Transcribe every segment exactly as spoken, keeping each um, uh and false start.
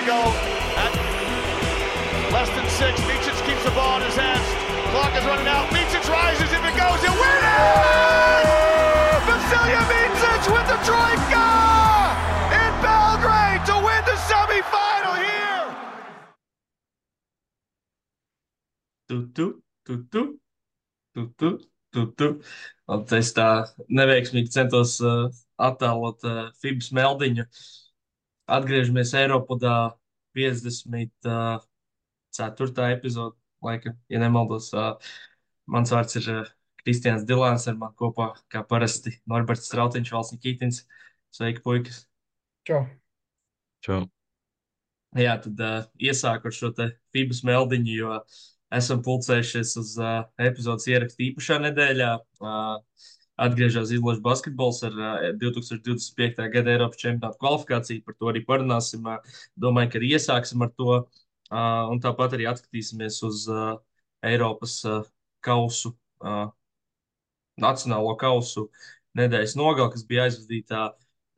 we go at less than six. Micic keeps the ball in his hands. Clock is running out. Micic rises. If it goes, it win it! Vasilija Micic with the troika in Belgrade to win the semifinal here. Tu, tu, tu, tu, tu, tu, tu, tu. Un es tā neveiksmīgi centos uh, attēlot uh, Fibas meldiņu. Atgriežamies Eiropadā piecdesmit ceturtā epizode, laika, ja nemaldos. Uh, mans vārds ir uh, Kristians Dilāns, ar man kopā, kā parasti, Norberts Strautiņš, Valsts Nikītins. Sveiki, puikas! Čau. Čau. Jā, tad uh, iesāku ar šo te Fibas meldiņu, jo esam pulcējušies uz uh, epizodes ierakstu īpašā nedēļā. Uh, atgriežas izlaša basketbols ar uh, divi tūkstoši divdesmit piektajā gada Eiropas čempionāta kvalifikāciju. Par to arī parunāsim. Uh, domāju, ka arī iesāksim ar to. Uh, un tāpat arī atskatīsimies uz uh, Eiropas uh, kausu, uh, nacionālo kausu nedēļas nogali, kas bija aizvadītā.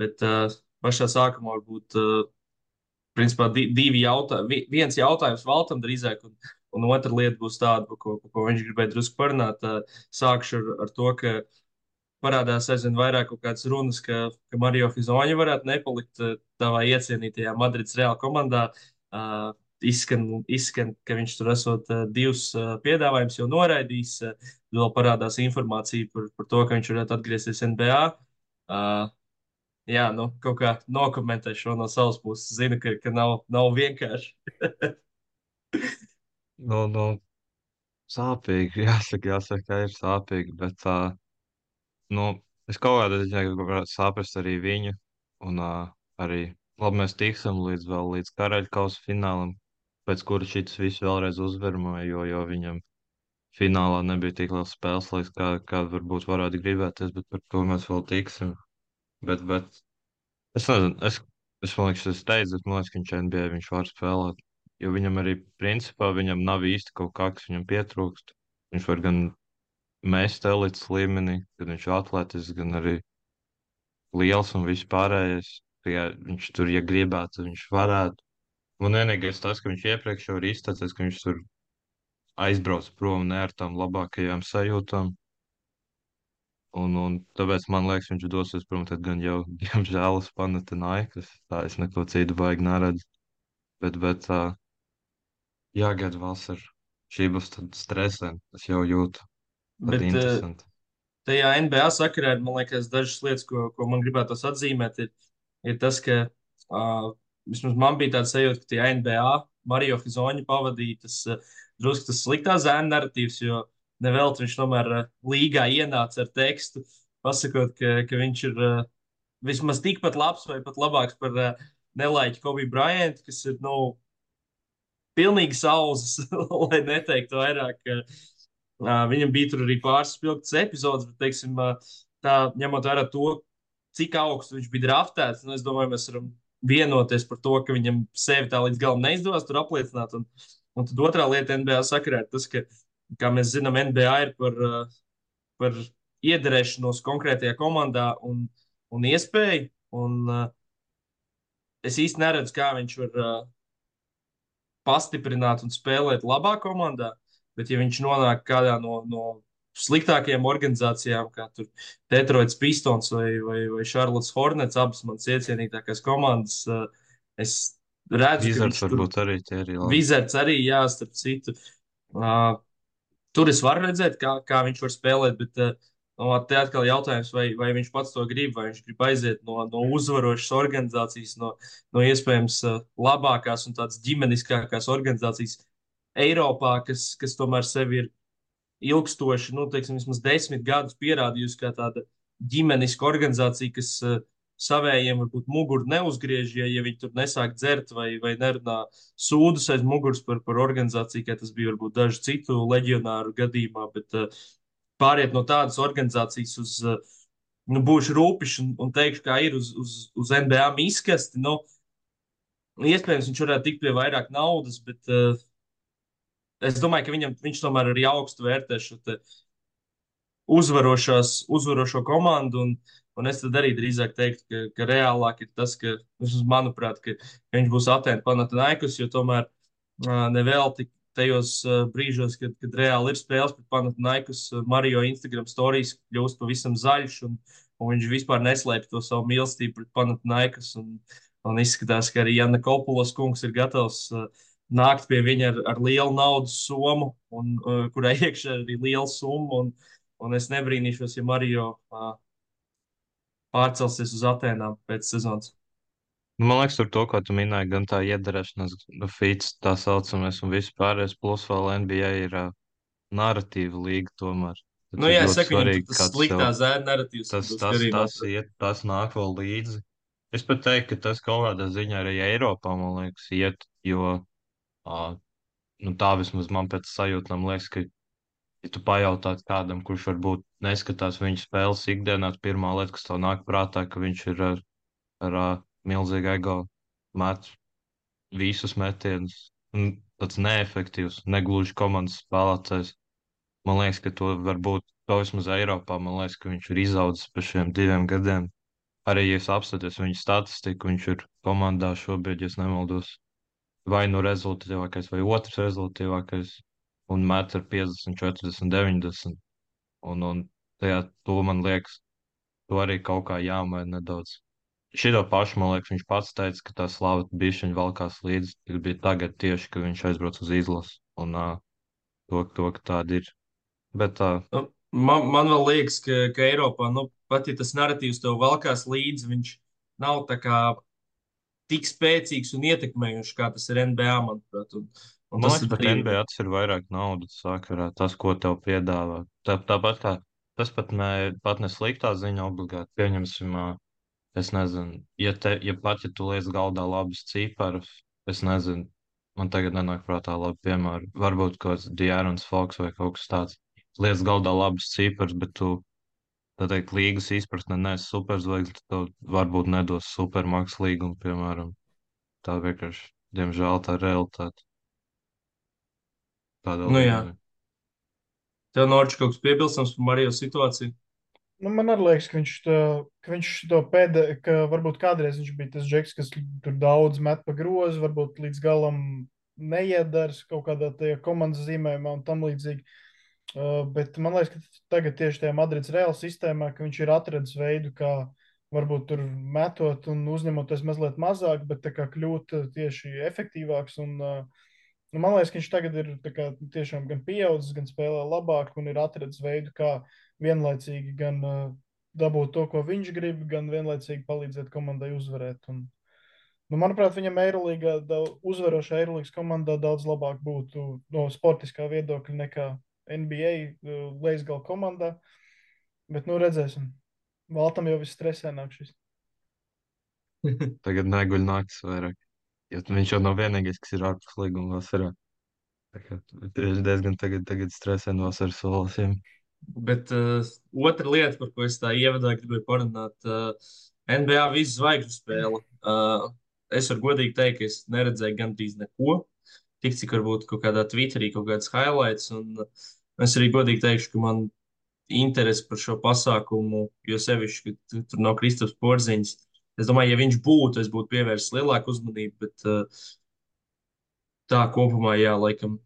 Bet uh, pašā sākumā varbūt. Uh, Principā di divi jautājumi. Viens jautājums Valtam drīzāk, un, un otra lieta būs tāda, par ko, par ko viņš gribēja drusku parunāt. Sākšu ar, ar to, ka parādās aizvien vairāk kaut kādas runas, ka, ka Mario Hizonja varētu nepalikt tavā iecienītajā Madrides Real komandā. Uh, izskan, izskan, ka viņš tur esot uh, divus uh, piedāvājumus jau noraidījis. Uh, vēl parādās informācija par, par to, ka viņš varētu atgriezties N B A. Uh, Jā, nu, kaut kā nokomentēšu šo no savas puses. Zinu, ka, ka nav, nav vienkārši. Nu, nu, sāpīgi, jāsaka, jāsaka, ka ir sāpīgi, bet, uh, nu, es kaut kādā ziņā gribētu saprast arī viņu, un uh, arī, labi, mēs tiksim līdz vēl līdz Karaļkausa finālam, pēc kura šis viss vēlreiz uzvarmoja, jo, jo viņam finālā nebija tik liels spēles, laiks, kā, kā varbūt varētu gribēties, bet par to mēs vēl tiksim. Bet, bet es nezinu, es, es man liekas, es teicu, bet man liekas, ka viņš N B A viņš var spēlēt. Jo viņam arī, principā, viņam nav īsti kaut kā, kas viņam pietrūkst. Viņš var gan mest elites līmenī, gan viņš ir atletisks, gan arī liels un viss pārējais. Ja viņš tur, ja gribētu, tad viņš varētu. Un vienīgais tas, ka viņš iepriekš jau ir izteicies, ka viņš tur aizbrauc prom ne ar tām labākajām sajūtām. Un, un tāpēc man liekas, viņš dosies prom, tad gan jau, diemžēl, uz Panathinaikos. Tā es neko citu baigi neredzu. Bet, bet uh, jāgaida vasara. Šī būs tad stresēna. Es jau jūtu. Tad Bet uh, interesanti. tajā N B A sakarā, man liekas, dažas lietas, ko, ko man gribētos atzīmēt, ir, ir tas, ka uh, vismaz man bija tāds sajūta, ka tajā N B A Mario Hizonja pavadīja tas uh, drusku tas sliktā zēna narratīvs, jo nevelti viņš tomēr uh, līgā ienāca ar tekstu, pasakot, ka, ka viņš ir uh, vismaz tikpat labs vai pat labāks par uh, nelaiķu Kobe Bryant, kas ir, nu, pilnīgi sauzas, lai neteiktu vairāk. Uh, viņam bija tur arī pāris spilgtas epizodes, bet, teiksim, uh, tā ņemot vērā to, cik augstu viņš bija draftēts, nu, es domāju, mēs varam vienoties par to, ka viņam sevi tā līdz galam neizdevās tur apliecināt. Un, un tad otrā lieta N B A sakarā ir tas, ka, kā mēs zinām, N B A ir par, uh, par iederēšanos konkrētajā komandā un, un iespēju. Un, uh, es īsti neredzu, kā viņš var uh, pastiprināt un spēlēt labā komandā, bet ja viņš nonāk kādā no, no sliktākajām organizācijām, kā tur Detroits Pistons vai, vai, vai Charlottes Hornets, abas manas iecienītākās komandas, uh, es redzu, Wizards ka viņš tur... varbūt arī tie arī labi. Wizards arī, jā, starp citu. Uh, tur es varu redzēt, kā, kā viņš var spēlēt, bet uh, no, te atkal jautājums, vai, vai viņš pats to grib, vai viņš grib aiziet no, no uzvarošas organizācijas, no, no iespējams uh, labākās un tādas ģimeniskākās organizācijas Eiropā, kas, kas tomēr sevi ir ilgstoši, nu, teiksim, vismaz desmit gadus pierādījusi kā tāda ģimeniska organizācija, kas uh, savējiem varbūt muguru neuzgriež, ja, ja viņi tur nesāk dzert vai, vai nerunā sūdus aiz muguras par, par organizāciju, kā tas bija varbūt dažu citu leģionāru gadījumā, bet uh, pāriet no tādas organizācijas uz, uh, nu, būšu rūpišs un, un teikšu, kā ir uz, uz, uz N B A miskasti, nu, iespējams, viņš varētu tikt pie vairāk naudas, bet uh, es domāju, ka viņam, viņš tomēr arī augstu vērtē šo te uzvarošās, uzvarošo komandu, un, Un es tad arī drīzāk teiktu, ka, ka reālāk ir tas, ka, vismaz manuprāt, ka viņš būs Atēnu Panathinaikos, jo tomēr uh, nevelti tajos uh, brīžos, kad, kad reāli ir spēles pret Panathinaikos, uh, Mario Instagram storijas kļūst pavisam zaļš, un, un viņš vispār neslēpj to savu mīlestību pret Panathinaikos. Un, un izskatās, ka arī Janna Kopulas kungs ir gatavs uh, nākt pie viņa ar, ar lielu naudas summu, un, uh, kurai iekšā ir arī liela summa. Un, un es nebrīnīšos, ja Mario uh, pārcelsies uz Atēnām pēc sezonas. Nu, man liekas, tur to, ko tu minēji, gan tā iederēšanās, nu, feats, tā saucamais, un viss pārējais, plus vēl N B A ir uh, narratīva līga tomēr. Nu, Tas ir jā, es ļoti saku, viņam tur svarīgi, tas kāds sliktā tev, zēna narratīvs tas, būs tas, karībā. tas iet, tas nāk vēl līdzi. Es pat teiktu, ka tas kaut kādā ziņā arī Eiropā, man liekas, iet, jo uh, nu, tā vismaz man pēc sajūtām liekas, ka, ja tu pajautātu kādam, kurš varbūt neskatās viņu spēles ikdienā, pirmā lieta, kas tev nāk prātā, ka viņš ir ar, ar uh, milzīgu ego met visus metienus. Un tāds neefektīvs, negluži komandas spēlētājs. Man liekas, ka to var būt to vismaz Eiropā. Man liekas, ka viņš ir izaudzis pa šiem diviem gadiem. Arī, ja es apskatos viņa statistiku, viņš ir komandā šobrīd, ja es nemaldos, vai nu rezultatīvākais, vai otrs rezultatīvākais, un met ar piecdesmit, četrdesmit, deviņdesmit. Un, un tajā to man liekas, to arī kaut kā jāmaina nedaudz. Šito pašu, man liekas, viņš pats teica, ka tā slava bišķiņa valkās līdzi, tas bija tagad tieši, ka viņš aizbrauc uz izlasu, un uh, to, to, ka tāda ir. Bet tā. Uh, Nu, man, man vēl liekas, ka, ka Eiropā, nu, pat ja tas narratīvs tev valkās līdzi, viņš nav tā kā tik spēcīgs un ietekmējošs, kā tas ir N B A, manuprāt. Un, un Man tas liekas, tad pat arī N B A tas ir vairāk naudas sakarā, tas, ko tev piedāvā. Tā, tāpat kā tas pat ne, pat ne sliktā ziņa obligāti. Pieņemsim, ā, es nezinu, ja, te, ja pat ja tu liec galdā labus ciparus, es nezinu, man tagad nenāk prātā labi piemēri. Varbūt kaut kāds De'Aarons Fox vai kaut kas tāds. Liec galdā labus ciparus, bet tu, tā teikt, līgas izpratne neesi superzvaigznes, tad tev varbūt nedos supermaks līgumu, piemēram. Tā vienkārši, diemžēl, tā ir realitāte. Tādā nu, jā. līmenī. Tev Norčs kaut kas piebilstams par Marijas situāciju? Nu, man arī liekas, ka viņš to, ka viņš to pēdējā, ka varbūt kādreiz viņš bija tas džeks, kas tur daudz met pa grozu, varbūt līdz galam neiedars kaut kādā tajā komandas zīmējumā un tam līdzīgi. Uh, bet man liekas, ka tagad tieši tajā Madrids Real sistēmā, ka viņš ir atradis veidu, kā varbūt tur metot un uzņemoties mazliet mazāk, bet tā kā kļūt tieši efektīvāks. Un, uh, nu, man liekas, ka viņš tagad ir tā kā tiešām gan pieaudzis, gan spēlē labāk un ir atradis veidu, kā vienlaicīgi gan uh, dabūt to, ko viņš grib, gan vienlaicīgi palīdzēt komandai uzvarēt. Un, nu, manuprāt, viņam Eirolīgā, uzvarošā Eirolīgas komandā daudz labāk būtu no sportiskā viedokļa nekā N B A uh, leisgala komandā. Bet, nu, redzēsim. Valtam jau viss stresē nāk šis. Tagad neguļ naktis vairāk. Jo viņš jau nav vienīgais, kas ir ārpus līguma vasarā. Tā kā viņš diezgan tagad, tagad stresē no vasaras solasiem. Bet uh, otra lieta, par ko es tā ievadā gribēju parunāt, uh, N B A visu zvaigžņu spēle. Uh, es varu godīgi teikt, ka es neredzēju gandrīz neko. Tik cik varbūt kaut kādā Twitterī kaut kāds highlights. Un uh, es arī godīgi teikšu, ka man interesi par šo pasākumu, jo sevišķi, ka tur nav Kristaps Porziņš. Es domāju, ja viņš būtu, es būtu pievērsis lielāku uzmanību, bet uh, tā kopumā, jā, laikam,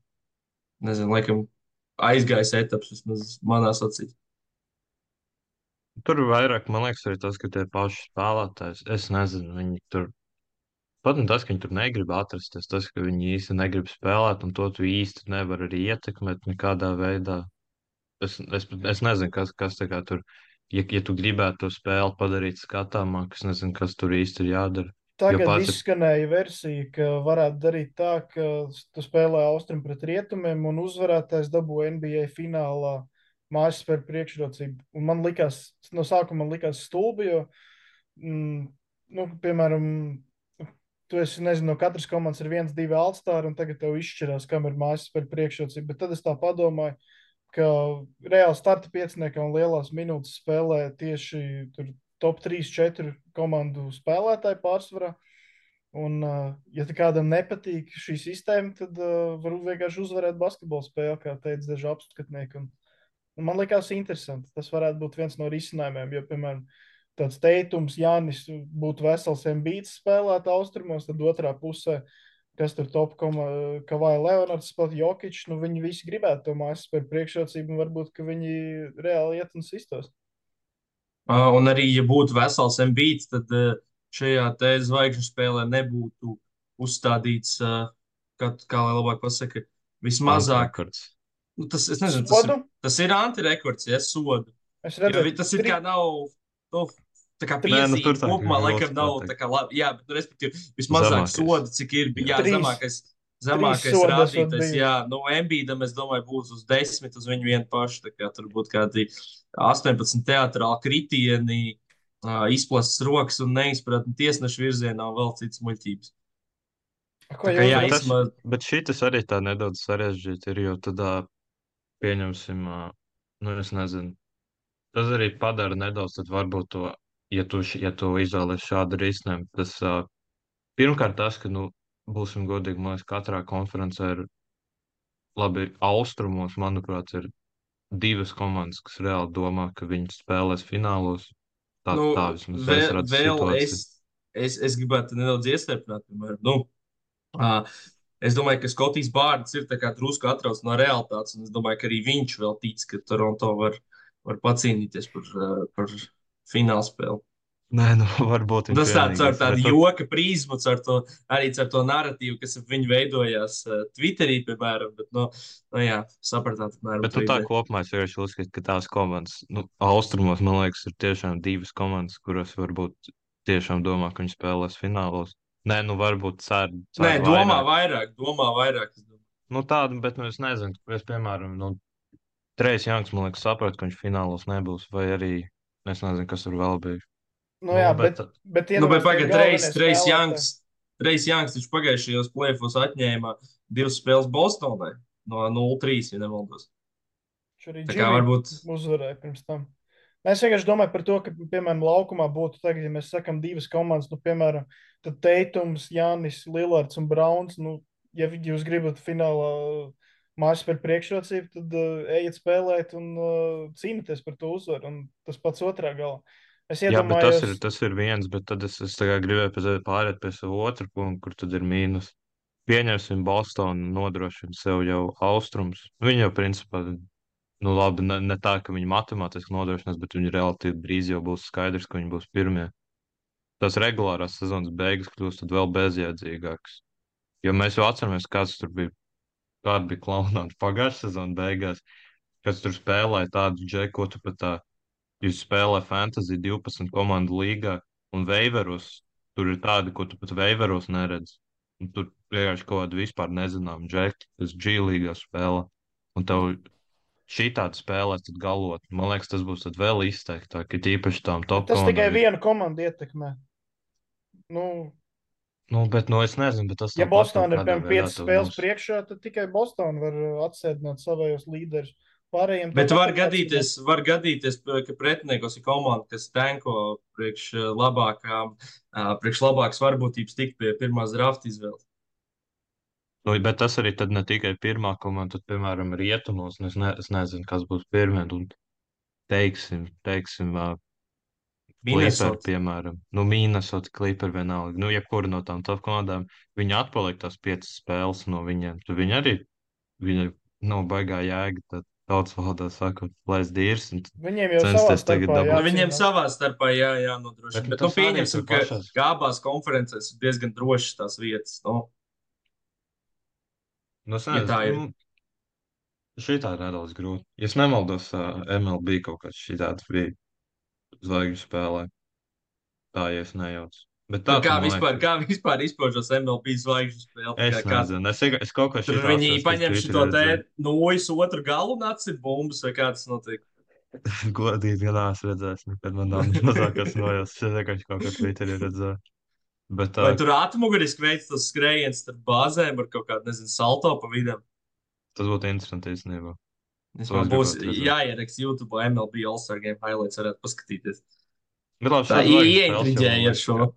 nezinu, laikam aizgājis etaps, vismaz manās acīs. Tur vairāk, man liekas, arī tas, ka tie paši spēlētājs, es nezinu, viņi tur, pat ne tas, ka viņi tur negrib atrasties, tas, ka viņi īsti negrib spēlēt, un to tu īsti nevar arī ietekmēt nekādā veidā. Es, es, es nezinu, kas, kas tā kā tur, ja, ja tu gribētu to spēli padarīt skatāmāk, es nezinu, kas tur īsti ir jādara. Tagad pats... izskanēja versija, ka varētu darīt tā, ka tu spēlē Austrum pret Rietumiem un uzvarētājs dabū N B A finālā mājas spēļu priekšrocību. Un man likās, no sākuma man likās stulbi, jo, mm, nu, piemēram, tu esi, nezinu, no katras komandas ir viens, divi altstāri, un tagad tev izšķirās, kam ir mājas spēļu priekšrocība. Bet tad es tā padomāju, ka reāli starta pieciniekā un lielās minūtes spēlē tieši tur top trīs, četri komandu spēlētāji pārsvarā. Un, ja kādam nepatīk šī sistēma, tad uh, var vienkārši uzvarēt basketbola spēli, kā teica daži apskatnieki. Un, un man likās interesanti. Tas varētu būt viens no risinājumiem, jo, piemēram, tāds teitums, Jānis būtu vesels Embīts spēlēt austrumos, tad otrā pusē, kas tur top koma, Kavaja Leonards, pat Jokičs, nu viņi visi gribētu to mājas par priekšrocību, un varbūt, ka viņi reāli iet un sistos. Uh, un arī, ja būtu vesels Embīts, tad uh, šajā te zvaigžņu spēlē nebūtu uzstādīts, uh, kā, kā lai labāk pasaka, vismazāk. Antirekords. Nu, tas, es nezinu, tas ir, Sodu? tas ir antirekords, ja sodu. Es Jo redzēju, vi- tas ir tri- kā nav, nu, tā kā Nē, nu, tur piezīme tā kā kopumā, grūti laikam nav pateikt. tā kā labi, jā, bet, nu, respektīvi, vismazāk Zemākais. sodu, cik ir, jā, Trīs. zemākais, zemākais sodi esot rādītājs, bijuši. jā, nu, Embīdam, es domāju, būs uz desmit, uz viņu vienu pašu, tā kā tur būtu kādi astoņpadsmit teatrāli kritieni, ā, izplastas rokas un neizpratni tiesnešu virzienā un vēl citas muļķības. Ko Tā kā, jūs jā, Bet, tas, īstenībā, bet šitas arī tā nedaudz sarežģīti ir, jo tad ā, pieņemsim, ā, nu es nezinu, tas arī padara nedaudz, tad varbūt to, ja tu, š- ja tu izvēlies šādu risinājumu, tas ā, pirmkārt tas, ka, nu, būsim godīgi, man liekas, katrā konferencē ir labi austrumos, manuprāt, ir divas komandas, kas reāli domā, ka viņi spēlēs finālos. Tā, nu, tā vismaz es vēl, redzu vēl es, situāciju. es, es gribētu nedaudz iestepināt, piemēram, nu, ā, es domāju, ka Skotijas Bārds ir tā kā drusku atrauc no realitātes, un es domāju, ka arī viņš vēl tic, ka Toronto var, var pacīnīties par, ā, par finālspēli. Nē, nu, varbūt Un viņš tas tāds ar vienīgais. tādu Bet tad- joka prizmu, ar to, arī ar to narratīvu, kas ap viņu veidojās uh, Twitterī, piemēram. Bet, nu, nu jā, sapratāt, apmēram Bet to nu, tā ideju. kopumā es vienkārši uzskatu, ka tās komandas, nu, austrumos, man liekas, ir tiešām divas komandas, kuras varbūt tiešām domā, ka viņi spēlēs finālos. Nē, nu, varbūt cer, cer Nē, domā vairāk. vairāk, domā vairāk. es domāju. Nu, tādu, bet nu, es nezinu, es, piemēram, nu, Trejs Janks, man liekas, sapratu, ka viņš finālos nebūs, vai arī es nezinu, kas tur vēl bija. Nu, Nu, jā, bet- bet, bet Nu, bet iedomājieties, tie pagaid, galvenie Reis, Reis spēlētāji. Janks, Reis Janks, viņš pagājušajos plēfos atņēma divas spēles Bostonai no nulle trīs, ja nemaldos. Viņš arī Tā kā Jimmy varbūt, uzvarēja pirms tam. Es vienkārši domāju par to, ka, piemēram, laukumā būtu tagad, ja mēs sakām divas komandas, nu, piemēram, tad Teitums, Jānis, Lillards un Brauns, nu, ja vi- jūs gribat finālā mājas par priekšrocību, tad uh, ejiet spēlēt un uh, cīnīties par to uzvaru, un tas pats otrā galā. Es Jā, bet tas iedomājos, ir, tas ir viens, bet tad es, es tagad gribēju pēc, pāriet pie savu otru punktu, kur tad ir mīnus. Pieņemsim Bostonu, nodrošina sev jau austrums. Viņi jau principā, nu labi, ne, ne tā, ka viņi matemātiski nodrošinās, bet viņi relatīvi drīz jau būs skaidrs, ka viņi būs pirmie. Tas regulārās sezonas beigas kļūst tad vēl bezjēdzīgāks. Jo mēs jau atceramies, kāds tur bija, kāda bija klaunāta pagājušā sezona beigās, kas tur spēlēja tādu džeku, ko tu pat tā, jūs spēlē fantasy divpadsmit komandu līgā un veiveros, tur ir tādi, ko tu pat veiveros neredz. Un tur vienkārši kaut kādu vispār nezinām džeki, kas G līgā spēlē. Un tev šī tāda spēlē tad galot. Man liekas, tas būs tad vēl izteiktāk, ka tīpaši tām bet top tas tikai komandām. ir- vienu komandu ietekmē. Nu, Nu, bet, nu, es nezinu, bet tas ja tāpat Bostonā ir kaut kādā piemēram veidā piecas tev spēles būs. priekšā, tad tikai Bostonā var uh, atsēdināt savējos līderus. Pārējiem bet tāpat var ir gadīties, var gadīties, ka pretiniekos ir komanda, kas tanko priekš ā, labākām, ā, priekš labākas varbūtības tikt pie pirmās drafta izvēles. Nu, bet tas arī tad ne tikai pirmā komanda, tad, piemēram, rietumos, un es, ne, es nezinu, kas būs pirmie, un teiksim, teiksim, uh, Clipper, Minnesota. piemēram, nu, Minnesota, Clipper vienalga, nu, jebkura no tām top komandām, viņi atpaliek tās piecas spēles no viņiem, tad viņi arī, viņi, nu, baigā jēga, tad tautas valodā sakot, plēs dīrs, un Viņiem jau savā censties tagad starpā dabūt. Nu, viņiem jācīnās. savā starpā jā, Bet, jānodrošina. nu, Bet, nu, tas arī pieņemsim, tur ka, pašās- ka abās konferencēs ir diezgan drošas tās vietas. Nu, Nu, es Ja tā ir. nezinu, nu, šitā ir nedaudz grūti. Ja es nemaldos, uh, M L B kaut kāds šitāds bija zvaigžņu spēlē. Tā, ja es nejaucu. Bet nu, tā, kā, tad, man vispār, liekas, kā vispār izpaužas M L B zvaigžņu spēle? es Kā, kā, nezinu. Es, tikai- es kaut ko tur šitādu viņi esmu paņem Twitterī šo te redzējis. nojas otru galu un atsit bumbas, vai kā tas notiek? Godīgi, ja neesmu redzējis, nekad man nav mazākās nojausmas. Es vienkārši kaut ko Twitterī redzēju. Bet Vai uh, tur atmuguriski veids tas skrējiens starp bāzēm ar kaut kādu, nezinu, salto pa vidam? tas būtu interesanti īstenībā. Es To man es būs gribētu redzēt. jāieraksta YouTube M L B All-Star Game highlights, varētu paskatīties. Bet labi, Tā šāds zvaigžņu spēles jau, man ieintriģēja ar liekas, šo. ka-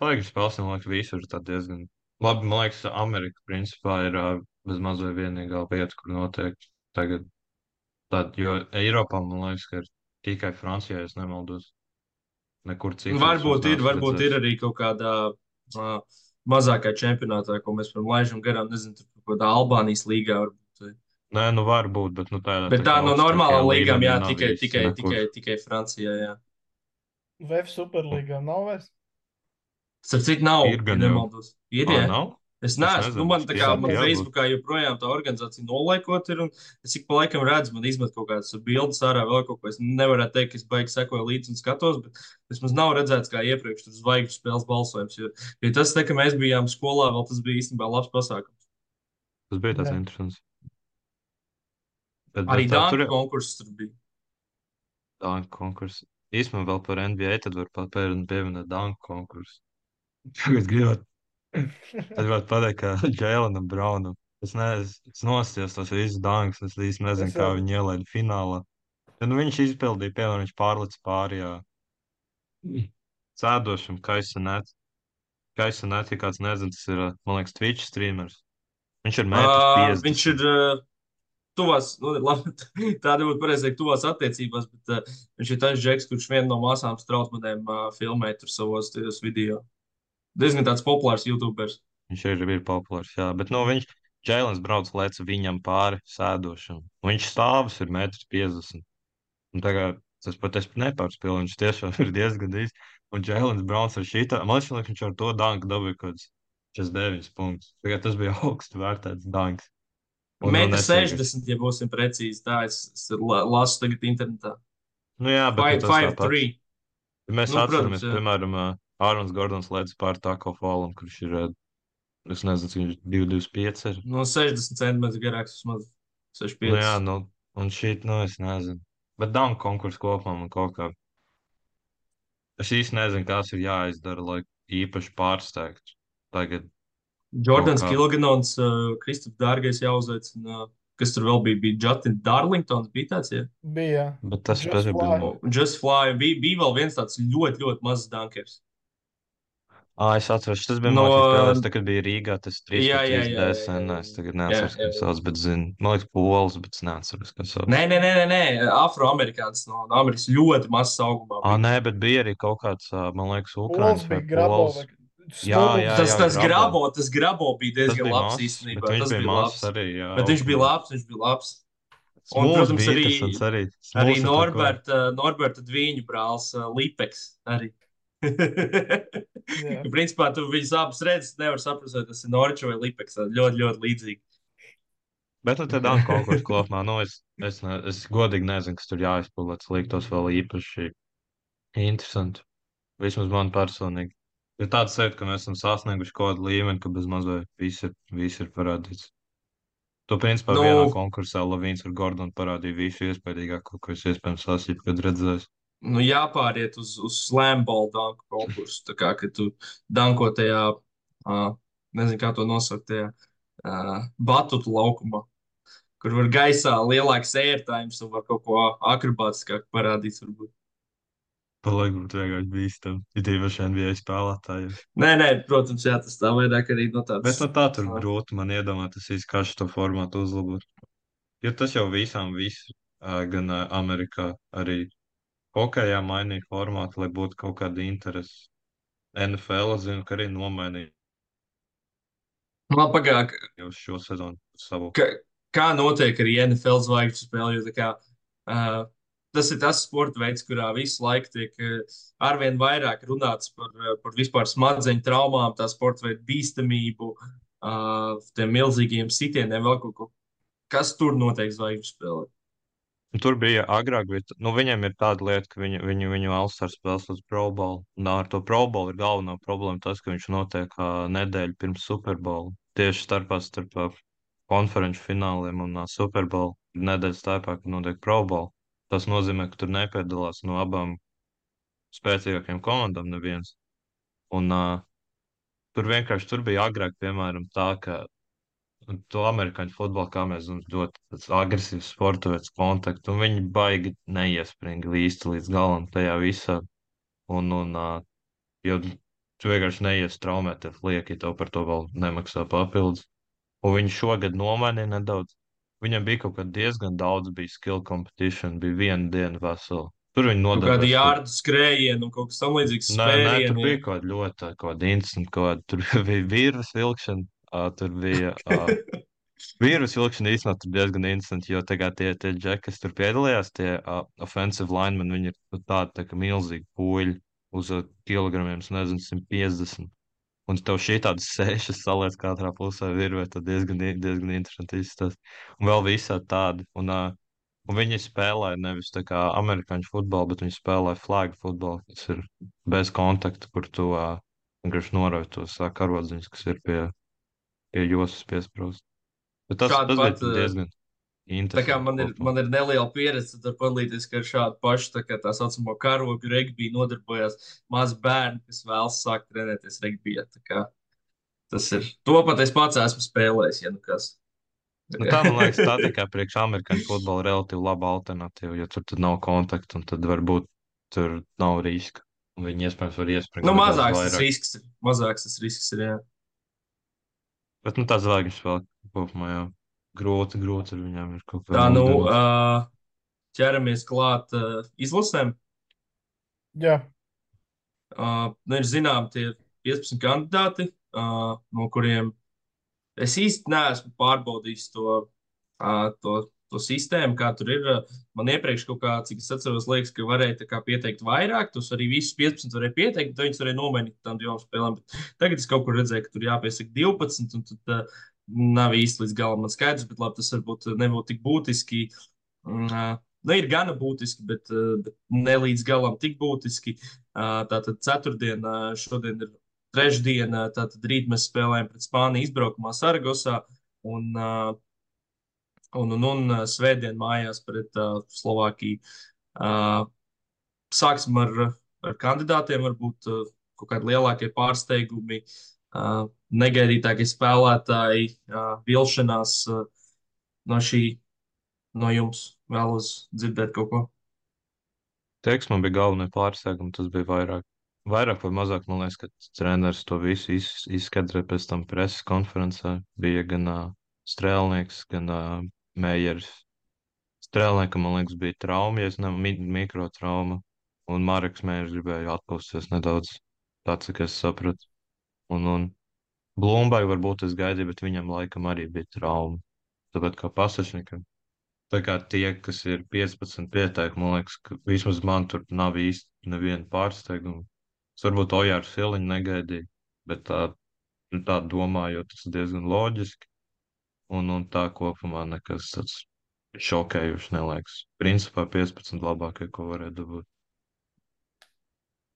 Zvaigžņu spēles, man liekas, visur ir tā diezgan. Labi, man liekas, Amerika principā ir uh, bez mazliet vienīgā vieta, kur notiek tagad. Tad, jo Eiropā, man liekas, ka ir tikai Francijā, ja es nemaldos. Nekur citur es viņus Varbūt ir, neesmu varbūt ir redzējis. arī kaut kādā uh, mazākā čempionātā, ko mēs varam laižam garām. Nezinu, tur kaut kādā Albānijas līgā varbūt. Nē, nu var būt, bet nu, tādā Bet tā tā kā no normālām augstākajā līgām, līmenī jā, nav tikai, īsti tikai, nekur. tikai, tikai Francijā, jā. V F Superlīgā nav vairs. Starp citu nav, Ir ja gan jau. nemaldos. Ir, Ā, jā. nav? Es Es neesmu, nu nezinu, man es tā kā, pieņemu, man ka jābūt. Facebookā joprojām tā organizācija nolaikot ir, un es ik pa laikam redzu, man izmet kaut kādas bildes ārā vēl kaut ko. Es nevarētu teikt, ka es baigi sekoju līdzi un skatos, bet vismaz nav redzēts kā iepriekš tur zvaigžņu spēles balsojums, jo, jo tas, te, ka mēs bijām skolā, vēl tas bija īstenībā labs pasākums. Tas bija tāds Jā. interesants. Bet, Arī bet tā, tur Danka jau konkurss tur bija. Danku konkurss. Īsumā vēl par N B A, tad var pat pie- pieminēt Danku konkursu. Tagad gribot, tad gribot pateikt, ka Jēlenam Braunam. Es nezinu, es nosties tos visus dankus, es īsti nezinu, Es kā arī. viņi ielaida finālā. Ja, nu, viņš izpildīja, piemēram, viņš pārlicis pāri, jā, cēdošam, Kaisanēt. Kaisanēt, ja kāds nezina, tas ir, man liekas, Twitch streamers. Viņš ir metrs Uh, viņš ir piecdesmit. uh, tuvās, nu, labi, tāda būtu pareizāk, tuvās attiecībās, bet uh, viņš ir tas džeks, kurš vienu no māsām Strautmanēm uh, filmē tur savos tajos video. Diezgan tāds populārs YouTubers. Viņš ir, ir populārs, jā, bet, nu, viņš, Jēlens brauc lec viņam pāri sēdošam. Viņš stāvs ir metrs piecdesmit. Un tagad tas pat es nepārspēju, viņš tiešām ir diezgan īsts. Un Jēlens Browns ar šitā, man liekas, viņš ar to danku dabūja kaut kāds četrdesmit deviņus punktus. Tagad tas bija augstu vērtēts danks. Un, nu, Metrs neciegais. sešdesmit, ja būsim precīzi. Tā es, es la- lasu tagad internetā. Nu jā, bet nu, Five, tas five, tāpat. three. Ja mēs Nu, atceramies, protams, jā. piemēram, ā, Ārons Gordons lēdz pār Tako Fallam, kurš ir, ā, es nezinu, cik viņš divi divdesmit pieci ir. No sešdesmit centimetru garāks vismaz Nu jā, sešdesmit pieci. nu, un šīt, nu, es nezinu. Bet danku konkursu kopumā man kaut kā. Es īsti nezinu, kas ir jāizdara, lai īpaši pārsteigtu. Tagad kaut Jordans kā. Kilganons, uh, Kristaps Dārgais jāuzaicina. Uh, kas tur vēl bija? Bija Justin Darlingtons, bija tāds, jā. Bija. Bet tas Just pēc Fly. bija. Oh, Just Fly. Bija, bija vēl viens tāds ļoti, ļoti mazs dunkers. Ah, es atceros, tas bija No, no, spēlēs, tā, kad bija Rīgā, tas trīs jā, pret jā, trīs jā, jā, D S N. jā, Es tagad jā, neatceros, kā jā, viņš jā. sauc, bet zinu, man liekas, pols, bet es neatceros, kā sauc. Nē, nē, nē, nē, nē. Afroamerikāns no, no Amerikas ļoti mazs augumā. Ah, Bija. nē, bet bija arī kaut kāds, ā, man liekas, Pols Ukraiņas vai bija grabo. pols. Vai Jā, jā, Tas, jā, tas grabo. grabo, tas grabo bija Tas diezgan bija labs mazs, īstenībā. bet viņš Tas bija bija mazs labs. arī, jā. Bet viņš bija augstumā. labs, viņš bija labs. Un, Smūs protams, bija arī, interesants arī. arī Smūs ar to ko. Norberta, Norberta Dvīņu brālis uh, Lipeks arī. Jā. Principā tu viņus abus redzi, nevar saprast, vai tas ir Norča vai Lipeks. Ļoti, ļoti līdzīgi. Bet, nu, te danku konkursu kopumā, nu, es, es, ne, es godīgi nezinu, kas tur jāizpildīt, tas liktos vēl īpaši interesanti. Vismaz man personīgi. Ir tāds sajūta, ka mēs esam sasnieguši kaut kādu līmeni, ka bez mazliet viss ir, viss ir parādīts. To, principā, Nu, vienā konkursā Lavīns ar Gordonu parādīja visu iespējīgāko, ko es iespējams esmu kad redzējis. nu jāpāriet uz, uz slamball danku konkursu. Tā kā, ka tu danko tajā, uh, nezinu, kā to nosaukt, tajā uh, batutu laukumā, kur var gaisā lielāks airtimes un var kaut ko akrobātiskāk parādīt, varbūt. Paliek būt vienkārši bīstam. Ir tīpaši N B A spēlētāji. Nē, nē, protams, jā, tas tā vairāk arī no Bet tāds. no tā tur ā, grūti man iedomāties, kā šo formātu uzlabot. Jo tas jau visām, visu, ā, gan ā, Amerikā, arī hokejā mainīja formātu, lai būtu kaut kāda interese. N F L, es zinu, ka arī nomainīja Man pagāk, jau šo sezonu savu. ka, kā notiek arī N F L zvaigžņu spēle, jo tā kā, uh, tas ir tas sporta veids, kurā visu laiku tiek uh, arvien vairāk runāts par, uh, par vispār smadzeņu traumām, tā sporta veida bīstamību, uh, tiem milzīgiem sitieniem, vēl kaut ko. Kas tur notiek zvaigžņu spēlē? Un tur bija agrāk, bet nu, viņiem ir tāda lieta, ka viņu, viņu, viņu All-Star spēles līdz Pro Bowl. Un ar to Pro Bowl ir galvenā problēma tas, ka viņš notiek uh, nedēļu pirms Super Bowl. Tieši starpā starp uh, konferenču fināliem un uh, Super Bowl ir nedēļa starpā, kad notiek Pro Bowl. Tas nozīmē, ka tur nepiedalās no abām spēcīgākajām komandām neviens. Un uh, tur vienkārši tur bija agrāk, piemēram, tā, ka un to amerikāņu futbolu, kā mēs zinām, ļoti tāds agresīvs sporta veids, kontakts, un viņi baigi neiespringa īsti līdz galam tajā visā. Un, un, ā, jo tu vienkārši neies traumēties lieki, ja tev par to vēl nemaksā papildus. Un viņi šogad nomainīja nedaudz. Viņam bija kaut kā diezgan daudz, bija skill competition, bija viena diena vesela. Tur viņi Kaut kādi nodarbojās. Tur, jārdu skrējieni un kaut kas tam līdzīgs nē, nē, tur spērieni. bija kaut kāda ļoti kaut kāda interesanta, kaut kāda, tur bija vīrus vilkšana, ā, tur bija ā, vīrus vilkšana īstenībā tur diezgan interesanti, jo tagad tie, tie džeki, kas tur piedalījās, tie uh, offensive linemen, viņi ir nu, tādi tā kā milzīgi puļi uz uh, kilogramiem, es nezinu, simt piecdesmit. Un tev šī tādas sešas saliec katrā pusē virvē, tad diezgan, diezgan interesanti izstāst. Un vēl visādi tādi. Un, uh, un viņi spēlē nevis tā kā amerikāņu futbolu, bet viņi spēlē flag futbolu, kas ir bez kontakta, kur tu uh, vienkārši norauj tos uh, karodziņus, kas ir pie, pie josas piesprāst. Bet tas, Šādi tas pat, bija uh, diezgan tā kā interesanti man ir, kopumā. man ir neliela pieredze, tad var padalīties, ka ar šādu pašu tā, kā tā saucamo karogu regbiju nodarbojās mazi bērni, kas vēlas sākt trenēties regbijā. Tā kā tas ir. To pat es pats esmu spēlējis, ja nu kas. Tā Nu, kā- tā, man liekas, tā tikai priekš amerikāņu futbola relatīvi laba alternatīva, jo tur tad nav kontaktu un tad varbūt tur nav riska. Un viņi iespējams var iespringt Nu, nedaudz mazāks tas vairāk. risks ir. Mazāks tas risks ir, jā. Bet, nu, tā zvaigžņas vēl kopumā jau grūti, grūti ar viņām ir kaut kā Tā, nu, mūsdienās. uh, ķeramies klāt uh, izlasēm. Jā, Uh, nu, ir zinām tie piecpadsmit kandidāti, uh, no kuriem es īsti neesmu pārbaudījis to, uh, to, to sistēmu, kā tur ir. Uh, Man iepriekš kaut kā, cik es atceros, liekas, ka varēja tā kā pieteikt vairāk. Tos arī visus piecpadsmit varēja pieteikt, tad viņus varēja nomainīt tam divām spēlēm. Bet tagad es kaut kur redzēju, ka tur jāpiesaka divpadsmit, un tad uh, nav īsti līdz galam man skaidrs, bet labi, tas varbūt nebūtu tik būtiski. Mm, uh, Nu, ir gana būtiski, bet, uh, bet ne līdz galam tik būtiski. Uh, Tātad ceturtdien, uh, šodien ir trešdiena, tātad rīt mēs spēlējam pret Spāniju izbraukumā Saragosā un, uh, un, un, un uh, svētdien mājās pret uh, Slovākiju. Uh, Sāksim ar, ar kandidātiem, varbūt uh, kaut kādi lielākie pārsteigumi, uh, negaidītākie spēlētāji, uh, vilšanās uh, no šī, no jums vēlos dzirdēt kaut ko. Teiks, man bija galvenie pārsteigumi, tas bija vairāk. Vairāk vai mazāk, man liekas, ka treneris to visu iz, izskaidroja pēc tam preses konferencē. Bija gan uh, Strēlnieks, gan uh, Meijeris. Strēlniekam, man liekas, bija trauma, ja es nevaru mi mikrotrauma. Un Mareks Meijeris gribēja atpūsties nedaudz, tāds, cik es sapratu. Un, un Blūmbai varbūt es gaidīju, bet viņam laikam arī bija trauma. Tāpat kā pasažniekam. Tā kā tie, kas ir piecpadsmit pieteikumi, man liekas, ka vismaz man tur nav īsti neviena pārsteiguma. Es varbūt Ojāru Siliņu negaidīju, bet tā, nu, tā domāju, tas ir diezgan loģiski. Un, un tā kopumā nekas tāds šokējuši neliekas. Principā piecpadsmit labākie, ko varēja dabūt.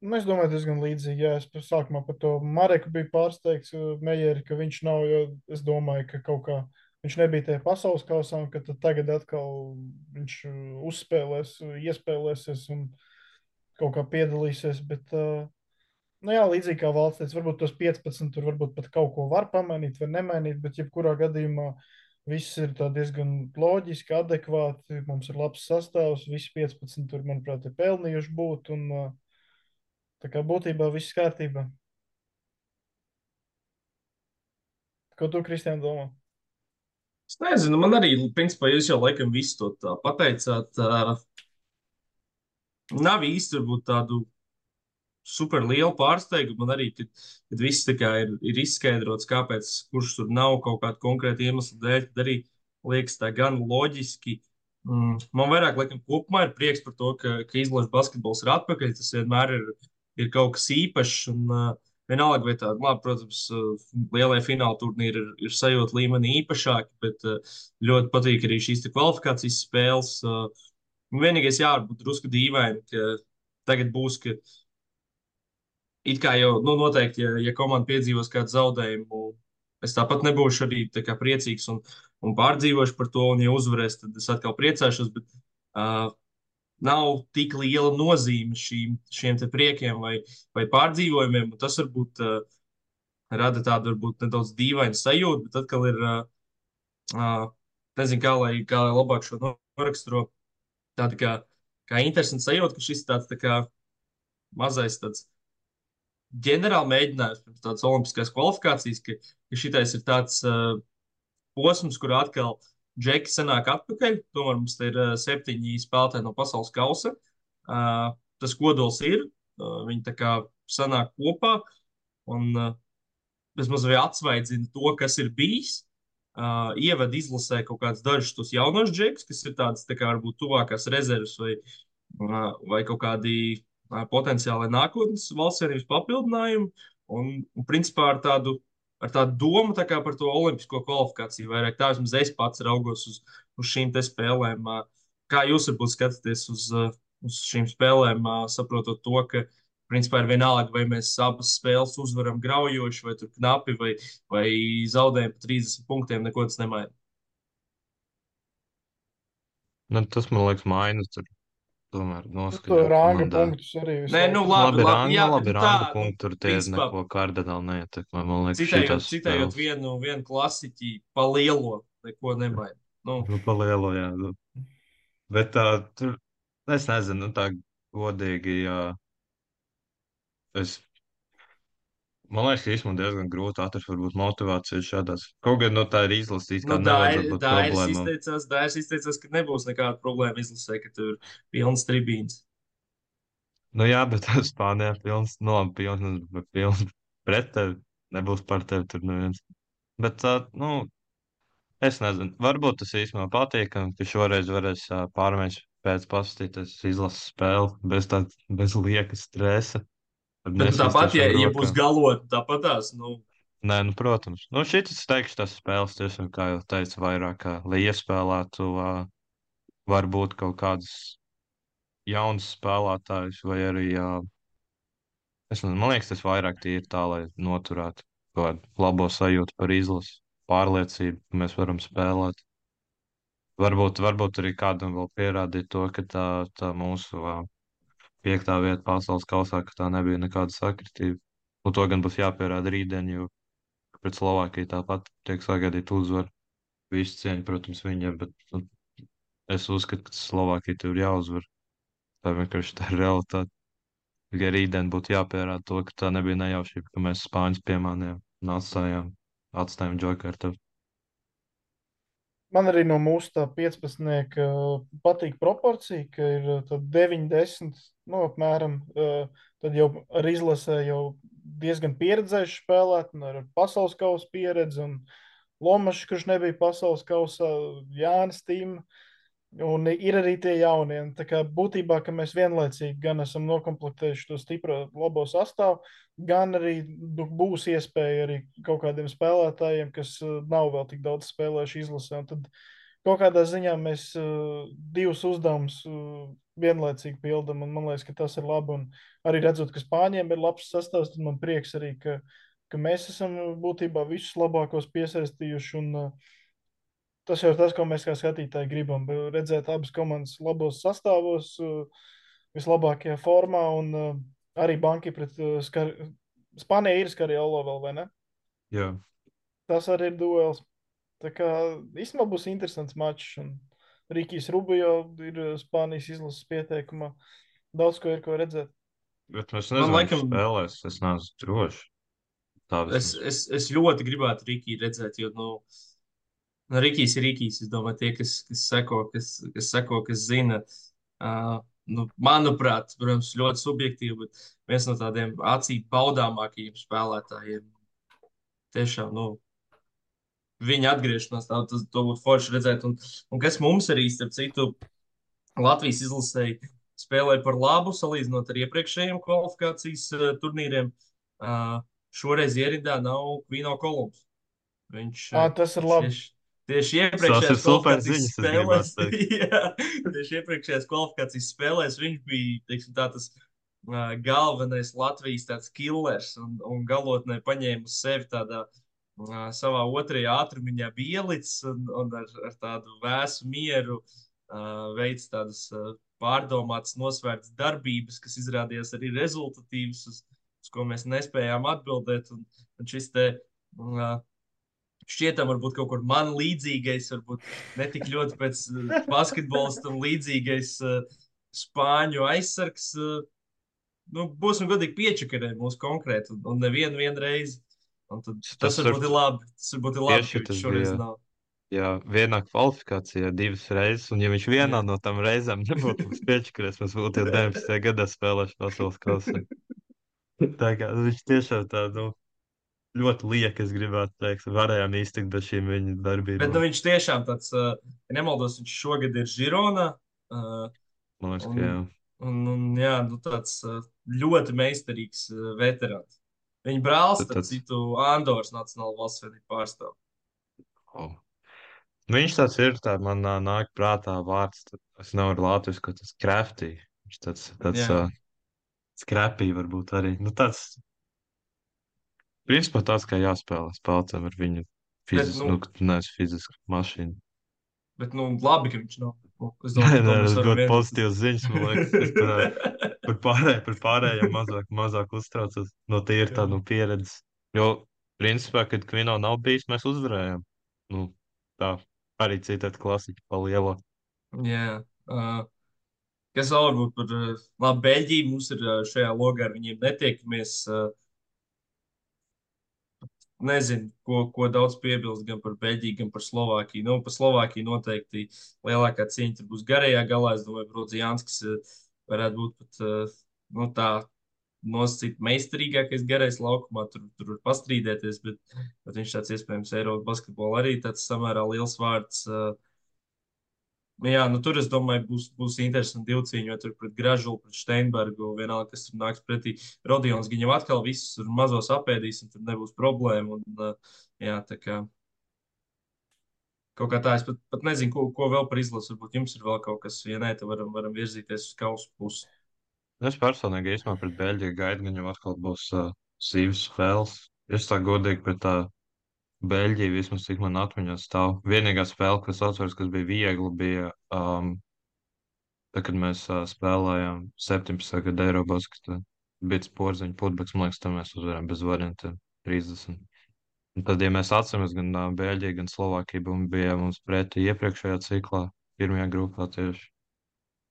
nu, es domāju, diezgan līdzīgi. Jā, es par sākumā par to Mareku biju pārsteigts, uh, Meijeri, ka viņš nav, jo es domāju, ka kaut kā viņš nebija tajā pasaules kausā, un ka tad tagad atkal viņš uh, uzspēlēs, uh, iespēlēsies un kaut kā piedalīsies. Bet, uh, nu jā, līdzīgi kā valsts teica, varbūt tos piecpadsmit tur varbūt pat kaut ko var pamainīt vai nemainīt, bet jebkurā gadījumā viss ir tā diezgan loģiski, adekvāti. Mums ir labs sastāvs, visi piecpadsmit tur, manuprāt, ir pelnījuši būt, un uh, tā kā būtībā viss kārtībā. Ko tu, Kristiāna, domā? Es nezinu, man arī, principā, jūs jau laikam visu to tā pateicāt. Uh, nav īsti varbūt tādu super lielu pārsteigumu. Man arī, kad, kad viss tā kā ir, ir izskaidrots, kāpēc, kurš tur nav kaut kāda konkrēta iemesla dēļ, tad arī liekas tā gan loģiski. Mm, man vairāk, laikam, kopumā ir prieks par to, ka, ka izlaša basketbols ir atpakaļ. Tas vienmēr ir, ir kaut kas īpašs. Un, uh, vienalga, vai tāda, labi, protams, uh, lielie fināla turnīri ir, ir sajūta līmenī īpašāki, bet uh, ļoti patīk arī šīs te kvalifikācijas spēles. Uh, vienīgais jābūt drusku dīvaini, ka tagad būs, ka it kā jau nu, noteikti, ja, ja komanda piedzīvos kādu zaudējumu, es tāpat nebūšu arī tā kā priecīgs un, un pārdzīvošu par to. Un, ja uzvarēs, tad es atkal priecāšos. Bet uh, nav tik liela nozīme šīm, šiem te priekiem vai, vai pārdzīvojumiem. Un tas varbūt uh, rada tādu varbūt nedaudz dīvainu sajūtu, bet atkal ir, uh, uh, nezinu, kā lai, kā lai labāk šo noraksturo. Tāda kā, kā interesanta sajūta, ka šis tāds tā kā mazais tāds ģenerāli mēģinājums pirms tādas olimpiskās kvalifikācijas, ka, ka šitais ir tāds uh, posms, kur atkal džeki sanāk atpakaļ. Tomēr mums te ir uh, septiņi spēlētāji no pasaules kausa. uh, tas kodols ir. Uh, viņi tā kā sanāk kopā un uh, vismaz arī atsvaidzina to, kas ir bijis. Uh, ievada izlasē kaut kādus dažus tos jaunos džekus, kas ir tādas tā kā varbūt tuvākās rezerves vai, uh, vai kaut kādi uh, potenciāli nākotnes valsts vienības papildinājumi. Un, un principā ar tādu, ar tādu domu tā kā par to olimpisko kvalifikāciju. Vairāk tā vismaz es pats raugos uz, uz šīm te spēlēm. Uh, kā jūs varbūt skatāties uz, uh, uz šīm spēlēm, uh, saprotot to, ka principā ir vienalga, vai mēs abas spēles uzvaram graujoši, vai tur knapi, vai, vai zaudējam pa trīsdesmit punktiem, neko tas nemaina. Nu, tas, man liekas, mainas tur tomēr Nu, to noskaņot rāņu komandā. punktus arī visu Nē, laiku. nu Nu, labi, labi, labi, rangu, jā, labi, nu tā, rangu nu, punkti tur tie principā, neko kardināli neietekmē. Man liekas, citējot, šitās citējot spēles. vienu, vienu klasiķi pa lielo, neko nemaina. Nu, Nu, pa lielu, jā. Nu. Bet tā, tur, es nezinu, nu, tā godīgi, jā. Es, man liekas, ka īstenībā diezgan grūti atrast varbūt motivāciju šādās. Kaut gan, nu, tā ir izlasīts, nu kā nevajadzētu Dairis būt Dairis problēmām. izteicās, Dairis izteicās, ka nebūs nekāda problēma izlasē, ka tur ir pilns tribīns. Nu, jā, bet Spānijā pilns, nu, labi, pilns, bet pilns pret tevi. Nebūs par tevi tur neviens. Bet, tā, nu, es nezinu, varbūt tas īstenībā patīkami, ka šoreiz varēs ā, pārmēģināt pēc paskatīties izlases spēli bez tā, bez lieka stresa. Ar Bet nu, tāpat, ja, nesīstošām ja būs rokām. galot, tāpatās, nu, Nē, nu, protams. Nu, šitas, es teikšu, tas spēles tiešām, kā jau teicu, vairāk, kā, lai iespēlētu, ā, varbūt kaut kādus jaunus spēlētājus, vai arī, ā, es nezinu, man liekas, tas vairāk tīri tā, lai noturētu kaut kādu labo sajūtu par izlasi, pārliecību, ka mēs varam spēlēt. Varbūt, varbūt arī kādam vēl pierādīt to, ka tā, tā mūsu ā, piektā vieta pasaules kausā, ka tā nebija nekāda sakritība. Un to gan būs jāpierāda rītdien, jo pret Slovākiju tāpat tiek sagaidīta uzvara. Visu cieņu, protams, viņiem, bet nu, es uzskatu, ka Slovākija tur ir jāuzvar. Tā vienkārši tā ir realitāte. Tikai rītdien būtu jāpierāda to, ka tā nebija nejaušība, ka mēs Spāņus piemānījām un atstājām, atstājām Džokartu. Man arī no mūsu tā piecpadsmit patīk proporcija, ka ir tad deviņi, desmit, nu, apmēram. eh, Tad jau ar izlasē jau diezgan pieredzējuši spēlēt, un ar pasaules kausa pieredzi, un Lomašs, kurš nebija pasaules kausā, Jānis Tīm. Un ir arī tie jaunie. Un Tā kā būtībā, ka mēs vienlaicīgi gan esam nokomplektējuši to stipro labo sastāvu, gan arī nu, būs iespēja arī kaut kādiem spēlētājiem, kas uh, nav vēl tik daudz spēlējuši izlasē. Un tad kaut kādā ziņā mēs uh, divus uzdevumus uh, vienlaicīgi pildām, un man liekas, ka tas ir labi. Un arī redzot, ka Spāņiem ir labs sastāvs, tad man prieks arī, ka, ka mēs esam būtībā visus labākos piesaistījuši. Un, uh, Tas jau ir tas, ko mēs kā skatītāji gribam. Redzēt abas komandas labos sastāvos, uh, vislabākajā formā. Un uh, arī banki pret uh, skar... Spānija ir Skariolo vēl, vai ne? Jā, Tas arī ir duels. Tā kā īstenībā būs interesants mačs. Un Rikijs Rubio ir uh, Spānijas izlases pieteikumā. Daudz ko ir ko redzēt. bet mēs man nezinām, laikam, kas spēlēs. Es neesmu drošs. Tā es, vismaz. es, es ļoti gribētu Rikiju redzēt, jo, nu, nu, Rikijs ir Rikijs. Es domāju, tie, kas, kas seko, kas, kas seko, kas zina, uh, nu, manuprāt, protams, ļoti subjektīvi, bet viens no tādiem acīm baudāmākajiem spēlētājiem. Tiešām, nu, viņa atgriešanās, tā, tas, to būtu forši redzēt. Un, un kas mums arī, starp citu, Latvijas izlasēji spēlēja par labu, salīdzinot ar iepriekšējiem kvalifikācijas uh, turnīriem. Uh, šoreiz ierindā nav Kvīno Kolumbs. Viņš À, uh, tas ir labi. tieši, tieši Tas ir iepriekšējās super kvalifikācijas ziņas, es spēlēs, gribētu teikt. jā, tieši iepriekšējās kvalifikācijas spēlēs viņš bija, teiksim, tā tas uh, galvenais Latvijas tāds killers un, un galotnē paņēma uz sevi tādā uh, savā otrajā ātrumiņā bielicis un, un ar, ar tādu vēsu mieru uh, veids tādas uh, pārdomātas, nosvērtas darbības, kas izrādījās arī rezultatīvas, uz, uz ko mēs nespējām atbildēt. Un, un šis te uh, šķietam varbūt kaut kur man līdzīgais, varbūt ne tik ļoti pēc uh, basketbolistam līdzīgais uh, spāņu aizsargs. Uh, nu, būsim godīgi piečakarē mūsu konkrēti un, un nevienu vienu reizi. Un tad, tas Tas varbūt tur ir labi. Tas varbūt ir labi, tieši ka tas viņš šoreiz bija. nav. ja vienā kvalifikācijā divas reizes, un ja viņš vienā Jā. no tām reizēm nebūtu mums piečakarēs, mēs būtu jau deviņdesmitajā gadā spēlējuši pasaules kausā. Tā kā viņš tiešām tā, nu, ļoti liek, es gribētu teikt, varējām iztikt bez šīm viņa Bet darbībām. nu, viņš tiešām tāds, uh, ja nemaldos, viņš šogad ir Žironā. Uh, Man liekas, un, ka jā. un, un, jā, nu, tāds uh, ļoti meistarīgs uh, veterāns. Viņa brālis, Tad starp tāds- citu, Andoras Nacionāla valsts vienība pārstāv. Oh. Nu, viņš tāds ir, tā man ā, nāk prātā vārds, tad es nevaru latviešu, ka tas crafty. Viņš tāds, tāds Jā. uh, scrappy varbūt arī. Nu, tāds, principā tāds, kā jāspēlē spēlētājiem ar viņu Bet, fizisku, nu, nu, nu nevis fizisku mašīnu. bet, nu, labi, ka viņš nav. Nu, Es Nē, domāju, ka nē, to mēs tas varam ļoti vienoties. pozitīvs ziņas, man liekas. Es par, ā, par, pārēj, par pārējiem mazāk, mazāk uztraucos no tīra Jā. tāda no pieredzes. Jo, principā, kad Kvino nav bijis, mēs uzvarējām. Nu, tā, arī citādi klasiķi pa lielo. Jā. Uh, kas vēl varbūt par uh, labi, Beļģiju mums ir uh, šajā logā, ar viņiem netiekamies. Uh, Nezinu, ko, ko daudz piebilst gan par Beļģiju, gan par Slovākiju. Nu, par Slovākiju noteikti lielākā cīņa tur būs garajā galā. Es domāju, ka Brodzianskis uh, varētu būt pat uh, nu, tā nosacīt meistarīgākais garais laukumā. Tur, tur var pastrīdēties, bet, bet viņš tāds iespējams Eiropas basketbolā arī tāds samērā liels vārds. Uh, Jā, nu tur es domāju, būs, būs interesanti divcīņi, jo tur pret Gražulu, pret Steinbergu, vienalga, kas tur nāks pretī. Rodions viņam atkal visus tur mazos apēdīs, un tur nebūs problēma. Un, uh, jā, tā kā kaut kā tā, es pat, pat nezinu, ko, ko vēl par izlasu. Varbūt jums ir vēl kaut kas, ja nē, tad varam, varam virzīties uz kausu pusi. Es personīgi īstenībā pret Beļģiju gaidu, ka viņam atkal būs uh, sīvas spēles. Es tā godīgi pret tā Beļģiju vismaz cik man atmiņā stāv. Vienīgā spēle, kas atceros, kas bija viegli, bija um, tad, kad mēs uh, spēlējām septiņpadsmitā gada Eirobasketā. Bija sporziņa putbeks, man liekas, tam mēs uzvarējām bez variantiem trīsdesmit. Un tad, ja mēs atceramies, gan uh, Beļģija, gan Slovākija bum- bija mums pretī iepriekšējā ciklā, pirmajā grupā tieši.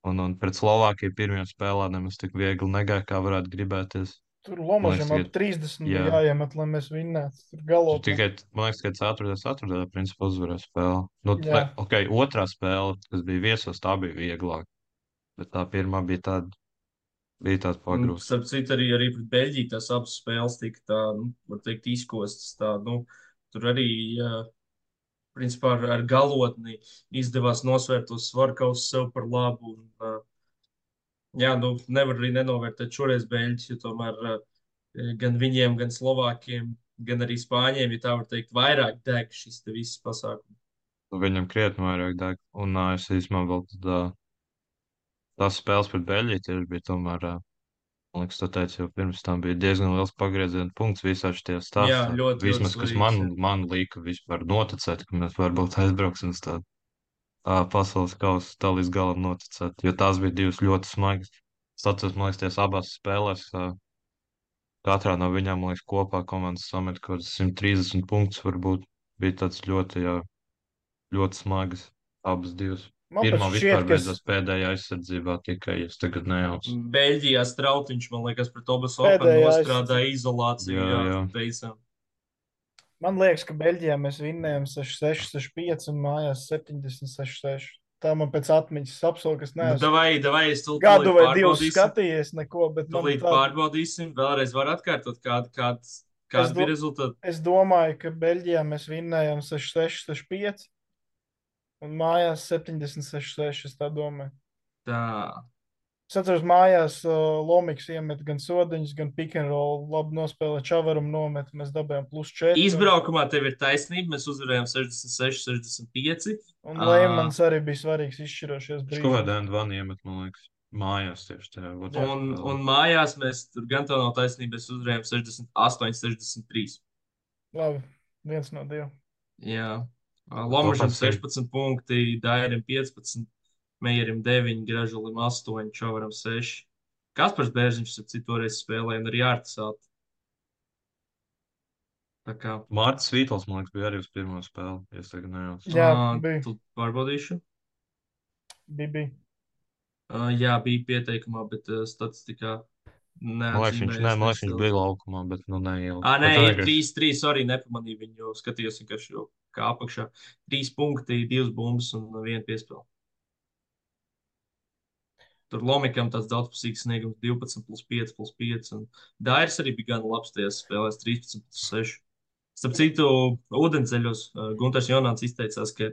Un, un pret Slovākiju pirmajā spēlē nemaz tik viegli negāja, kā varētu gribēties. Tur Man liekas, Lomažam ap ka trīsdesmit jā. bija jāiemet, lai mēs vinnētu. Tur Tur galotnē. tikai, man liekas, ka ceturtais, ceturtajā principā uzvarēja spēli. Nu, Jā. ne, ok, otrā spēle, kas bija viesos, tā bija vieglāk. Bet tā pirmā bija tāda, bija tāda Un, pagrūsta. starp citu, arī, arī pret Beļģiju tās abas spēles tika tā, nu, var teikt, izkostas. Tā, nu, tur arī, uh, principā, ar, ar galotni izdevās nosvērt tos svarkausus sev par labu. Un, uh, jā, nu, nevar arī nenovērtēt šoreiz Beļģis, jo tomēr uh, gan viņiem, gan Slovākiem, gan arī Spāņiem, ja tā var teikt, vairāk deg šis te viss pasākums. Nu, viņam krietni vairāk deg. Un uh, es īstenībā vēl tad, uh, tās spēles pret Beļģiju tieši bija tomēr, uh, man liekas, tu teici, jau pirms tam bija diezgan liels pagrieziena punkts visā šajā Jā, stāstā. ļoti, ļoti Vismaz, kas man, svarīgs. Jā. man lika vispār noticēt, ka mēs varbūt aizbrauksim uz tādu uh, pasaules kausu tā līdz galam noticēt, jo tās bija divas ļoti smagas. Es atceros, man liekas, tās abās spēlēs. Uh, Katrā no viņām, man liekas, kopā komandas samet kaut kāds simt trīsdesmit punktus. Varbūt bija tāds ļoti, jā, ļoti smagas abas divas. Man Pirmā pat šķiet, vispār ka es beidzās pēdējā aizsardzībā tikai, ja es tagad nejaucu. Beļģijā Strautiņš, man liekas, pret Obas Openu Pēdējā nostrādāja izolāciju. Jā, Jā, jā. teicām. Man liekas, ka Beļģijā mēs vinnējām sešdesmit seši, sešdesmit pieci un mājās septiņdesmit seši, seši. Tā man pēc atmiņas apsolu, kas Nu, neesmu davai, davai, es tūlīt gadu vai divus pārbaudīsim. skatījies, neko, bet man Tūlīt tā, pārbaudīsim. Vēlreiz var atkārtot, kāda, kāda, Es kāda do- bija rezultāti. es domāju, ka Beļģijā mēs vinnējām sešdesmit seši, sešdesmit pieci un mājās septiņdesmit seši, seši, es tā domāju. Tā. Es atceros, mājās uh, Lomiks iemet gan sodiņus, gan pick and roll, labi nospēlē Čavaram nomet, mēs dabējām plus četri. Izbraukumā tev ir taisnība. Mēs uzvarējām sešdesmit seši, sešdesmit pieci. Un Leimans arī bija svarīgs izšķirošies Viņš brīdis. kaut kādā Endvānā iemet, man liekas, mājās tieši tajā. otrajā Un, spēlē. un mājās mēs tur gan tā nav taisnība. Mēs uzvarējām sešdesmit astoņi, sešdesmit trīs. Labi, viens no diviem. Jā. Lomažam Kopā sevi. sešpadsmit punkti, Dairim piecpadsmit, Meijerim deviņi, Gražulim astoņi, Čavaram seši. Kaspars Bērziņš ar citu reizi spēlēja un arī Ārtisāt. Tā kā. Mārcis Vītols, man liekas, bija arī uz pirmo spēli, ja es tagad nejaucu. Jā, Ā, bija. Tu pārbaudīšu. Bija, bija. Uh, jā, bija pieteikumā, bet uh, statistikā Man liekas, viņš, ne, man liekas, viņš bija laukumā, bet nu neielika. Ah, nē, Bet ir vienkārši- trīs trīs, arī nepamanīju viņu, skatījos vienkārši jau kā apakšā. Trīs punkti, divas bumbas un viena piespēle. Tur Lomikam tāds daudzpusīgs sniegums divpadsmit plus pieci plus pieci. Un Dairis arī bija gan labs tajās spēlēs trīspadsmit plus seši. Starp citu, ūdenceļos uh, Gunters Jonāns izteicās, ka,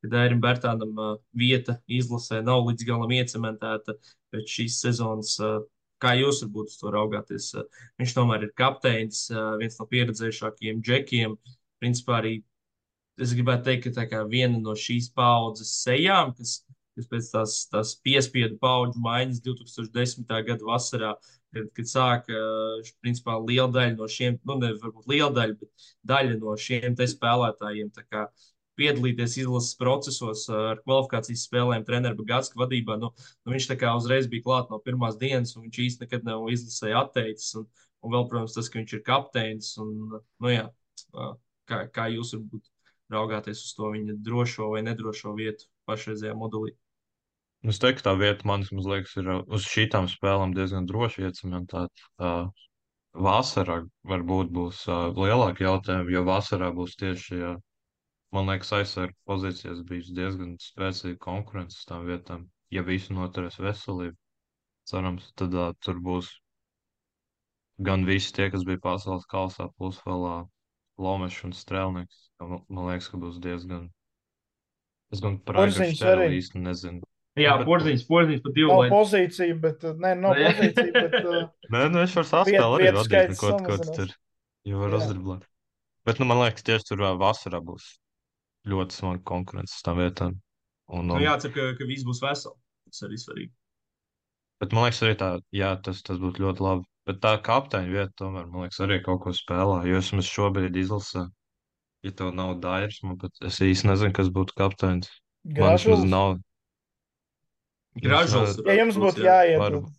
ka Dairim Bērtānam uh, vieta izlasē nav līdz galam iecementēta pēc šīs sezonas. Uh, kā jūs varbūt uz to raugāties? Uh, viņš tomēr ir kapteinis, uh, viens no pieredzējušākajiem džekiem. Principā arī es gribētu teikt, ka tā kā viena no šīs paaudzes sejām, kas, kas pēc tās, tās piespiedu paudžu maiņas two thousand ten. Gada vasarā, kad, kad sāka, principā, liela daļa no šiem, nu, ne varbūt liela daļa, bet daļa no šiem te spēlētājiem tā kā piedalīties izlases procesos ar kvalifikācijas spēlēm treneru Bagātska vadībā. Nu, nu, viņš tā kā uzreiz bija klāt no pirmās dienas, un viņš īsti nekad nav izlasē atteicis. Un, un vēl, protams, tas, ka viņš ir kapteinis. Un, nu, jā, kā, kā jūs varbūt raugāties uz to viņa drošo vai nedrošo vietu pašreizējā modelī? Es teiktu, ka tā vieta man liekas, ir uh, uz šīm spēlēm diezgan droši iecementēta. Uh, vasarā varbūt būs uh, lielāki jautājumi, jo vasarā būs tieši, uh, man liekas, aizsargu pozīcijas bijis diezgan spēcīga konkurence uz tām vietām. Ja visi noturēs veselību, cerams, tad uh, tur būs gan visi tie, kas bija pasaules kausā, plus vēl uh, Lomešs un Strēlnieks. Man, man liekas, ka būs diezgan. Es gan par Aigaru Porziņš Šteru arī. īsti nezinu. Jā, Bet- porziņš, porziņš pa divu Nav laidu. pozīcija, bet, uh, nē, nav Nu, jā. pozīcija, bet uh, Nē, nu viņš var Viet- saspēlēt arī vietu vadīt, skaits neko ko tu samazinās. tur jau var Jā. uzdriblēt. Bet, nu, man liekas, tieši tur ā, vasarā būs ļoti smaga konkurence uz tām vietām. Un, Nu, un, jācer, ka, ka viss būs veseli. Tas arī svarīgi. bet man liekas, arī tā, jā, tas, tas būtu ļoti labi. Bet tā kapteiņa vieta tomēr, man liekas, arī kaut ko spēlē. Jo es mums šobrīd izlasē, ja tev nav Dairis, man pat es īsti nezinu, kas būtu kapteinis. Man vismaz Gražulis. nav. Gražulis. Ja jums būtu jāiet, Varu. tad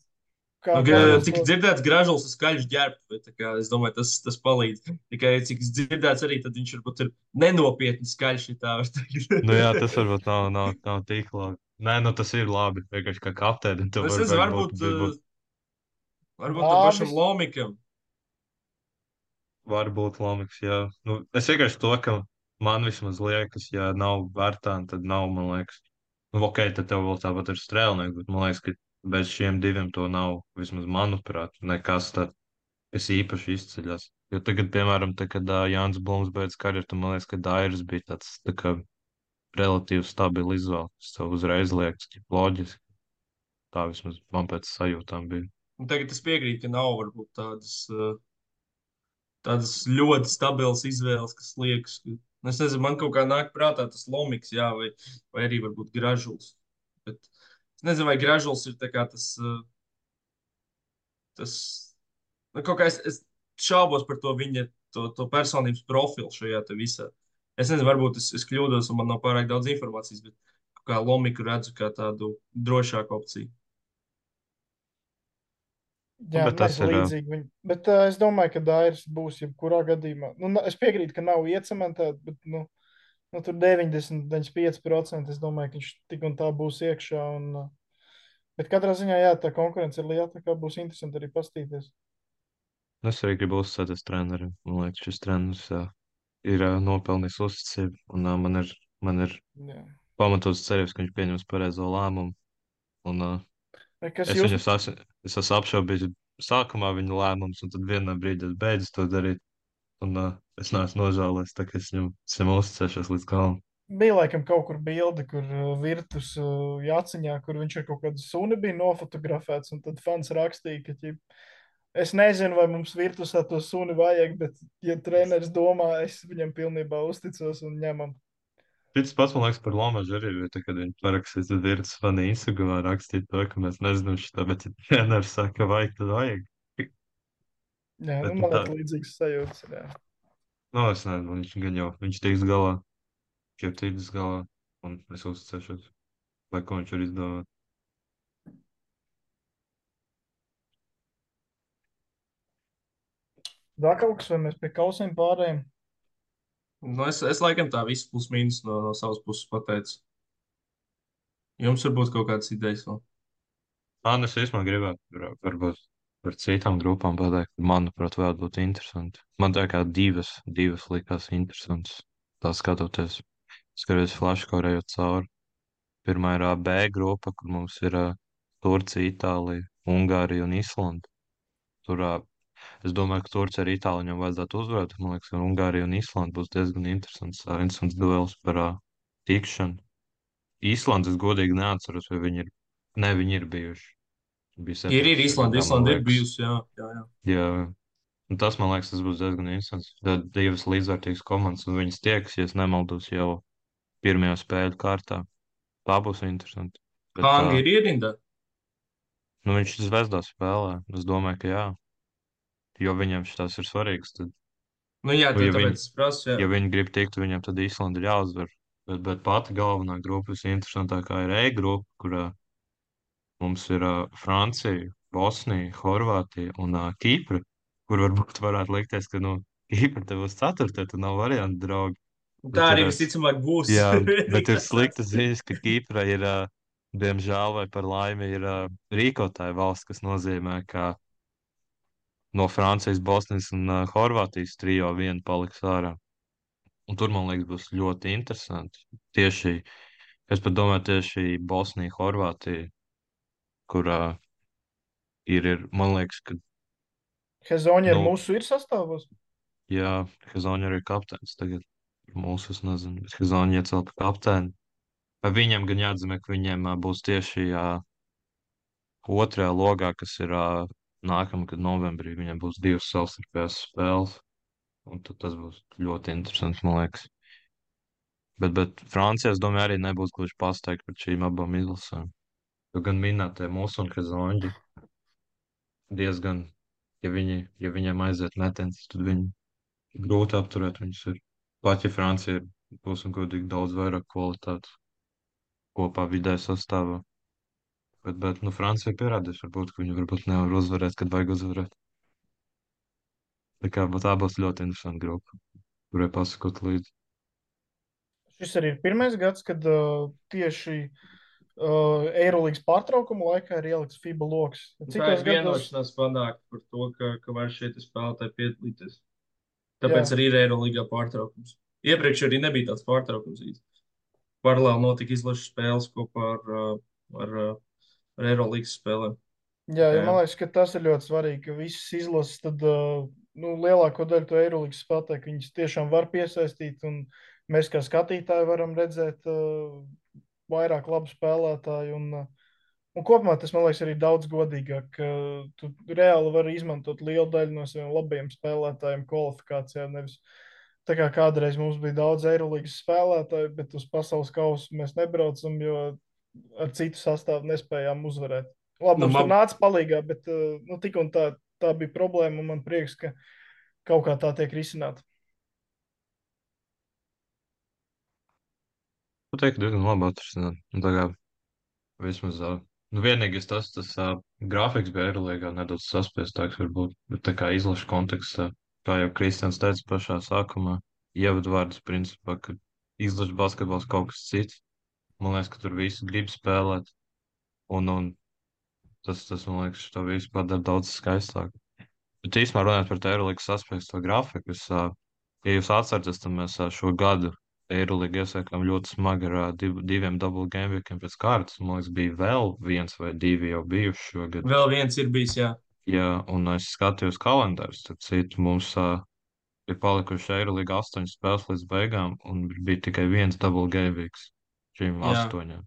kā Nu, kā ga- jūs cik to- dzirdēts, gražulis ir skaļš ģērbs. Es domāju, tas, tas palīdz. Tikai cik dzirdēts, arī tad viņš varbūt ir nenopietni skaļš. Ja tā var teikt. Nu, jā, tas varbūt nav, nav, nav tik labi. Nē, nu, tas ir labi. Vienkārši kā kapteinim. Nu, es nezinu, varbūt, uh, varbūt tam Lābis. pašam Lomikam. Varbūt Lomiks, jā. Nu, es vienkārši to, ka man vismaz liekas, ja nav vērtāni, tad nav, man liekas. Nu, ok, tad tev vēl tāpat ir strēlnieks, bet man liekas, ka bez šiem diviem to nav, vismaz manuprāt, nekas tāds, kas īpaši izceļas. Jo tagad, piemēram, te, kad uh, Jānis Blums beidz karjeru, tad man liekas, ka Dairis bija tāds, tā kā relatīvi stabili izvēle. Tas tev uzreiz liekas, ka loģiski. Tā vismaz man pēc sajūtām bija. Un tagad es piekrītu, ka nav varbūt tādas, uh, tādas ļoti stabilas izvēles, kas liekas, ka, nu, es nezinu, man kaut kā nāk prātā tas Lomiks, jā, vai, vai arī varbūt Gražuls. Bet es nezinu, vai Gražuls ir tā kā tas, uh, tas, nu, kaut kā es, es šaubos par to viņa, to, to personības profilu šajā te visā. Es nezinu, varbūt es, es kļūdos un man nav pārāk daudz informācijas, bet kaut kā Lomiku redzu kā tādu drošāku opciju. Jā, Bet tas mēs ir, ā, līdzīgi viņam. Bet uh, es domāju, ka Dairis būs jebkurā gadījumā. Nu, na- es piekrītu, ka nav iecementēta, bet nu, nu, tur deviņdesmit, deviņdesmit pieci procenti es domāju, ka viņš tik un tā būs iekšā. Un, uh, bet katrā ziņā, jā, tā konkurence ir liela, tā kā būs interesanti arī pastīties. Es arī gribu uzsēties trenerim. Man liekas, šis treneris ā, ir ā, nopelnījis uzticību, un ā, man ir, man ir Jā. pamatots cerības, ka viņš pieņems pareizo lēmumu. Un, ā, Vai Kas es jūs? viņu esmu, es esmu apšaubījis sākumā viņa lēmumus, un tad vienā brīdī es beidzu to darīt. Un ā, es neesmu nožēlojis, tā kā es viņam, es viņam uzticēšos līdz galam. Bija laikam kaut kur bilde, kur uh, virtus uh, jāciņā, kur viņš ar kaut kādu suni bija nofotografēts, un tad fans rakstīja, ka ķip, es nezinu, vai mums virtusā to suni vajag, bet, ja treneris domā, es viņam pilnībā uzticos un ņemam. Šis pats, man liekas, par Lomažu arī bija, tā, kad viņi parakstīs, tad ir tas fani Instagramā rakstīt to, ka mēs nezinām šitā, bet ja treneris saka, ka vajag, tad vajag. Jā, Bet nu, nu man tā- liekas līdzīgs sajūtas. Jā. Nu, es nezinu, viņš gan jau, viņš tiks galā, jau tiks galā, un es uzticēšos, lai ko viņš var izdomāt. Vēl kaut kas, vai mēs pie kausiem pārējiem? Nu, es, es laikam tā visu plus mīnus no, no savas puses pateicu. Jums varbūt kaut kādas idejas vēl. Ā, nu, es īstenībā gribētu, var- varbūt par citām grupām pateikt, manuprāt, varētu būt interesanti. Man tā kā divas, divas likās interesantas. tā skatoties, skaties flashkorejot cauri. Pirmā ir ā, B grupa, kur mums ir ā, Turcija, Itālija, Ungārija un Islanda. Tur, ā, es domāju, ka Turcija ar Itāliju viņam vajadzētu uzvarēt. Man liekas, ka Ungārija un Islanda būs diezgan interesants, ā, interesants duels par ā, tikšanu. Īslandes es godīgi neatceros, vai viņi ir. Ne, viņi ir bijuši. Bija Ir, ir septiņdesmitajā Islanda, gadā, man Islanda ir liekas. bijusi, jā, jā, jā. Jā, un tas, man liekas, tas būs diezgan interesants. Tad divas līdzvērtīgas komandas, un viņas tiekas, ja es nemaldos, jau pirmajā spēļu kārtā. Tā būs interesanti. Bet, Hanga ā, ir ierindā. nu, viņš Zvezdā spēlē. Es domāju, ka jā. Jo viņam šis ir svarīgs. Tad, Nu, jā, nu, tā, ja, viņi, tāpēc es prasu, jā. ja viņi grib tikt, viņam tad Īslanda ir jāuzvar. Bet, bet pati galvenā grupa, visinteresantākā ir E grupa, kurā mums ir ā, Francija, Bosnija, Horvātija un ā, Kipra, kur varbūt varētu likties, ka, nu, Kipra te būs ceturtā, tad nav variantu, draugi. Tā Bet ir, arī ā, visticamāk būs. jā, bet ir Kas sliktas sastāv? ziņas, ka Kipra ir, ā, diemžēl vai par laimi, ir ā, rīkotāja valsts, kas nozīmē, ka no Francijas, Bosnijas un ā, Horvātijas trijo viena paliks ārā. Un tur, man liekas, būs ļoti interesanti. Tieši, es pat domāju, tieši Bosnija, Horvātija, kurā ir, ir, man liekas, ka, Hezoņa ar nu, mūsu ir sastāvos. jā, Hezoņa arī ir kapteinis tagad. Mūsu, es nezinu, bet Hezoņa iecelt par kapteini. Vai viņam gan jāatzīmē, ka viņiem ā, būs tieši ā, otrajā logā, kas ir ā, nākamā, kad novembrī viņiem būs divas savstarpējās spēles. Un tad tas būs ļoti interesants, man liekas. Bet, bet Francija, es domāju, arī nebūs gluži pasteigta par šīm abām izlasēm. Jo gan minētie mūsu un Hezoņa diezgan, ja, viņi, ja viņiem aiziet metens, tad viņi grūti apturēt viņus ir. Pat ja Francija ir, būsim godīgi, daudz vairāk kvalitātes kopā vidē sastāvā. Bet, bet, nu, Francija ir pierādījusi, varbūt, ka viņi varbūt nevar uzvarēt, kad vajag uzvarēt. Tā kā tā būs ļoti interesanta grupa, kurai pasakot līdzi. Šis arī ir pirmais gads, kad uh, tieši uh, Eirolandes pārtraukuma laikā ir ielikts FIBA lokus. Tā ir Citos gados, vienošanās panākta par to, ka, ka var šeit spēlētāji piedalīties. Tāpēc jā, arī ir Eirolandā pārtraukums. Iepriekš arī nebija tāds pārtraukums. īsti. Paralēli notika izlases spēles kopā ar, uh, ar, uh, ar Eirolandas spēlēm. jā, jo Jā. man liekas, ka tas ir ļoti svarīgi, ka visas izlases, tad uh, nu, lielāko daļu to Eirolandes spēlētāju, ka viņas tiešām var piesaistīt, un mēs kā skatītāji varam redzēt uh, vairāk labu spēlētāju. Un, uh, un kopumā tas, man liekas, arī daudz godīgāk, ka tu reāli vari izmantot lielu daļu no saviem labajiem spēlētājiem kvalifikācijā. Nevis tā kā kādreiz mums bija daudz Eirolandes spēlētāju, bet uz pasaules kausu mēs nebraucam, jo ar citu sastāvu nespējām uzvarēt. Labi, Nu, mums tur man, nāca palīgā, bet uh, nu, tik un tā, tā bija problēma, un man prieks, ka kaut kā tā tiek risināta. Nu, teiktu, diezgan labi atrisināt. Nu, tā kā vismaz, ā, nu, vienīgais tas, tas ā, grafiks bija Eirolandā nedaudz saspiestāks varbūt, bet tā kā izlašu kontekstā, kā jau Kristians teica pašā sākumā, ievadvārds principā, ka izlašu basketbols kaut kas cits. Man liekas, ka tur visi grib spēlēt, un, un tas, tas, man liekas, to visu padara daudz skaistāk. Bet īstenībā runājot par Eirolandas saspiesto grafiku, es, ā, ja jūs atceraties, tad mēs ā, šo gadu Eirolanda iesākām ļoti smagi ar ā, div, diviem double game weekiem pēc kārtas. Man liekas, bija vēl viens vai divi jau bijuši šogad. vēl viens ir bijis, jā. Jā, un es skatījos kalendārus, tad citu mums uh, ir palikuši Eirolanda astoņas spēles līdz beigām, un bija tikai viens double game weeks šīm Jā, astoņām.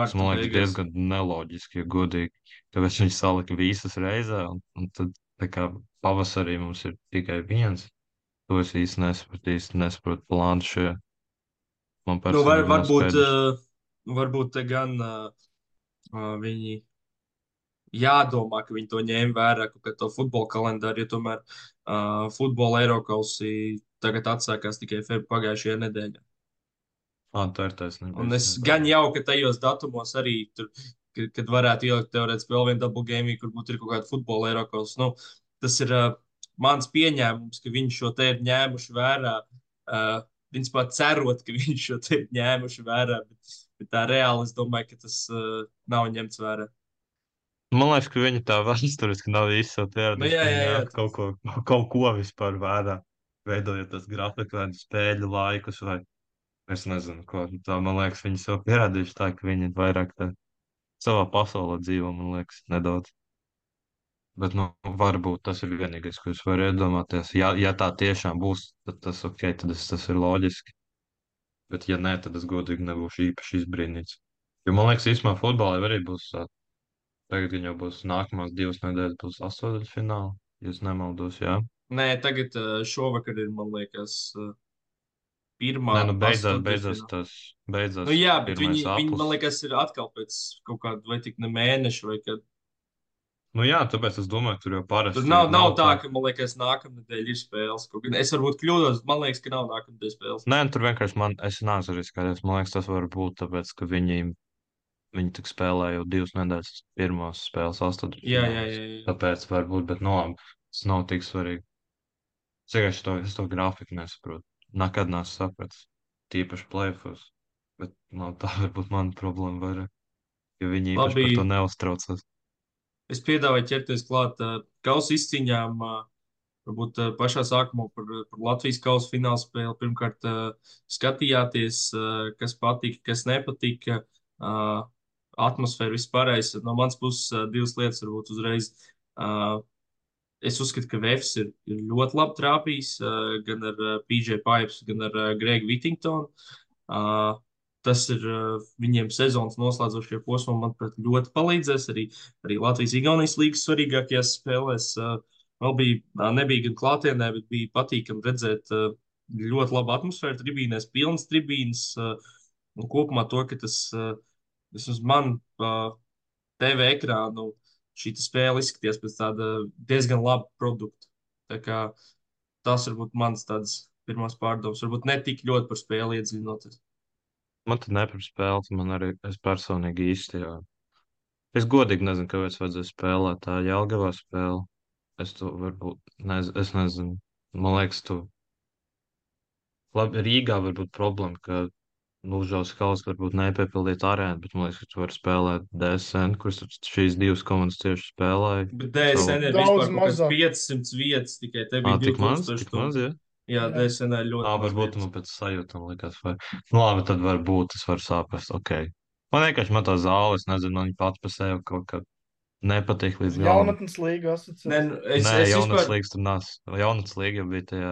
Tas Mārta man liekas beigās. diezgan neloģiski, ja godīgi. Tāpēc viņi salika visas reizē, un, un tad tā kā pavasarī mums ir tikai viens. To es īsti nesaprotu, īsti nesaprotu plānu šajā. Man Nu, var, personīgi nav varbūt, skaidrs. uh, varbūt te gan uh, uh, viņi jādomā, ka viņi to ņēma vērā, kaut kā to futbola kalendāru, jo tomēr uh, futbola Eirokausī tagad atsākās tikai feb pagājušajā nedēļā. Ā, tā ir taisnība. Un es īstenībā. gan jau, ka tajos datumos arī tur, kad, kad varētu ielikt teorētiski vēl vienu double game, week, kur būtu ir kaut kāda futbola Eirokaus. Nu, tas ir uh, mans pieņēmums, ka viņi šo te ir ņēmuši vērā. Uh, Principā cerot, ka viņi šo te ir ņēmuši vērā, bet, bet tā reāli es domāju, ka tas uh, nav ņemts vērā. Man liekas, ka viņi tā vēsturiski nav īsti Nu, pieraduši, jā, ka jā, viņi jā, ņemtu kaut ko, kaut ko vispār vērā, veidojot tas grafiku vai spēļu laikus vai Es nezinu, ko tā, man liekas, viņi sev pierādījuši tā, ka viņi vairāk tā savā pasaulē dzīvo, man liekas, nedaudz. Bet, nu, varbūt tas ir vienīgais, ko es varu iedomāties. Ja, ja tā tiešām būs, tad tas ok, tad es, tas ir loģiski. Bet, ja nē, tad es godīgi nebūšu īpaši izbrīnīts. Jo, man liekas, īstenībā futbolā arī būs, ā, tagad gan jau būs nākamās divas nedēļas, būs astoņdaļfināli, ja es nemaldos, jā. Nē, tagad uh, šovakar ir, man liekas, uh, pirmā Nē, nu beidzās, beidzās astoņdaļfināla. tas, beidzās Nu jā, bet pirmais viņi, viņi, man aplis. liekas, ir atkal pēc kaut kāda vai tik ne mēneša vai kad. Nu jā, tāpēc es domāju, tur jau Tur parasti nav, nav nav tā, tā. ka, man liekas, nākamnedēļ ir spēles. Kaut gan es varbūt kļūdos, man liekas, ka nav nākamnedēļ spēles. Nē, tur vienkārši man, es neesmu arī skaidrs. Man liekas, tas var būt tāpēc, ka viņi, viņi tik spēlē jau divas nedēļas pirmās spēles Jā, jā, astotdaļfinālās. jā. jā. Tāpēc varbūt, bet no labi, tas nav tik svarīgi. Es vienkārši to, es to grafiku nesaprotu. Nekad neesmu sapratis. Tīpaši plēfos. Bet no, tā varbūt mana problēma vairāk. Jo viņi īpaši Labi, par to neuztraucas. es piedāvāju ķerties klāt uh, kausa izcīņām. Uh, Varbūt uh, pašā sākumā par, par Latvijas kausa fināla spēli. Pirmkārt, uh, skatījāties, uh, kas patika, kas nepatika. Uh, atmosfēra vispārējais. No manas puses, uh, divas lietas varbūt uzreiz. Uh, es uzskatu, ka Vēfs ir, ir ļoti labi trāpījis uh, gan ar uh, P J Pipes, gan ar uh, Gregu Whittingtonu. Uh, tas ir uh, viņiem sezonas noslēdzošajā posmā, manuprāt, ļoti palīdzēs arī, arī Latvijas-Igaunijas līgas svarīgākajās spēlēs. Uh, vēl bija, uh, nebija gan klātienē, bet bija patīkami redzēt uh, ļoti labu atmosfēru tribīnēs, pilnas tribīnes. Uh, un kopumā to, ka tas, uh, vismaz man, uh, T V ekrānu, šī spēle izskatījās pēc tāda diezgan laba produkta. Tā kā tas varbūt mans tāds pirmās pārdomas, varbūt ne tik ļoti par spēli iedziļinoties. Man tad nepirms spēles, man arī, es personīgi īsti, jā. Es godīgi nezinu, kāpēc vajadzēja spēlēt tā Jelgavā spēle. Es to varbūt, nez, es nezinu. Man liekas, tu, labi, Rīgā var būt problēma, ka Lūžaus kausa varbūt nepiepildīt arēnu, bet man liekas, ka tu vari spēlēt D S N, kuras šīs divas komandas tieši spēlēja. Bet D S N ir Daudz vispār kaut kāds mazāk. piecsimt vietas, tikai te Ā, bija tik maz, divtūkstoši tik maz, tur. jā. Jā, Jā. D S N ir Ā, ļoti maz varbūt vietas. man pēc sajūtām likās, vai, nu labi, tad varbūt es varu saprast, ok. Man vienkārši man tā zāle, es nezinu, man viņa pats par sevi kaut kā nepatīk līdz galam. Jaunatnes līga Nē, asociācija. nu, es, Nē, es jaunats vispār, līgas tur nāc. Jaunats līga jau bija tajā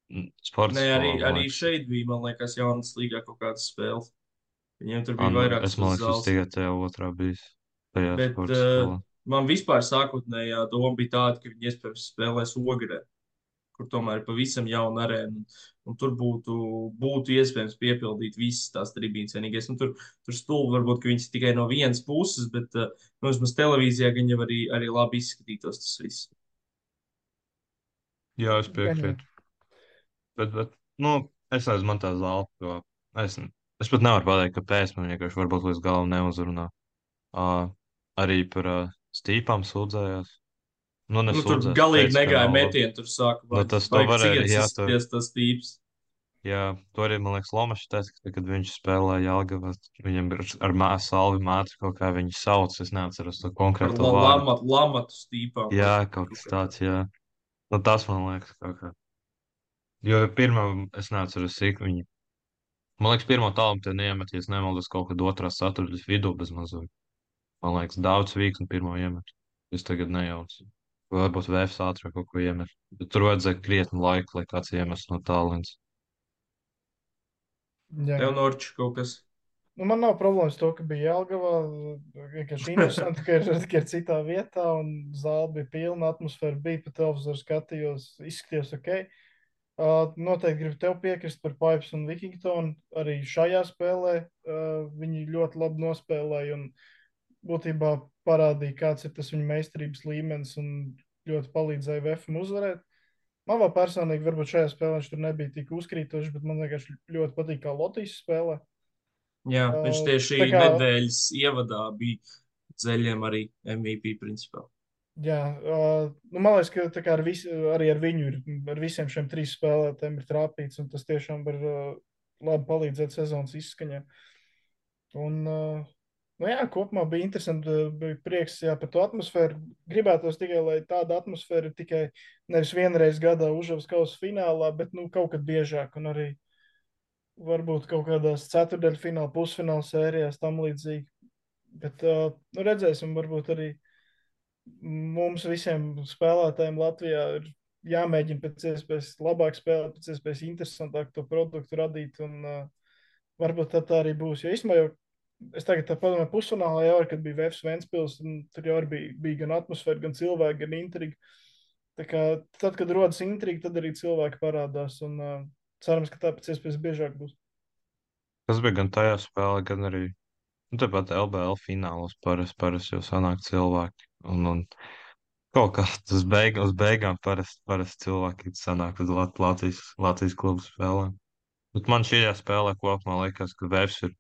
mm, sporta nē, arī, skolā, man arī liekas. šeit bija, man liekas, jaunas līgā kaut kādas spēles. Viņiem tur Ā, bija nu, vairākas es man liekas, es zāles. tikai tajā otrā bijis. Tajā Bet sporta uh, skolā. man vispār sākotnējā doma bija tāda, ka viņi iespējams spēlēs Ogrē, kur tomēr ir pavisam jauna arēna. Un, un tur būtu, būtu iespējams piepildīt visas tās tribīnes. Vienīgais, nu, tur, tur stulbi varbūt, ka viņas ir tikai no vienas puses, bet, uh, nu, vismaz televīzijā gan jau arī, arī labi izskatītos tas viss. Jā, es Gan jau. piekrītu. Bet, bet, nu, es nezinu, man tā zāle, jo es, es pat nevaru pateikt, ka pēc man vienkārši varbūt līdz galam neuzrunā. Uh, arī par uh, stīpām sūdzējās. Nu, Nu, tur nesūdzēs, galīgi teica, ka negāja nav labi. metienu, tur sāka Nu, vajag, tas to vajag varēja, cigaretes jā, to, izskaties tas tīps. jā, to arī, man liekas, Lomašs teica, ka, kad viņš spēlēja Jelgavā, viņam ir ar mā, salvi mātu kaut kā viņi sauc, es neatceros to Par konkrēto la, vārdu. lamat, lamatu stīpām. Jā, vai kaut kas kā tā. tāds, jā. Nu, tas man liekas kaut kā. Jo pirmā, es neatceros, cik viņi. Man liekas, pirmo tālu te neiemet, ja es nemaldos kaut kad otrā ceturtdaļas vidū bez mazuma. Man liekas, daudz vīks un pirmo iemet. Es tagad nejaucu. Vai varbūt vēfs ātrāk kaut ko iemet. Bet tur vajadzēja krietni laika, lai kāds iemestu no tālens. Jā. Tev Norčs kaut kas. Nu, man nav problēmas ar to, ka bija Jelgavā. Vienkārši interesanti, ka ir, ka ir citā vietā, un zāle bija pilna, atmosfēra bija, pa televizoru skatījos, izskatījās ok. Uh, noteikti gribu tev piekrist par Pipes un Wikingtonu. Arī šajā spēlē uh, viņi ļoti labi nospēlēja un būtībā parādīja, kāds ir tas viņa meistarības līmenis un ļoti palīdzēja V F M uzvarēt. Man vēl personīgi, varbūt šajā spēlē viņš tur nebija tik uzkrītoši, bet man vienkārši ļoti patīk, kā Lotīs spēlē. Jā, Uh, viņš tieši tā kā- nedēļas ievadā bija ceļiem arī M V P principā. Jā, uh, nu, man liekas, ka tā kā ar vis, arī ar viņu ir, ar visiem šiem trīs spēlētājiem ir trāpīts, un tas tiešām var uh, labi palīdzēt sezonas izskaņā. Un, uh, nu jā, kopumā bija interesanti, uh, bija prieks jā, par to atmosfēru. Gribētos tikai, lai tāda atmosfēra ir tikai nevis vienreiz gadā Užavas kausa finālā, bet nu, kaut kad biežāk, un arī varbūt kaut kādās ceturdaļfināla, pusfināla sērijās tam līdzīgi. Bet uh, nu redzēsim, varbūt arī mums visiem spēlētājiem Latvijā ir jāmēģina pēc iespējas labāk spēlēt, pēc iespējas interesantāk to produktu radīt, un uh, varbūt tā, tā arī būs. Jo īstenībā jau es tagad tā padomāju, pusfinālā jau, kad bija Vēfs Ventspils, un tur jau arī bija, bija gan atmosfēra, gan cilvēki, gan intriga. Tā kā tad, kad rodas intriga, tad arī cilvēki parādās, un uh, cerams, ka tā pēc iespējas biežāk būs. Tas bija gan tajā spēlē, gan arī nu, tāpat L B L finālos parasti paras jau sanāk cilvēki. Un, un kaut kā tas beig, uz beigām parasti paras cilvēki sanāk uz Lat Latvijas, Latvijas klubu spēlēm. Bet man šajā spēlē kopumā liekas, ka Vēfs ir,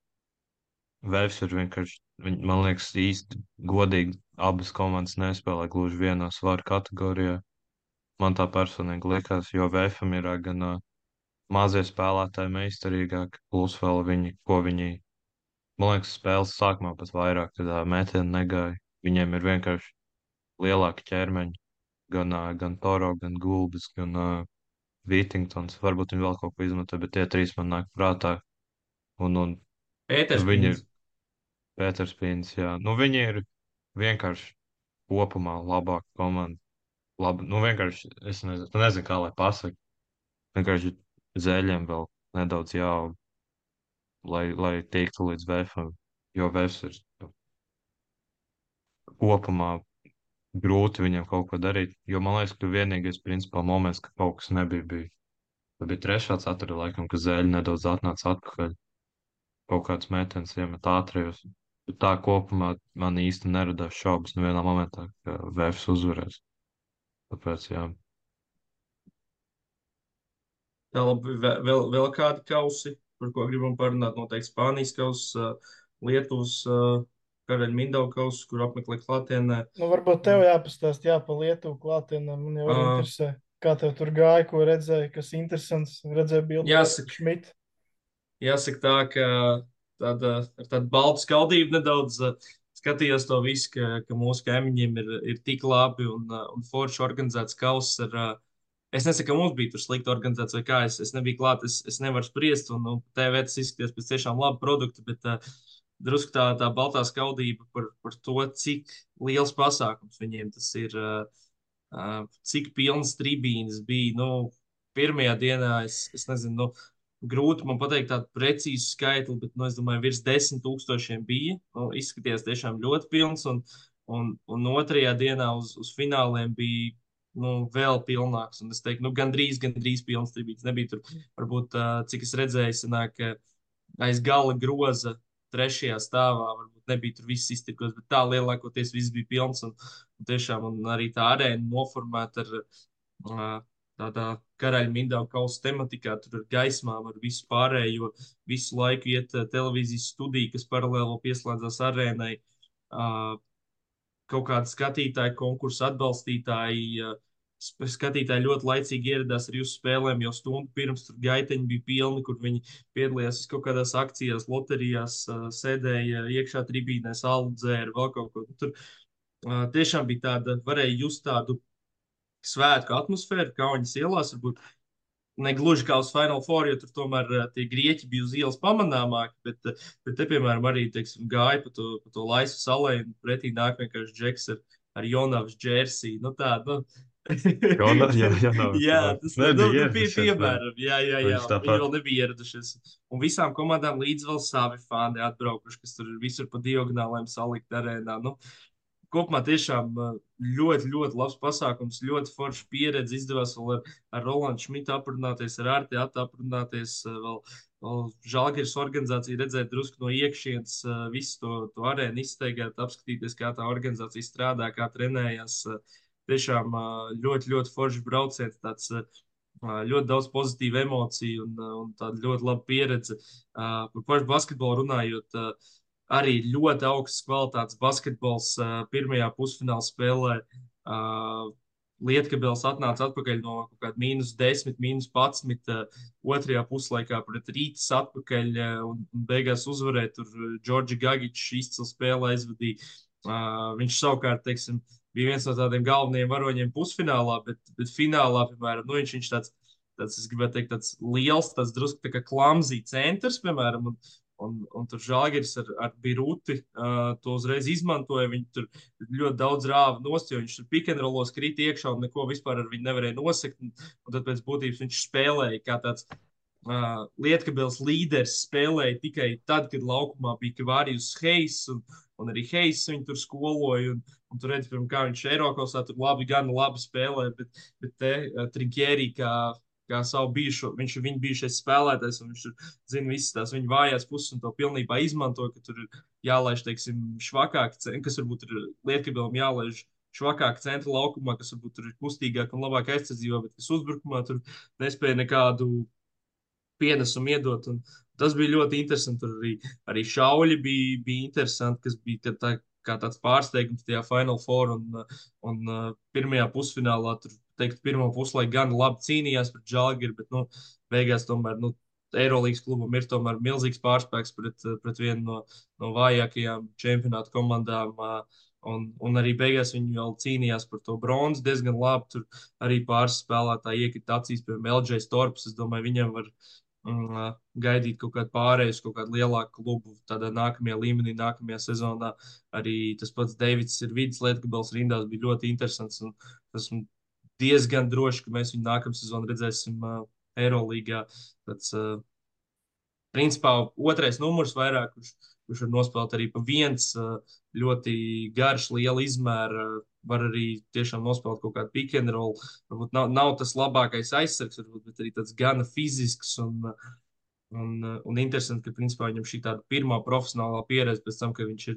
Vēfs ir vienkārši, viņ, man liekas, īsti godīgi abas komandas nespēlē gluži vienā svaru kategorijā. Man tā personīgi liekas, jo Vēfam ir ā, gan ā, mazie spēlētāji meistarīgāki, plus vēl viņi, ko viņi, man liekas, spēles sākumā pat vairāk tādā metienu negāja. Viņiem ir vienkārši lielāki ķermeņi, gan, ā, gan Toro, gan Gulbis, gan uh, Vītingtons. Varbūt viņi vēl kaut ko izmanto, bet tie trīs man nāk prātā. Un, un Pēters nu, viņi ir Pīns. Pēters Pīns, jā. Nu, viņi ir vienkārši kopumā labāka komanda. Labi, nu vienkārši, es nezinu, nezinu kā lai pasaka. Vienkārši zēļiem vēl nedaudz jāaug, lai, lai tiktu līdz Vēfam, jo Vēfs ir kopumā grūti viņam kaut ko darīt, jo man liekas, ka vienīgais principā moments, ka kaut kas nebija, bija. Tā bija trešā ceturta laikam, ka zēļi nedaudz atnāca atpakaļ. Kaut kāds mētens iemet ātrajos. Bet tā kopumā man īsti neradās šaubas nevienā momentā, ka Vēfs uzvarēs. Tāpēc, jā. Tā labi, ve- vēl, vēl kādi kausi, par ko gribam parunāt, noteikti Spānijas kauss, ā, Lietuvas ā, Karaļa Mindauga kauss, kur apmeklē klātienē. Nu, varbūt tev jāpastāst, jā, pa Lietuvu klātienē. Man jau arī Ā, interesē, kā tev tur gāja, ko redzēji, kas interesants. Redzēju bildi no Jāsaka, Šmita. jāsaka tā, ka tāda, ar tādu baltu skaldību nedaudz ā, skatījos to visu, ka, ka mūsu kaimiņiem ir, ir tik labi un, ā, un forši organizēts kauss ar, ā, es nesaku, ka mums bija tur slikti organizēts vai kā, es, es nebiju klāt, es, es nevaru spriest, un, un T V tas izskatījās pēc tiešām labu produktu, bet uh, drusku tā, tā baltā skaudība par, par to, cik liels pasākums viņiem tas ir, uh, uh, cik pilnas tribīnes bija, nu, pirmajā dienā, es, es nezinu, nu, grūti man pateikt tādu precīzu skaitli, bet, nu, es domāju, virs desmit tūkstošiem bija, nu, izskatījās tiešām ļoti pilns, un, un, un otrajā dienā uz, uz fināliem bija nu, vēl pilnāks. Un es teiktu, nu, gandrīz, gandrīz pilns tribīns. Nebija tur, varbūt, uh, cik es redzēju, sanāk, aiz gala groza trešajā stāvā. Varbūt nebija tur viss iztirkos, bet tā lielākoties viss bija pilns. Un, un tiešām un arī tā arēna noformēta ar uh, tādā Karaļa Mindauga kausa tematikā, tur ar gaismām, ar visu pārējo, visu laiku iet uh, televīzijas studija, kas paralēli pieslēdzās arēnai. Uh, kaut kādi skatītāji, konkursu atbalstītāji. Skatītāji ļoti laicīgi ieradās arī uz spēlēm, jau stundu pirms tur gaiteņi bija pilni, kur viņi piedalījās kaut kādās akcijās, loterijās, sēdēja iekšā tribīnēs, alu dzēra, vēl kaut ko. Tur tiešām bija tāda, varēja just tādu svētku atmosfēru, Kaunas ielās, varbūt ne gluži kā uz Final Four, jo tur tomēr uh, tie grieķi bija uz ielas pamanāmāki, bet, uh, bet te, piemēram, arī, teiksim, gāja pa to, pa to laisu salai, un pretī nāk vienkārši džeks ar, ar Jonavas džersiju. Nu tā, nu. Jona, jā, jā, nav, jā, tas nu, nu, nebija bija ieradušies, piemēram. Jā, jā, jā. Viņš Viņi tāpat. vēl nebija ieradušies. Un visām komandām līdz vēl savi fani atbraukuši, kas tur visur pa diagonālēm salikt arēnā. Nu, kopumā tiešām ļoti, ļoti labs pasākums, ļoti forša pieredze. Izdevās vēl ar, ar Rolandu Šmitu aprunāties, ar Arti aprunāties. Vēl, vēl Žalgiris organizācija redzēt drusku no iekšienes, visu to, to arēnu izsteigāt, apskatīties, kā tā organizācija strādā, kā trenējās. Tiešām ļoti, ļoti foršs brauciens, tāds ļoti daudz pozitīvu emociju un, un tāda ļoti laba pieredze. Par pašu basketbolu runājot, arī ļoti augsts kvalitātes basketbols uh, pirmajā pusfināla spēlē. Uh, Lietkabels atnāca atpakaļ no kaut kāda mīnus desmit, mīnus padsmit uh, otrajā puslaikā pret Rītas atpakaļ uh, un, un beigās uzvarēja. Tur Džordži Gagičs izcili spēli aizvadīja. Uh, viņš savukārt, teiksim, bija viens no tādiem galvenajiem varoņiem pusfinālā, bet, bet finālā, piemēram, nu, viņš, viņš tāds tāds, es gribētu teikt, tāds liels, tāds drusku tā kā klamzī centrs, piemēram, un, un, un tur Žalgiris ar, ar Biruti uh, to uzreiz izmantoja. Viņi tur ļoti daudz rāva nost, jo viņš tur pikenrolos krīt iekšā un neko vispār ar viņu nevarēja nosekt. Un, un tad pēc būtības viņš spēlēja kā tāds Uh, Lietkabils līderis spēlēja tikai tad, kad laukumā bija Kavārijus Heis, un, un arī Heis viņu tur skoloja, un, un tur redz, piemēram, kā viņš Eirokosā tur labi, gan labi spēlē, bet, bet te uh, Trinkjērī kā, kā savu bijušo, viņš ir viņa bijušais spēlētājs, un viņš tur zina visas tās viņa vājās puses, un to pilnībā izmanto, ka tur ir jālaiž, teiksim, švakāk, kas varbūt ir Lietkabilam jālaiž švakāk centra laukumā, kas varbūt tur ir kustīgāk un labāk aizsardzībā, bet kas uzbrukumā tur nespēja nekādu pienesumu iedot. Un tas bija ļoti interesanti. Tur arī, arī šauļi bija, bija interesanti, kas bija tā, kā tāds pārsteigums tajā Final Four. Un, un pirmajā pusfinālā tur, teikt, pirmā puslaika gan labi cīnījās pret Žalgiri, bet nu, beigās tomēr nu, Eirolīgas klubam ir tomēr milzīgs pārspēks pret, pret vienu no, no vājākajām čempionāta komandām. Un, un arī beigās viņi vēl cīnījās par to bronzu diezgan labi. Tur arī pāris spēlētāji iekrita acīs, piemēram, L J Storps. Es domāju, viņam var un, uh, gaidīt kaut kādu pārēju, kaut kādu lielāku klubu tādā nākamajā līmenī, nākamajā sezonā. Arī tas pats Deivids ir vidus Lietkabils rindās, bija ļoti interesants. Un esmu diezgan droši, ka mēs viņu nākamā sezonā redzēsim uh, Eirolīgā. Tāds, uh, principā, otrais numurs vairāk, kurš, kurš var nospēlēt arī pa viens, uh, ļoti garš, liela izmēra. Uh, var arī tiešām nospēlēt kaut kādu pick and roll. Varbūt nav, nav tas labākais aizsargs, varbūt, bet arī tāds gana fizisks un, un, un interesanti, ka principā viņam šī tāda pirmā profesionālā pieredze pēc tam, ka viņš ir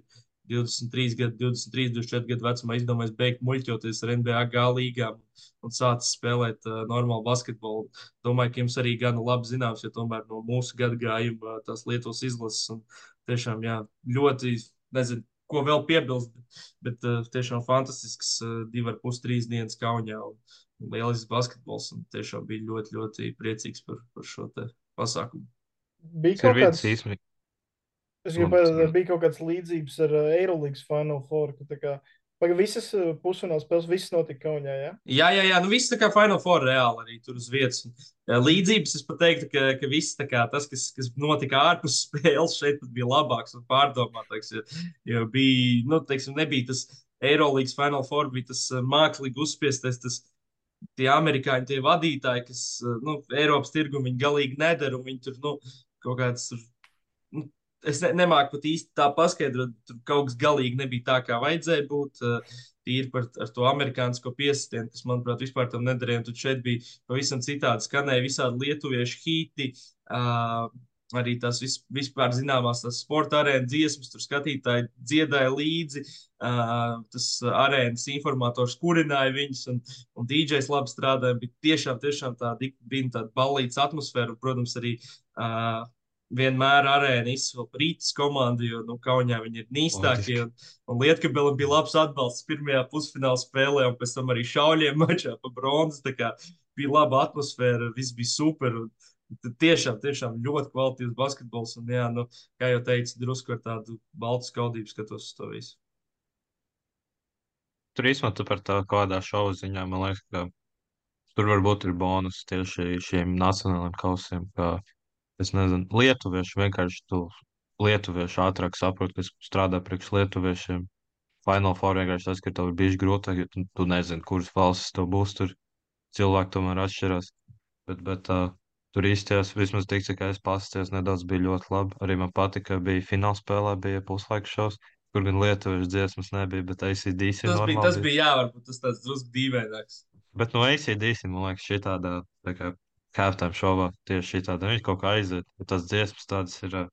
divdesmit trīs gadu, divdesmit trīs, divdesmit četri gadu vecumā izdomājis beigt muļķoties ar N B A G līgām un sācis spēlēt uh, normālu basketbolu. Domāju, ka jums arī gana labi zināms, jo tomēr no mūsu gadagājuma uh, tās Lietuvas izlases un tiešām, jā, ļoti, nezinu, ko vēl piebilst, bet, bet uh, tiešām fantastisks uh, divi ar pus trīs dienas Kaunijā un, un lielisks basketbols, un tiešām bija ļoti, ļoti priecīgs par, par šo te pasākumu. Bija Tas ir kaut viens kāds, īsmīgi. es gribēju, bija kaut kāds līdzības ar uh, Eirolīgas Final Four, ka tā kā, paga visas uh, pusfināls spēles, visas notika Kaunijā, jā? Jā, jā, jā, nu viss tā kā Final Four reāli arī tur uz vietas. Un, jā, līdzības es pat teiktu, ka, ka viss tā kā tas, kas, kas notika ārpus spēles, šeit pat bija labāks un pārdomātāks, jo, jo bija, nu, teiksim, nebija tas Eirolīgas Final Four, bija tas uh, mākslīgi uzspiestais, tas tie amerikāņi, tie vadītāji, kas, uh, nu, Eiropas tirgu viņi galīgi nedara, un viņi tur, nu, kaut kāds, nu, es ne, nemāku pat īsti tā paskaidrot, tur kaut kas galīgi nebija tā, kā vajadzēja būt. Tīri par ar to amerikānisko piesitienu, kas, manuprāt, vispār tam nederēja. Un tad šeit bija pavisam citādi skanēja visādi lietuviešu hīti, uh, arī tās vis, vispār zināmās tās sporta arēna dziesmas, tur skatītāji dziedāja līdzi, uh, tas arēnas informators kurināja viņus, un, un D Js labi strādāja. Bija tiešām, tiešām tāda, bija tāda ballītas atmosfēra, un, protams, arī uh, vienmēr arēna izsver Rītas komandu, jo nu, Kaunijā viņi ir nīstākie. Un, un Lietkabelim bija labs atbalsts pirmajā pusfināla spēlē, un pēc tam arī šauļiem mačā pa bronzas. Tā kā bija laba atmosfēra, viss bija super. Un tiešām, tiešām ļoti kvalitīvs basketbols. Un, jā, nu, kā jau teicu, drusku ar tādu baltu skaudību skatos uz to visu. Tur īstenībā tu par tā kādā šovu ziņā, man liekas, ka tur varbūt ir bonus tieši šiem nacionālajiem kausiem, ka es nezinu, lietuvieši vienkārši tu lietuvieši ātrāk saprot, kas strādā priekš lietuviešiem. Final Four vienkārši tas, ka tev ir bijis grūtāk, jo tu, tu nezini, kuras valstis tev būs tur. Cilvēki tomēr atšķirās. Bet, bet uh, tur īstajās, vismaz tik, cik es pasties, nedaudz bija ļoti labi. Arī man patika, ka bija finālspēlē, bija puslaika šovs, kur gan lietuviešu dziesmas nebija, bet A C D C Tas normāli bija, tas bija, jā, varbūt tas tāds drusku dīvaināks. Bet no A C D C, man liekas, šī tāda, tā kā halftime šovā tieši šī tāda, viņš kaut kā aiziet, bet tās dziesmas tādas ir, uh,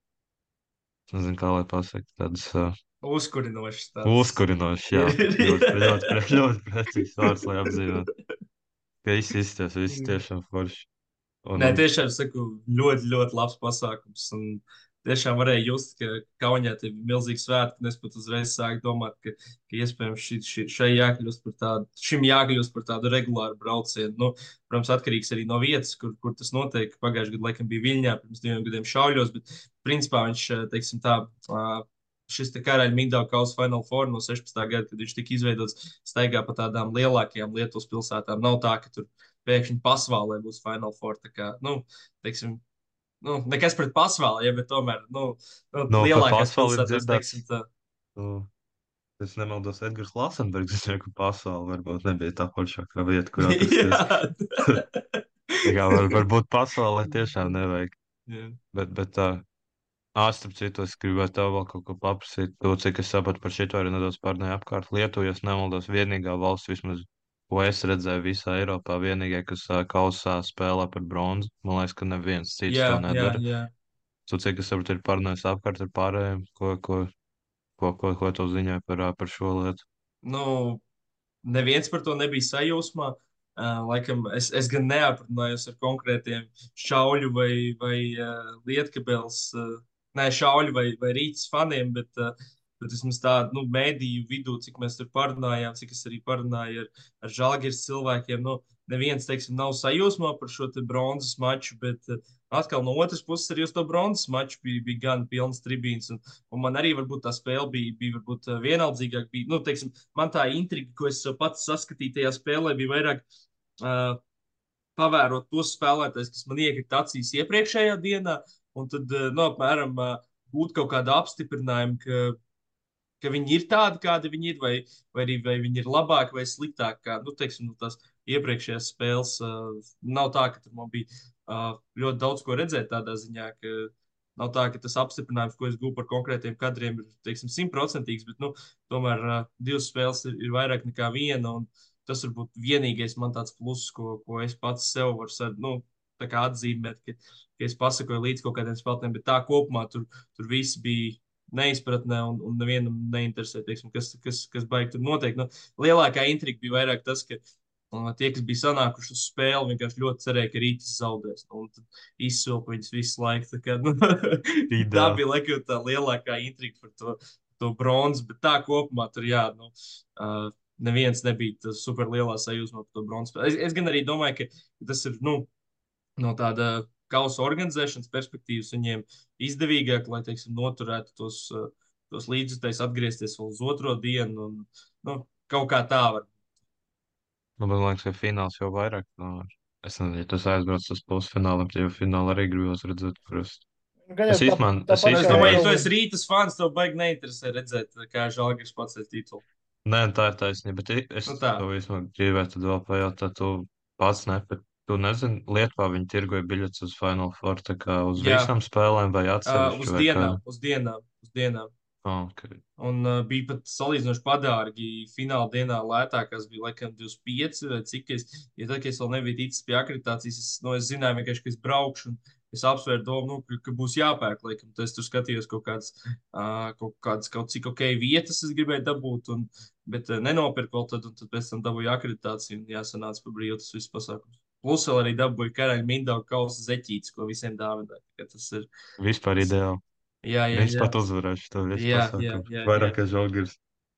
nezinu, kā lai pasaka, tādas uh, Uzkurinošs tāds. uzkurinošas, jā, ļoti, ļoti, ļoti, ļoti precīzi vārds, lai apzīmētu. Ka viss izsties, viss tiešām forši. Un, Nē, un, tiešām saku, ļoti, ļoti labs pasākums. Un tiešām varēja just, ka Kaunijā tie bija milzīgi svētki, un es pat uzreiz sāku domāt, ka, ka iespējams ši, ši, šai jākļūst par tādu, šim jākļūst par tādu regulāru braucienu. Nu, protams, atkarīgs arī no vietas, kur, kur tas notiek. Pagājušajā gadā, laikam, bija Viļņā, pirms diviem gadiem šauļos, bet principā viņš, teiksim tā, šis te Karaļa Mindauga kausa Final Four no sešpadsmitā gada, kad viņš tika izveidots, staigā pa tādām lielākajām Lietuvas pilsētām. Nav tā, ka tur pēkšņi Pasvālē būs Final Four. Tā kā, nu, teiksim, nu, nekas pret Pasvālu, ja, bet tomēr, nu, nu No, par lielākās Pasvali ir pilsētās, dzirdēts. teiksim, tā. Nu, es nemaldos, Edgars Lasenbergs, es zinu, ka pasauli varbūt nebija tā foršākā vieta, kur atrasties. Jā. Tā kā var, varbūt pasaulē tiešām nevajag. Jā. Bet, bet tā, āstrap citu, es gribētu tev vēl kaut ko paprasīt. To, cik es sapratu par šito arī nedaudz pārnēju apkārt. Lietuva, ja es nemaldos, vienīgā valsts vismaz, ko es redzēju visā Eiropā, vienīgā, kas ā, kausā spēlē par bronzu. Man liekas, ka neviens cits Jā, to jā, nedara. jā. Tu, cik es sapratu, ir pārnējis apkārt ar pārējiem, ko, ko, ko, ko, ko tu ziņoji par, ā, par šo lietu. Nu, neviens par to nebija sajūsmā. Uh, laikam es, es gan neaprunājos ar konkrētiem šauļu vai, vai uh, lietkabels, uh, ne šauļu vai, vai rītas faniem, bet, uh, bet vismaz tādu nu, mēdīju vidū, cik mēs tur parunājām, cik es arī parunāju ar, ar Žalgiris cilvēkiem. Nu, neviens, teiksim, nav sajūsmā par šo te bronzas maču, bet uh, atkal no otras puses arī uz to bronzas maču bija, bija gan pilns tribīns. Un, un man arī varbūt tā spēle bija, bija varbūt uh, vienaldzīgāk. Bija, nu, teiksim, man tā intriga, ko es pats saskatīju tajā spēlē, bija vairāk uh, pavērot tos spēlētājus, kas man iekrita acīs iepriekšējā dienā, un tad, uh, nu, apmēram, uh, būt kaut kādu apstiprinājumu, ka, ka viņi ir tādi, kādi viņi ir, vai, vai arī vai viņi ir labāki vai sliktāki. Kā, nu, teiksim, nu, tās iepriekšējās spēles uh, nav tā, ka tur man bija uh, ļoti daudz ko redzēt tādā ziņā, ka nav tā, ka tas apstiprinājums, ko es gūstu par konkrētiem kadriem, ir, teiksim, simtprocentīgs, bet, nu, tomēr uh, divas spēles ir, ir vairāk nekā viena, un tas varbūt vienīgais man tāds pluss, ko, ko es pats sev varu sa- nu, tā kā atzīmēt, ka, ka es pasakoju līdz kaut kādiem spēlētājiem, bet tā kopumā tur, tur viss bija neizpratnē un, un nevienam neinteresē, teiksim, kas, kas, kas baigi tur notiek. Nu, lielākā intriga bija vairāk tas, ka uh, tie, kas bija sanākuši uz spēli, vienkārši ļoti cerēja, ka Rītas zaudēs. Nu, un tad izsvilpa viņus visu laiku. Tā, kā, nu, tā Ideāli. bija laikam tā lielākā intriga par to, to bronzu, bet tā kopumā tur jā, nu, uh, neviens nebija tas super lielā sajūsmā par to bronzu. Es, es gan arī domāju, ka tas ir, nu, no tāda kausa organizēšanas perspektīvas viņiem izdevīgāk, lai, teiksim, noturētu tos, uh, tos līdzjutējus, atgriezties vēl uz otro dienu. Un, nu, kaut kā tā var. Nu, man liekas, ka fināls jau vairāk. Nu, es nezinu, ja tas aizbrauc uz pusfinālu, tad jau finālu arī gribos redzēt. Parasti. Gan Es jau tā, īstenībā, es tāpat Es kā domāju, ja tu Eirolandā. esi Rītas fans, tev baigi neinteresē redzēt, kā Žalgiris pacēla titulu. Nē, tā ir taisnība, bet i- es Nu tā. tev īstenībā gribētu tad vēl pajautāt, tu pats nepēc. Tu nezini, Lietuvā viņi tirgoja biļetes uz Final Four, tā kā uz Jā. visām spēlēm vai Uh, atsevišķi uz vai dienām, kā? uz dienām, uz dienām. Oh, okay. Un uh, bija pat salīdzinoši padārgi. Fināla dienā lētākās bija laikam divdesmit pieci vai cik. Es, ja tad, kad es vēl nebiju ticis pie akreditācijas, es, nu, es zināju vienkārši, ka es braukšu. Es apsvēru domu, nu, ka, ka būs jāpērk. Laikam. Tad es tur skatījos kaut kādas, uh, kaut kādas kaut cik ok vietas, es gribēju dabūt. Un, bet uh, nenopirku vēl tad, un tad pēc tam dabūju akreditāciju. Un jāsanāca par brīvu tas viss pasākums. Plus vēl arī dabūju karaļa Mindauga kausa zeķītes, ko visiem dāvināja. Tas ir. Vispār ideāli. Jā, jā, Viņš jā. pat uzvarēs to visu Jā, jā, pasākumu. jā, jā. Vairāk kā Žalgiris.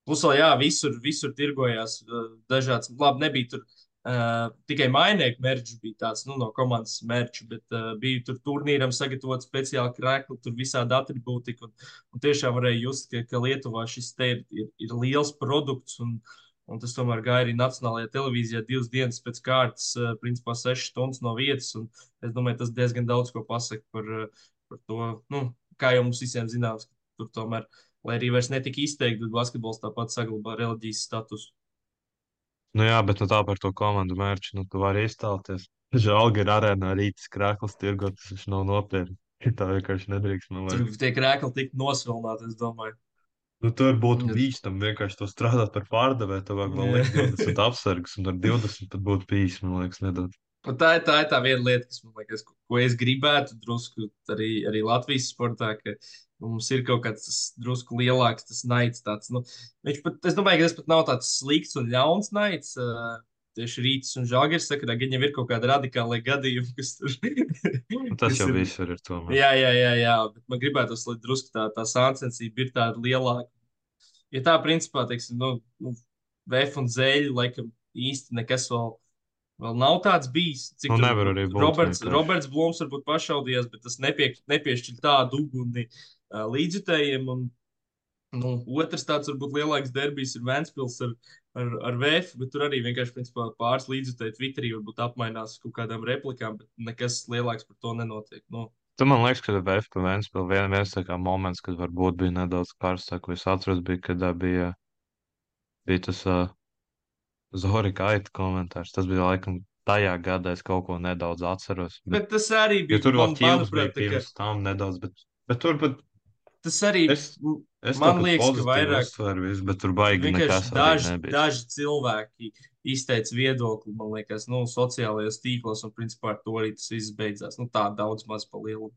Plus vēl, jā, visur, visur tirgojās uh, dažāds. Labi, nebija tur uh, tikai mainieku mērķis, bija tāds nu, no komandas mērķis, bet uh, bija tur turnīram sagatavot speciāli krēkli, tur visādi atribūtika. Un, un tiešām varēja just, ka, ka Lietuvā šis te ir, ir, ir liels produkts. Un, un tas tomēr gāja arī Nacionālajā televīzijā divas dienas pēc kārtas, uh, principā sešas stundas no vietas. Un es domāju, tas diezgan daudz ko pasaka par, uh, par to, nu, kā jau mums visiem zināms, ka tur tomēr. Lai arī vairs netika izteikti, bet basketbols tāpat saglabā reliģijas statusu. Nu jā, bet nu tā par to komandu mērķu, nu tu vari iztēloties. Žalgiris arēnā rītas krāklis tirgot, tas viņš nav nopietni. Tā vienkārši nedrīkst, man Tur liekas. tie krēkli tika nosvilināti, es domāju. Nu, tur būtu Jā. bīstami vienkārši to strādāt par pārdevēju, tev vajag vēl Jā. likt divdesmit apsargus, un ar divdesmit pat būtu bijis, man liekas, nedaudz. Un tā, ir- tā ir tā viena lieta, kas man liekas, ko, ko es gribētu drusku arī, arī Latvijas sportā, ka mums ir kaut kāds tas drusku lielāks tas naids. Tāds, nu, viņš pat, es domāju, ka tas pat nav tāds slikts un ļauns naids. Uh, tieši Rītas un Žalgiris saka, ka viņam ir kaut kāda radikāla gadījuma, kas tur Nu, tas kas jau ir- viss ir ar to. man. Jā, jā, jā, jā, bet man gribētos, lai drusku tā, tā sāncensība ir tāda lielāka. Ja tā, principā, teiksim, nu, nu, Vēf un Zēļi, laikam, īsti nekas vēl, vēl nav tāds bijis. Cik Nu, tur nevar arī būt Roberts, vienkārši. Roberts Blūms varbūt pašaudījās, bet tas nepie, nepiešķir tādu uguni uh, līdzjutējiem. Un, Nu, otrs tāds varbūt lielāks derbijs ir Ventspils ar, ar, ar Vēfu, bet tur arī vienkārši principā, pāris līdzjutēji Twitterī varbūt apmainās uz kaut kādām replikām, bet nekas lielāks par to nenotiek. Nu, Tu man liekas, ka V F P Ventspils vien, viens tā kā moments, kad varbūt bija nedaudz karstāk, ko es atceros, bija, kad ā, bija, bija tas uh, Zorika Aita komentārs. Tas bija laikam tajā gadā, es kaut ko nedaudz atceros. Bet, bet tas arī jo bija, tur vēl man, ķīls bija manuprāt, tā kā, pirms tam nedaudz, bet, bet tur pat tas arī, es, es to man pat liekas, ka pozitīvi vairāk uztveru visu, bet tur baigi vienkārši nekas arī daži, nebija. daži cilvēki izteica viedokli, man liekas, nu, sociālajos tīklos, un principā ar to arī tas viss beidzās. Nu, tā daudz maz pa lielu.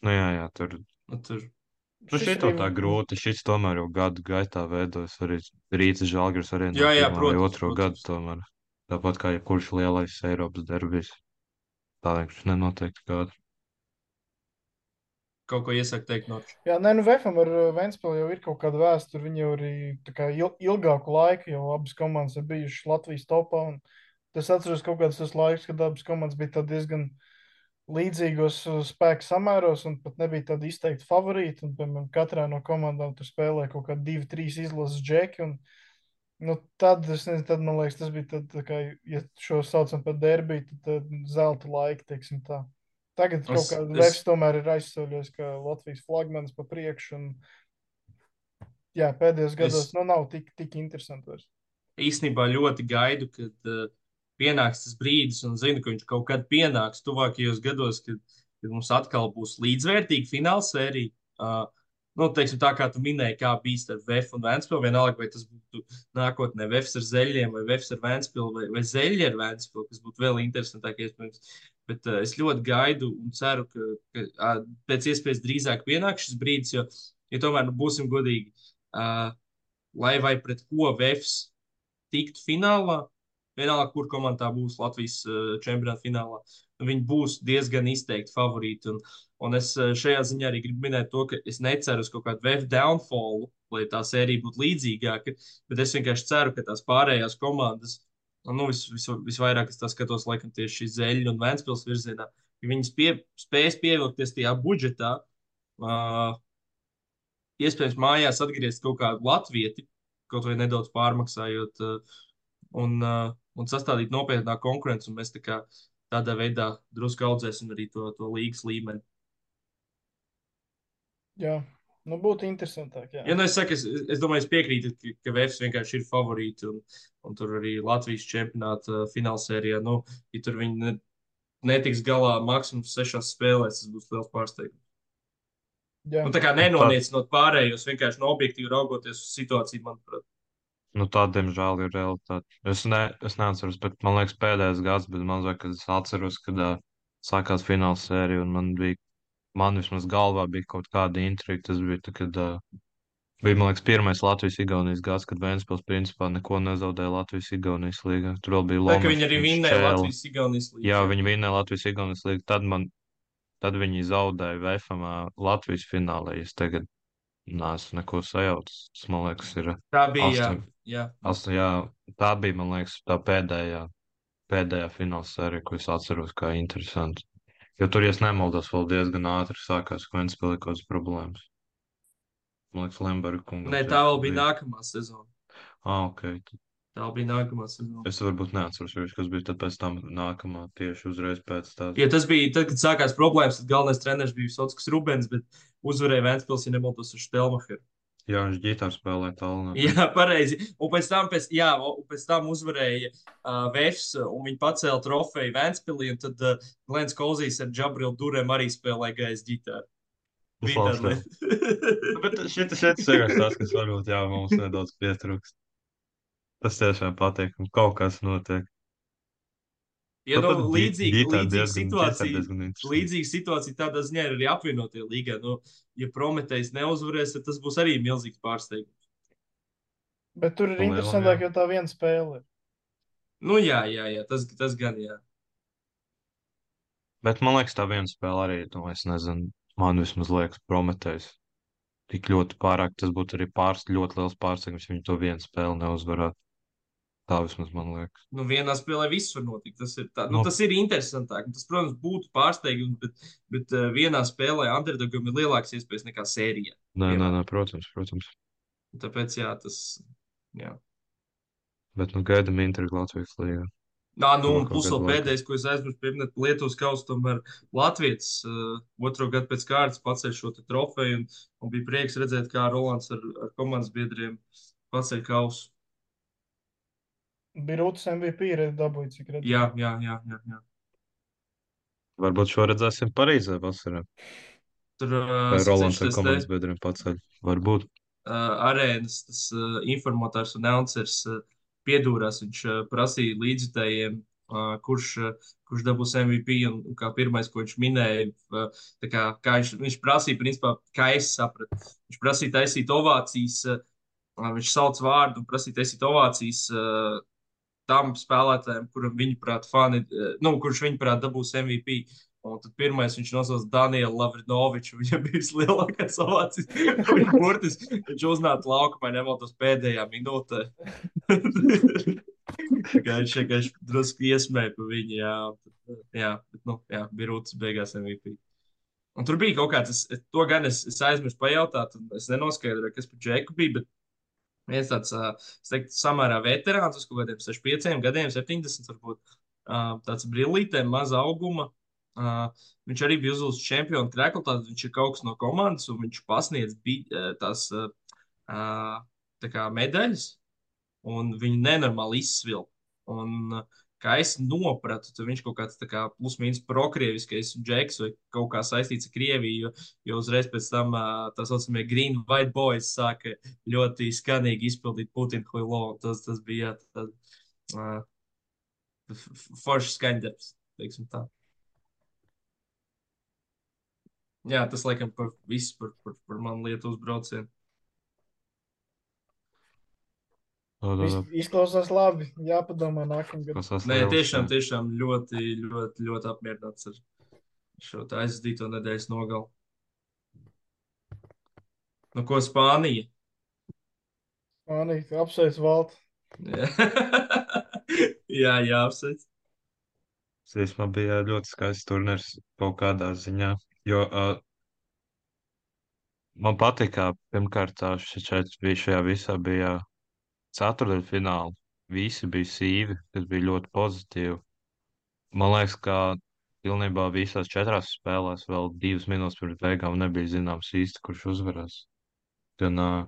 Nu jā, jā, tur. Nu, tur. Nu, Šis šito arī, tā grūti. Šis tomēr jau gadu gaitā veidojas arī Rītas Žalgiris arī no Jā, jā, pirmā vai protams, otro protams. gadu tomēr. Tāpat kā jebkurš lielais Eiropas derbijs. Tā vienkārši nenotiek kāda. Kaut ko iesaka teikt, Norčs. jā, nē, nu Vefam ar uh, Ventspili jau ir kaut kāda vēsture. Viņi jau arī tā kā il, ilgāku laiku jau abas komandas ir bijušas Latvijas topā. Un es atceros kaut kāds tas laiks, kad abas komandas bija tā diezgan līdzīgos uh, spēku samēros un pat nebija tādi izteikti favorīti. Un, piemēram, katrā no komandām tur spēlēja kaut kādi divi, trīs izlases džeki. Un, nu, tad, es nezinu, tad man liekas, tas bija tad, tā kā, ja šo saucam par derbiju, tad, tad zelta laika, teiksim tā. Tagad kaut Es, kā es, Vefs tomēr ir aizsauļojis, ka Latvijas flagmanis pa priekšu. Un, jā, pēdējos gados es nu, nav tik, tik interesanti vairs. īstenībā ļoti gaidu, kad uh, pienāks tas brīdis, un zinu, ka viņš kaut kad pienāks tuvākajos gados, kad, kad mums atkal būs līdzvērtīga fināla sērija. Uh, nu, teiksim, tā kā tu minēji, kā bija starp Vēfu un Ventspilu, vienalga, vai tas būtu nākotnē Vēfs ar Zeļiem, vai Vēfs ar Ventspilu, vai, vai Zeļi ar Ventspilu, kas būtu vēl interesantāk, iespējams. Bet uh, es ļoti gaidu un ceru, ka, ka uh, pēc iespējas drīzāk pienāks šis brīdis, jo, ja tomēr nu, būsim godīgi, uh, lai vai pret ko Vēfs tiktu finālā, vienalga, kur komandā būs Latvijas uh, čempionāta finālā, viņi būs diezgan izteikti favorīti. Un, un es uh, šajā ziņā arī gribu minēt to, ka es neceru uz kaut kādu Vēfu downfallu, lai tā sērija būtu līdzīgāka, bet es vienkārši ceru, ka tās pārējās komandas, nu, vis, vis, visvairāk es tā skatos, laikam, tieši šī Zeļu un Ventspils virzienā, ka viņas pie, spēs pievilkties tajā budžetā, uh, iespējams mājās atgriezt kaut kādu latvieti, kaut vai nedaudz pārmaksājot, uh, un, uh, un sastādīt nopietnāku konkurenci, un mēs tā kā tādā veidā drusku audzēsim arī to, to līgas līmeni. Jā, nu būtu interesantāk. Jā. Ja nu es saku, es, es domāju, es piekrītu, ka, ka Vēfs vienkārši ir favorīti, un, un tur arī Latvijas čempionāta finālsērijā, nu, ja tur viņi ne, netiks galā maksimums sešās spēlēs, tas būs liels pārsteigums. Jā. Nu, tā kā nenoniecinot pārējos, vienkārši no objektīvi raugoties uz situāciju, manuprāt. Nu, tā, diemžēl, ir realitāte. Es, ne, es neatceros, bet man liekas, pēdējais gads, bet man liekas, ka es atceros, kad uh, sākās fināla sērija, un man bija, man vismaz galvā bija kaut kāda intriga. Tas bija, tā, kad uh, bija, man liekas, pirmais Latvijas-Igaunijas gads, kad Ventspils principā neko nezaudēja Latvijas-Igaunijas līgā. Tur vēl bija Tā, ka Lomas viņi arī un vinnēja Šķēle. Latvijas-Igaunijas līgu. Jā, viņi vinnēja Latvijas-Igaunijas līgu. Tad, man, tad viņi zaudēja Vēfam Latvijas finālē. Es tagad neesmu neko sajaucis. Tas, man liekas, ir Tā bija, astoņi. jā. Astoņi, jā, tā bija, man liekas, tā pēdējā, pēdējā fināla sērija, ko es atceros kā interesanti. Jo tur, ja es nemaldos, vēl diezgan ātri sākās, ka Ventspilī kaut kādas problēmas. Man liekas, Lemberga kungam. Nē, tā vēl bija nākamā sezona. Ah, ok. Tad Tā bija nākamā sezona. es varbūt neatceros, jo kas bija tad pēc tam nākamā tieši uzreiz pēc tās. Ja tas bija, tad, kad sākās problēmas, tad galvenais treneris bija Sotskas Rubens, bet uzvarēja Ventspils, ja nemaldos ar Štelmacheru. Jā, viņš ģitāru spēlēja tālu. Jā, pareizi. Un pēc tam, pēc, jā, un pēc tam uzvarēja uh, Vēfs, un viņi pacēla trofeju Ventspilī, un tad uh, Glens Kolzīs ar Džabrilu Durem arī spēlēja gaisa ģitāru. Bija Labs tāda lieta. Bet šeit šeit ir tas, kas varbūt jā, mums nedaudz pietrūkst. Tas tiešām patīk, un kaut kas notiek. Ja, nu, Tāpat ģi- līdzīga, ģitāra līdzīga diezgan- ģitāra situācija, diezgan interesanti. līdzīga situācija tādā ziņā ir arī apvienotie līgā. Nu, ja Prometējs neuzvarēs, tad tas būs arī milzīgs pārsteigums. Bet tur ir Pa lielam, interesantāk, jā. jo tā viena spēle ir. Nu, jā, jā, jā, tas, tas gan, jā. Bet man liekas, tā viena spēle arī, nu, es nezinu, man vismaz liekas, Prometējs. Tik ļoti pārāk, tas būtu arī pārs, ļoti liels pārsteigums, ja viņi to vienu spēli neuzvarētu. Tā vismaz man liekas. Nu, vienā spēlē viss var notikt. Tas ir, tā, nu, Nu. tas ir interesantāk. Tas, protams, būtu pārsteigums, bet, bet uh, vienā spēlē underdogam ir lielākas iespējas nekā sērijā. Nē, nē, piemēram. nē, protams, protams. Tāpēc, jā, tas. Jā. Bet, nu, gaidam intrigu Latvijas līgā. Nā, nu, un Tuvāko plus vēl gadu laikā. pēdējais, ko es aizmirsu pieminēt, Lietuvas kausa, tomēr Latvijas uh, otro gadu pēc kārtas paceļ šo te trofeju, un, un bija prieks redzēt, kā Rolands ar, ar komandas biedriem paceļ kausu. Bija Rūtas M V P ir dabūjis, cik redzēju. Jā, jā, jā, jā, jā. Varbūt šo redzēsim Parīzē vasarā. Tur uh, Vai Rolands ar skatīšos te komandas biedriem paceļ. Varbūt. uh, arēnas, tas uh, informators un announcers uh, piedūrās. Viņš uh, prasīja līdzjutējiem, uh, kurš, uh, kurš dabūs M V P, un, un kā pirmais, ko viņš minēja, uh, tā kā, kā viņš, viņš prasīja, principā, kā es sapratu. Viņš prasīja taisīt ovācijas, uh, viņš sauc vārdu un prasīja taisīt ovācijas uh, tam spēlētājiem, kuram viņuprāt, fani, uh, nu, kurš viņuprāt dabūs M V P. Un tad pirmais viņš nosauca Danielu Lavrinoviču. Viņam bija vislielākais ovācijas. Viņš burtiski viņš uznāca laukumā, nemaldos pēdējā minūtē. Tā kā viņš vienkārši drusku iesmēja pa viņu. Jā, tad, jā, bet, nu, jā, bija Rūtas beigās M V P. Un tur bija kaut kāds, es, to gan es, es aizmirsu pajautāt, un es nenoskaidroju, kas par Džeku bija, bet viens tāds, ā, es teiktu, samērā veterāns uz kaut kādiem sešdesmit pieciem gadiem, septiņdesmit varbūt, ā, tāds brillītēm, maza auguma. Uh, viņš arī bija uzvilcis čempionu kreklu, tad viņš ir kaut kas no komandas, un viņš pasniedz bi, uh, tās uh, uh, tā kā medaļas, un viņu nenormāli izsvilp. Un, uh, kā es nopratu, tad viņš kaut kāds tā kā plus-mínus prokrieviskais džeks vai kaut kā saistīts ar Krieviju, jo, jo uzreiz pēc tam uh, tā saucamie Green White Boys sāka ļoti skanīgi izpildīt Putinu Huilo, un tas, tas bija tad, uh, foršs skaņdarbs, teiksim tā. Jā, tas laikam par visu par, par, par manu Lietuvas braucienu. Tā, tā, Iz, tā. izklausās labi. Jāpadomā nākamgad. Tas tas Nē, liels, tiešām, jā. tiešām ļoti, ļoti, ļoti apmierināts ar šo tā aizdīto nedēļas nogalu. Nu, ko Spānija? Spānija, apsveic Valtu. Jā, jā, apsveic. Tas īstenībā bija ļoti skaists turnīrs kaut kādā ziņā. Jo uh, man patīk, ka pirmkārt tā šeit bija šajā visā bija ceturdaļfināli. Visi bija sīvi, kas bija ļoti pozitīvi. Man liekas, ka pilnībā visās četrās spēlēs vēl divas minūtes pirms beigām nebija zināms īsti, kurš uzvarēs. Gan uh,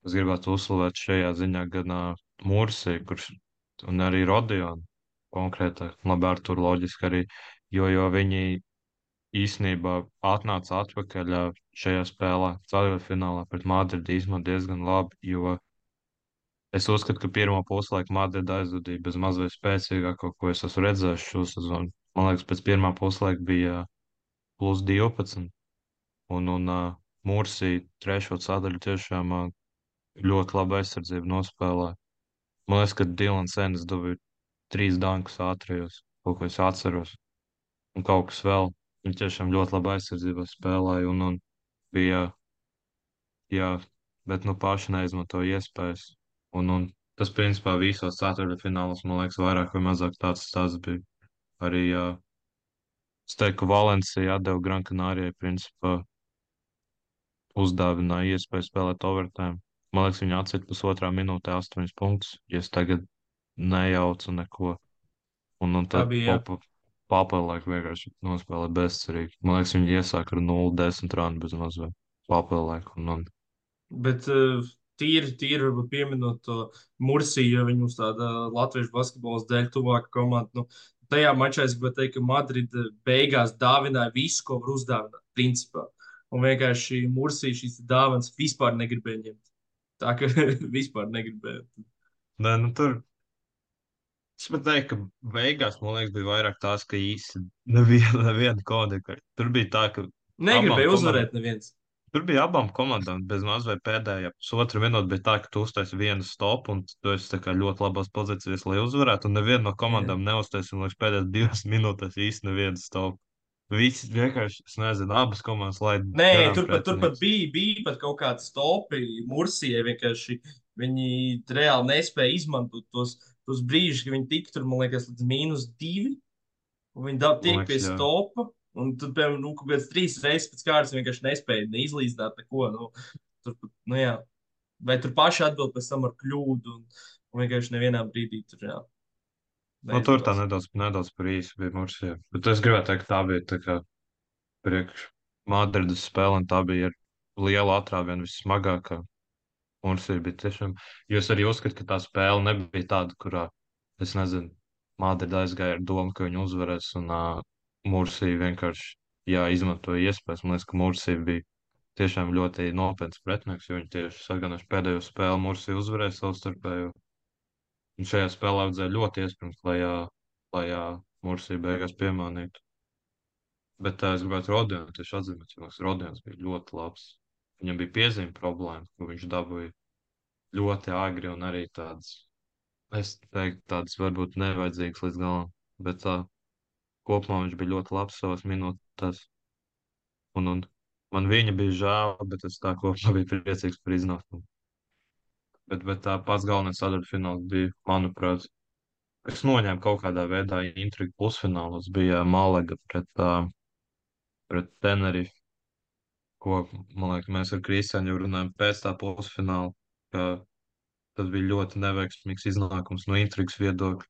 es gribētu uzslavēt šajā ziņā gan uh, Mursī, kurš un arī Rodionu konkrētāk, labi ar tur loģiski arī, jo, jo viņi īsnībā atnāca atpakaļ ā, šajā spēlē, ceturtfinālā pret Madridi īstenībā diezgan labi, jo es uzskatu, ka pirmo puslaiku Madridi aizvadīja bez mazliet spēcīgāko, ko es esmu redzējis šo sezonu. Man liekas, pēc pirmā puslaika bija plus divpadsmit, un, un uh, Mursī trešo sadaļu tiešām uh, ļoti labu aizsardzību nospēlēja. Man liekas, ka Dilans Enes dabūja trīs dankus ātrijos, kaut ko es atceros, un kaut kas vēl. Viņš tiešām ļoti labi aizsardzībā spēlēja, un, un bija, jā, bet nu paši neizmantoja iespējas. Un, un tas, principā, visos ceturtfinālos, man liekas, vairāk vai mazāk tāds stāsts bija. Arī, jā, es teiktu, ka Valencija atdeva Gran Canarijai, principā, uzdāvināja iespēju spēlēt overtime. Man liekas, viņi atcita pusotrā minūtē astoņus punktus, ja es tagad nejaucu neko. Un, un Tā tad bija, jā. popa, papelēk vienkārši nospēlē bezcerīgi. Man liekas, viņi iesāk ar nulle desmit rānu bez mazliet. Papelēk. Un, un Bet uh, tīri, tīri varbūt pieminot to Mursiju, jo viņi mums tāda latviešu basketbolas dēļ tuvāka komanda. Nu, tajā mačā es gribētu teikt, ka Madrida beigās dāvināja visu, ko var uzdāvināt, principā. Un vienkārši Mursija šīs dāvanas vispār negribēja ņemt. Tā ka vispār negribēja. nē, nu tur. Es pat teiktu, ka beigās, man liekas, bija vairāk tās, ka īsti neviena, neviena koda. Tur bija tā, ka Negribēja abām uzvarēt komandām, neviens. tur bija abām komandām bez mazliet pēdējā pusotra minūte bija tā, ka tu uztaisi vienu stopu un tu esi tā kā ļoti labās pozīcijās, lai uzvarētu, un neviena no Jā. komandām neuztaisi, un līdz pēdējās divas minūtēs īsti nevienu stopu. Visi vienkārši, es nezinu, abas komandas laid Nē, garām tur pat, tur pat pretinieks. bija, bija pat kaut kāds topi Mursijai vienkārši viņi reāli nespēja izmantot tos, tos brīžus, kad viņi tika tur, man liekas, līdz mīnus divi, un viņi da- Man tiek pie liekas, jā. stopa, un tad, piemēram, nu, kaut kāds trīs reizes pēc kārtas vienkārši nespēja neizlīdzināt neko. Nu, tur, nu, jā. Vai tur paši atbild pēc tam ar kļūdu, un, un vienkārši nevienā brīdī tur, jā, Nu, tur tā neizdevās. nedaudz, nedaudz par īsu bija Mursija. Bet es gribētu teikt, ka tā bija tā kā priekš Madrides spēle, un tā bija ar lielu atrāvienu vissmagākā. Mursija bija tiešām, jo es arī uzskatu, ka tā spēle nebija tāda, kurā, es nezinu, Madrida aizgāja ar domu, ka viņi uzvarēs, un uh, Mursija vienkārši, jā, izmantoja iespējas. Man liekas, ka Mursija bija tiešām ļoti nopietns pretinieks, jo viņi tieši saganoši pēdējo spēli Mursija uzvarēja savstarpējo. Un šajā spēlē vajadzēja ļoti iesprūst, lai, ā, lai ā, Mursija beigās piemānītu. Bet tā es gribētu Rodionu tieši atzīmēt, jo Rodions bija ļoti labs. Viņam bija piezīme problēma, ko viņš dabūja ļoti agri un arī tādas, es teiktu, tādas varbūt nevajadzīgas līdz galam. Bet tā, kopumā viņš bija ļoti labs savās minūtēs. Un, un man viņa bija žēl, bet es tā kopumā biju priecīgs par iznākumu. Bet, bet tā pats galvenais sadaļfināls bija, manuprāt, kas noņēma kaut kādā veidā intrigu pusfinālos, bija Malaga pret, uh, pret Tenerife, ko, man liekas, mēs ar Kristiānu jau runājam pēc tā pusfināla, ka tas bija ļoti neveiksmīgs iznākums no intrigas viedokļa,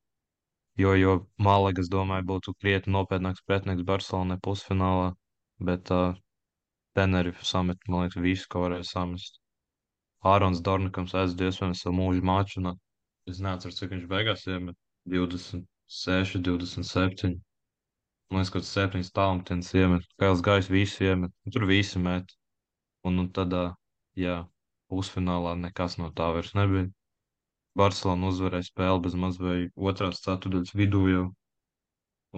jo, jo Malaga, es domāju, būtu krietni nopietnāks pretinieks Barcelonai pusfinālā, bet uh, Tenerife samet, man liekas, visu, ko varēja samest. Ārons Dornikams aizved iespējams savu mūžu maču, un es neatceros, cik viņš beigās iemet divdesmit seši, divdesmit septiņi. Man liekas, ka tas septiņas tālumtienas iemet, Kails Gājs visu iemet, un tur visi met. Un, un tad, ā, jā, pusfinālā nekas no tā vairs nebija. Barcelona uzvarēja spēli bez maz vai otrās ceturdaļas vidū jau,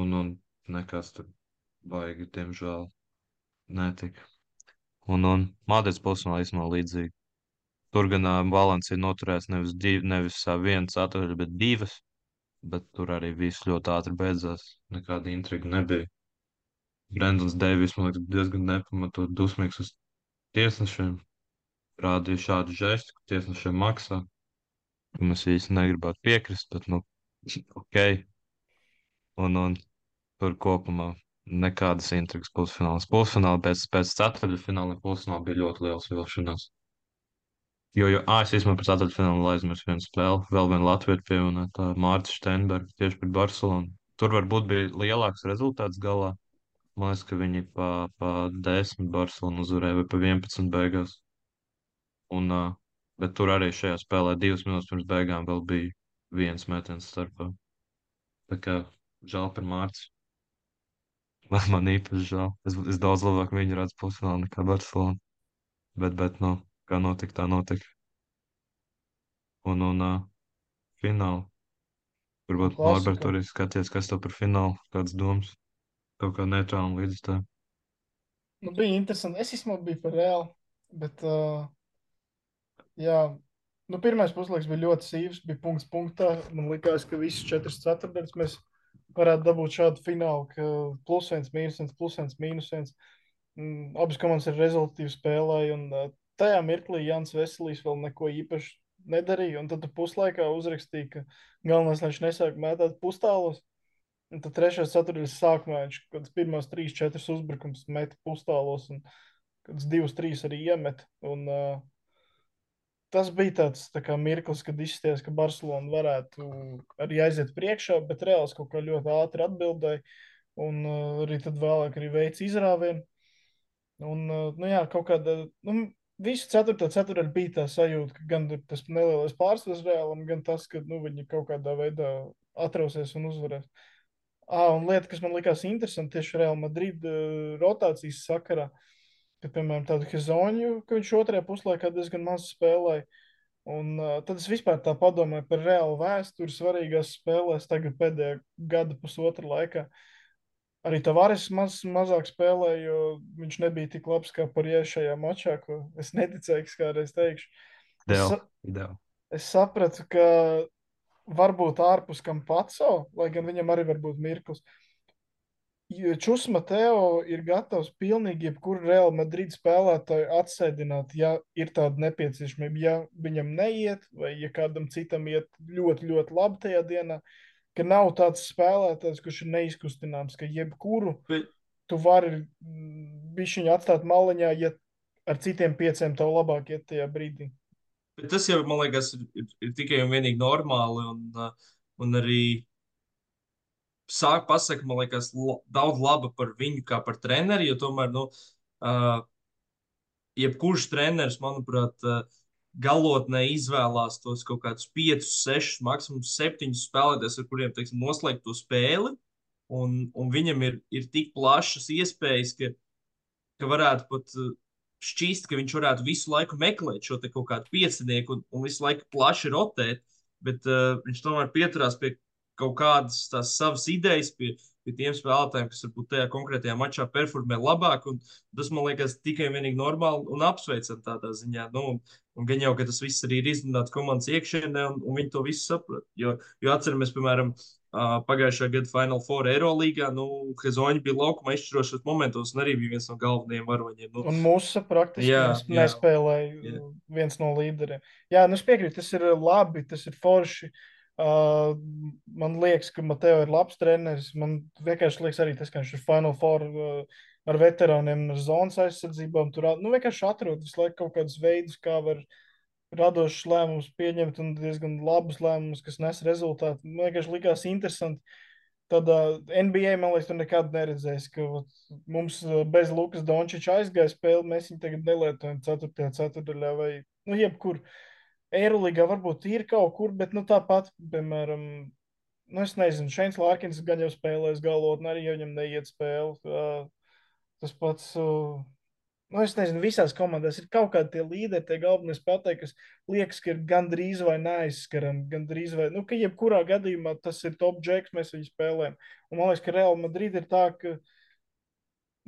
un, un nekas tur baigi, diemžēl, netika. Un, un Madrids pusfinālā īstenībā līdzīgi. Tur gan uh, Valencija noturējās nevis, div, nevis uh, viena ceturdaļa, bet divas, bet tur arī viss ļoti ātri beidzās. Nekāda intriga nebija. Brendons Deivis, man liekas, diezgan nepamatot dusmīgs uz tiesnešiem. Rādīja šādu žestu, ka tiesnešiem maksā. Mēs īsti negribētu piekrist, bet, nu, ok. Un, un tur kopumā nekādas intrigas pusfināls. Pusfināli pēc, pēc ceturtdaļfināla pusfināla bija ļoti liels vilšanās. Jo, jo ā, es īstenībā par ceturtfinālu aizmirsu vienu spēli. Vēl viena Latvija pievienotā Mārta Steinberga tieši pret Barcelonu. Tur varbūt bija lielāks rezultāts galā. Man liekas, ka viņi pa, pa desmit Barcelonu uzvarēja vai pa vienpadsmit beigās. Un, uh, bet tur arī šajā spēlē divas minūtes pirms beigām vēl bija viens metiens starpā. Tā kā žēl par Mārtu. Man, man īpaši žēl. Es, es daudz labāk viņu redzu pusfinālā nekā Barcelonu. Bet, bet, nu, kā notika, tā notika. Un, un uh, fināli. Varbūt Norbert Klasika. arī skaties, kas tev par finālu, kādas domas, kaut kā neitrāli līdz tā. Nu, bija interesanti. Es īstenībā biju par reāli, bet, uh, jā, nu, pirmais puslaiks bija ļoti sīvs, bija punkts punktā. Man likās, ka visas četras ceturtdaļas mēs varētu dabūt šādu finālu, ka plus viens, mīnus viens, plus viens, mīnus viens. Mm, abas komandas ir rezultatīvi spēlēja, un uh, tajā mirklī Jans Veselīs vēl neko īpaši nedarīja, un tad tu puslaikā uzrakstīja, ka galvenais, lai viņš nesāk mētāt pustālos. Un tad trešās ceturtdaļas sākumā viņš kaut kāds pirmās trīs, četras uzbrukums meta pustālos, un kaut kāds divas, trīs arī iemet. Un uh, tas bija tāds tā kā mirklis, kad izskatījās, ka Barcelona varētu arī aiziet priekšā, bet Reāls kaut kā ļoti ātri atbildēja, un uh, arī tad vēlāk arī veica izrāvienu. Un, uh, nu jā, kaut kāda, nu, visu ceturto ceturtdaļu bija tā sajūta, ka gan tas nelielais pārsvars Reālam, gan tas, ka, nu, viņi kaut kādā veidā atrausies un uzvarēs. Ah, un lieta, kas man likās interesanti tieši Real Madrid uh, rotācijas sakarā, ka, piemēram, tādu Hezonju, ka viņš otrajā puslaikā diezgan maz spēlēja. Un uh, tad es vispār tā padomāju par Reālu vēsturi svarīgās spēlēs tagad pēdējā gada pusotra laikā. Arī Tavares maz, mazāk spēlēja, jo viņš nebija tik labs kā Porjē šajā mačā, ko es neticēju, ka kādreiz teikšu. Es, Ideāli, sa- ideāli. es sapratu, ka varbūt ārpus Kampaco, lai gan viņam arī var būt mirklis. Čus Mateo ir gatavs pilnīgi jebkuru Real Madrid spēlētāju atsēdināt, ja ir tāda nepieciešamība. Ja viņam neiet, vai ja kādam citam iet ļoti, ļoti labi tajā dienā, ka nav tāds spēlētājs, kurš ir neizkustināms, ka jebkuru Bet, tu vari bišķiņu atstāt maliņā, ja ar citiem pieciem tev labāk iet tajā brīdī. bet tas jau, man liekas, ir, ir, ir tikai un vienīgi normāli. Un, uh, un arī sāk pasaka, man liekas, la, daudz laba par viņu kā par treneri, jo tomēr, nu, uh, jebkurš treneris, manuprāt, uh, galotnē izvēlās tos kaut kādus piecus, sešus, maksimums septiņus spēlētājus, ar kuriem, teiksim, noslēgt to spēli. Un, un viņam ir, ir tik plašas iespējas, ka, ka varētu pat uh, šķist, ka viņš varētu visu laiku meklēt šo te kaut kādu piecinieku un, un visu laiku plaši rotēt, bet uh, viņš tomēr pieturās pie kaut kādas tās savas idejas, pie, pie tiem spēlētājiem, kas varbūt tajā konkrētajā mačā performē labāk. Un tas, man liekas, tikai un vienīgi normāli un apsveicam tādā ziņā. Nu, un, un gan jau, ka tas viss arī ir izrunāts komandas iekšienē, un, un viņi to visu saprot. Jo, jo atceramies, piemēram, uh, pagājušā gada Final Four Eirolīgā, nu, Hezoņi bija laukuma izšķirošos momentos un arī bija viens no galvenajiem varoņiem. Nu, Un mūsu praktiski jā, nes, jā, nespēlēja jā. viens no līderiem. Jā, nu es piekrītu, tas ir labi, tas ir forši. Uh, man liekas, ka Mateo ir labs treneris. Man vienkārši liekas arī tas, ka viņš ir Final Four uh, ar veterāniem, ar zonas aizsardzībām. Tur nu, vienkārši atrod visu laiku kaut kādus veidus, kā var radošus lēmumus pieņemt un diezgan labus lēmumus, kas nes rezultātu. Man vienkārši likās interesanti. Tad uh, N B A, man liekas, tu nekad neredzēsi, ka vat, mums uh, bez Lukas Dončiča aizgāja spēle, mēs viņu tagad nelietojam ceturtajā ceturdaļā vai, nu, jebkur. Eirolīgā varbūt ir kaut kur, bet, nu, tāpat, piemēram, nu, es nezinu, Šeins Lārkins gan jau spēlēs galotni, arī jau viņam neiet spēle. Uh, tas pats, uh, nu, es nezinu, visās komandās ir kaut kādi tie līderi, tie galvenie spēlētāji, kas liekas, ka ir gandrīz vai neaizskarami, gandrīz vai, nu, ka jebkurā gadījumā tas ir top džeks, mēs viņu spēlējam. Un man liekas, ka Real Madrid ir tā, ka,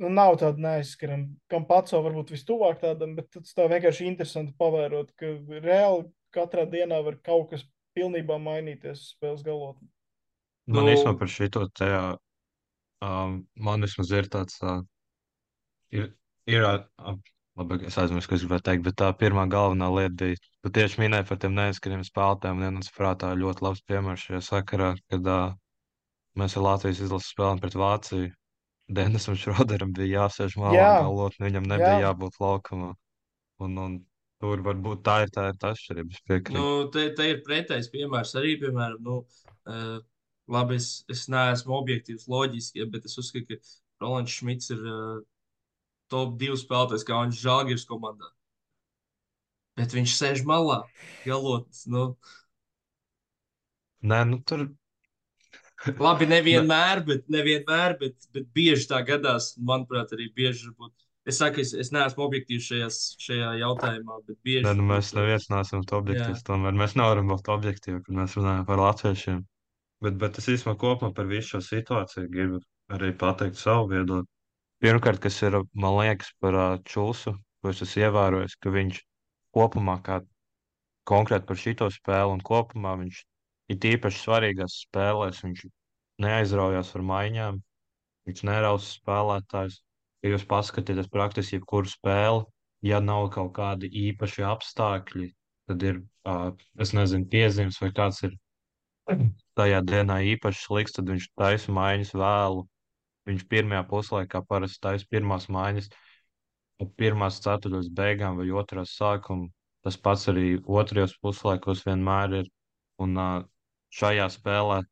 nu, nav tāda neaizskarama. Kam pats varbūt vistuvāk tādam, bet tas tā vienkārši interesanti pavērot, ka reāli katrā dienā var kaut kas pilnībā mainīties uz spēles galotni. Man Nu, īstenībā par šito tajā, um, man vismaz ir tāds, uh, ir, ir, uh, labi, es aizmirsu, ko es gribēju teikt, bet tā pirmā galvenā lieta bija, tu tieši minēji par tiem neaizskariem spēlētājiem, un viens prātā ļoti labs piemērs šajā sakarā, kad uh, mēs ar Latvijas izlases spēlēm pret Vāciju. Denisam Šroderam bija jāsēž malā Jā, galotni, viņam jā, nebija jābūt laukumā. Un, un tur varbūt tā ir tā, ir tā atšķirība, es nu, piekrītu. te, te ir pretējs piemērs arī, piemēram, nu, uh, labi, es, es neesmu objektīvs loģiski, ja, bet es uzskatu, ka Rolands Šmits ir uh, top divi spēlētājs, kā viņš Žalgiris komandā. Bet viņš sēž malā, galotnis. Nu, Nē, nu tur, labi, ne, nevienmēr, bet, nevienmēr, bet, bet bieži tā gadās. Manuprāt, arī bieži varbūt. Es saku, es, es neesmu objektīvs šajās, šajā jautājumā, bet nē, bieži nu mēs varbūt. neviens neesam to Jā. objektīvs, tomēr mēs nevaram būt objektīvi, kad mēs runājam par latviešiem. Bet, bet es īstenībā kopumā par visu šo situāciju gribu arī pateikt savu viedokli. Pirmkārt, kas ir, man liekas, par uh, Čulsu, ko es esmu ievērojis, ka viņš kopumā, kā konkrēti par šito spēli un kopumā, viņš ir tīpaši svarīgās spēlēs, viņš neaizraujās ar maiņām, viņš nerausa spēlētājs. Ja jūs paskatieties praktiski jebkuru spēli, ja nav kaut kādi īpaši apstākļi, tad ir, uh, es nezinu, piezīmes vai kāds ir tajā dienā īpaši slikts, tad viņš taisa maiņas vēlu. Viņš pirmajā puslaikā parasti taisa pirmās maiņas ap pirmās ceturtdaļas beigām vai otrās sākuma. Tas pats arī otrajos puslaikos vienmēr ir. Un uh, šajā spēlē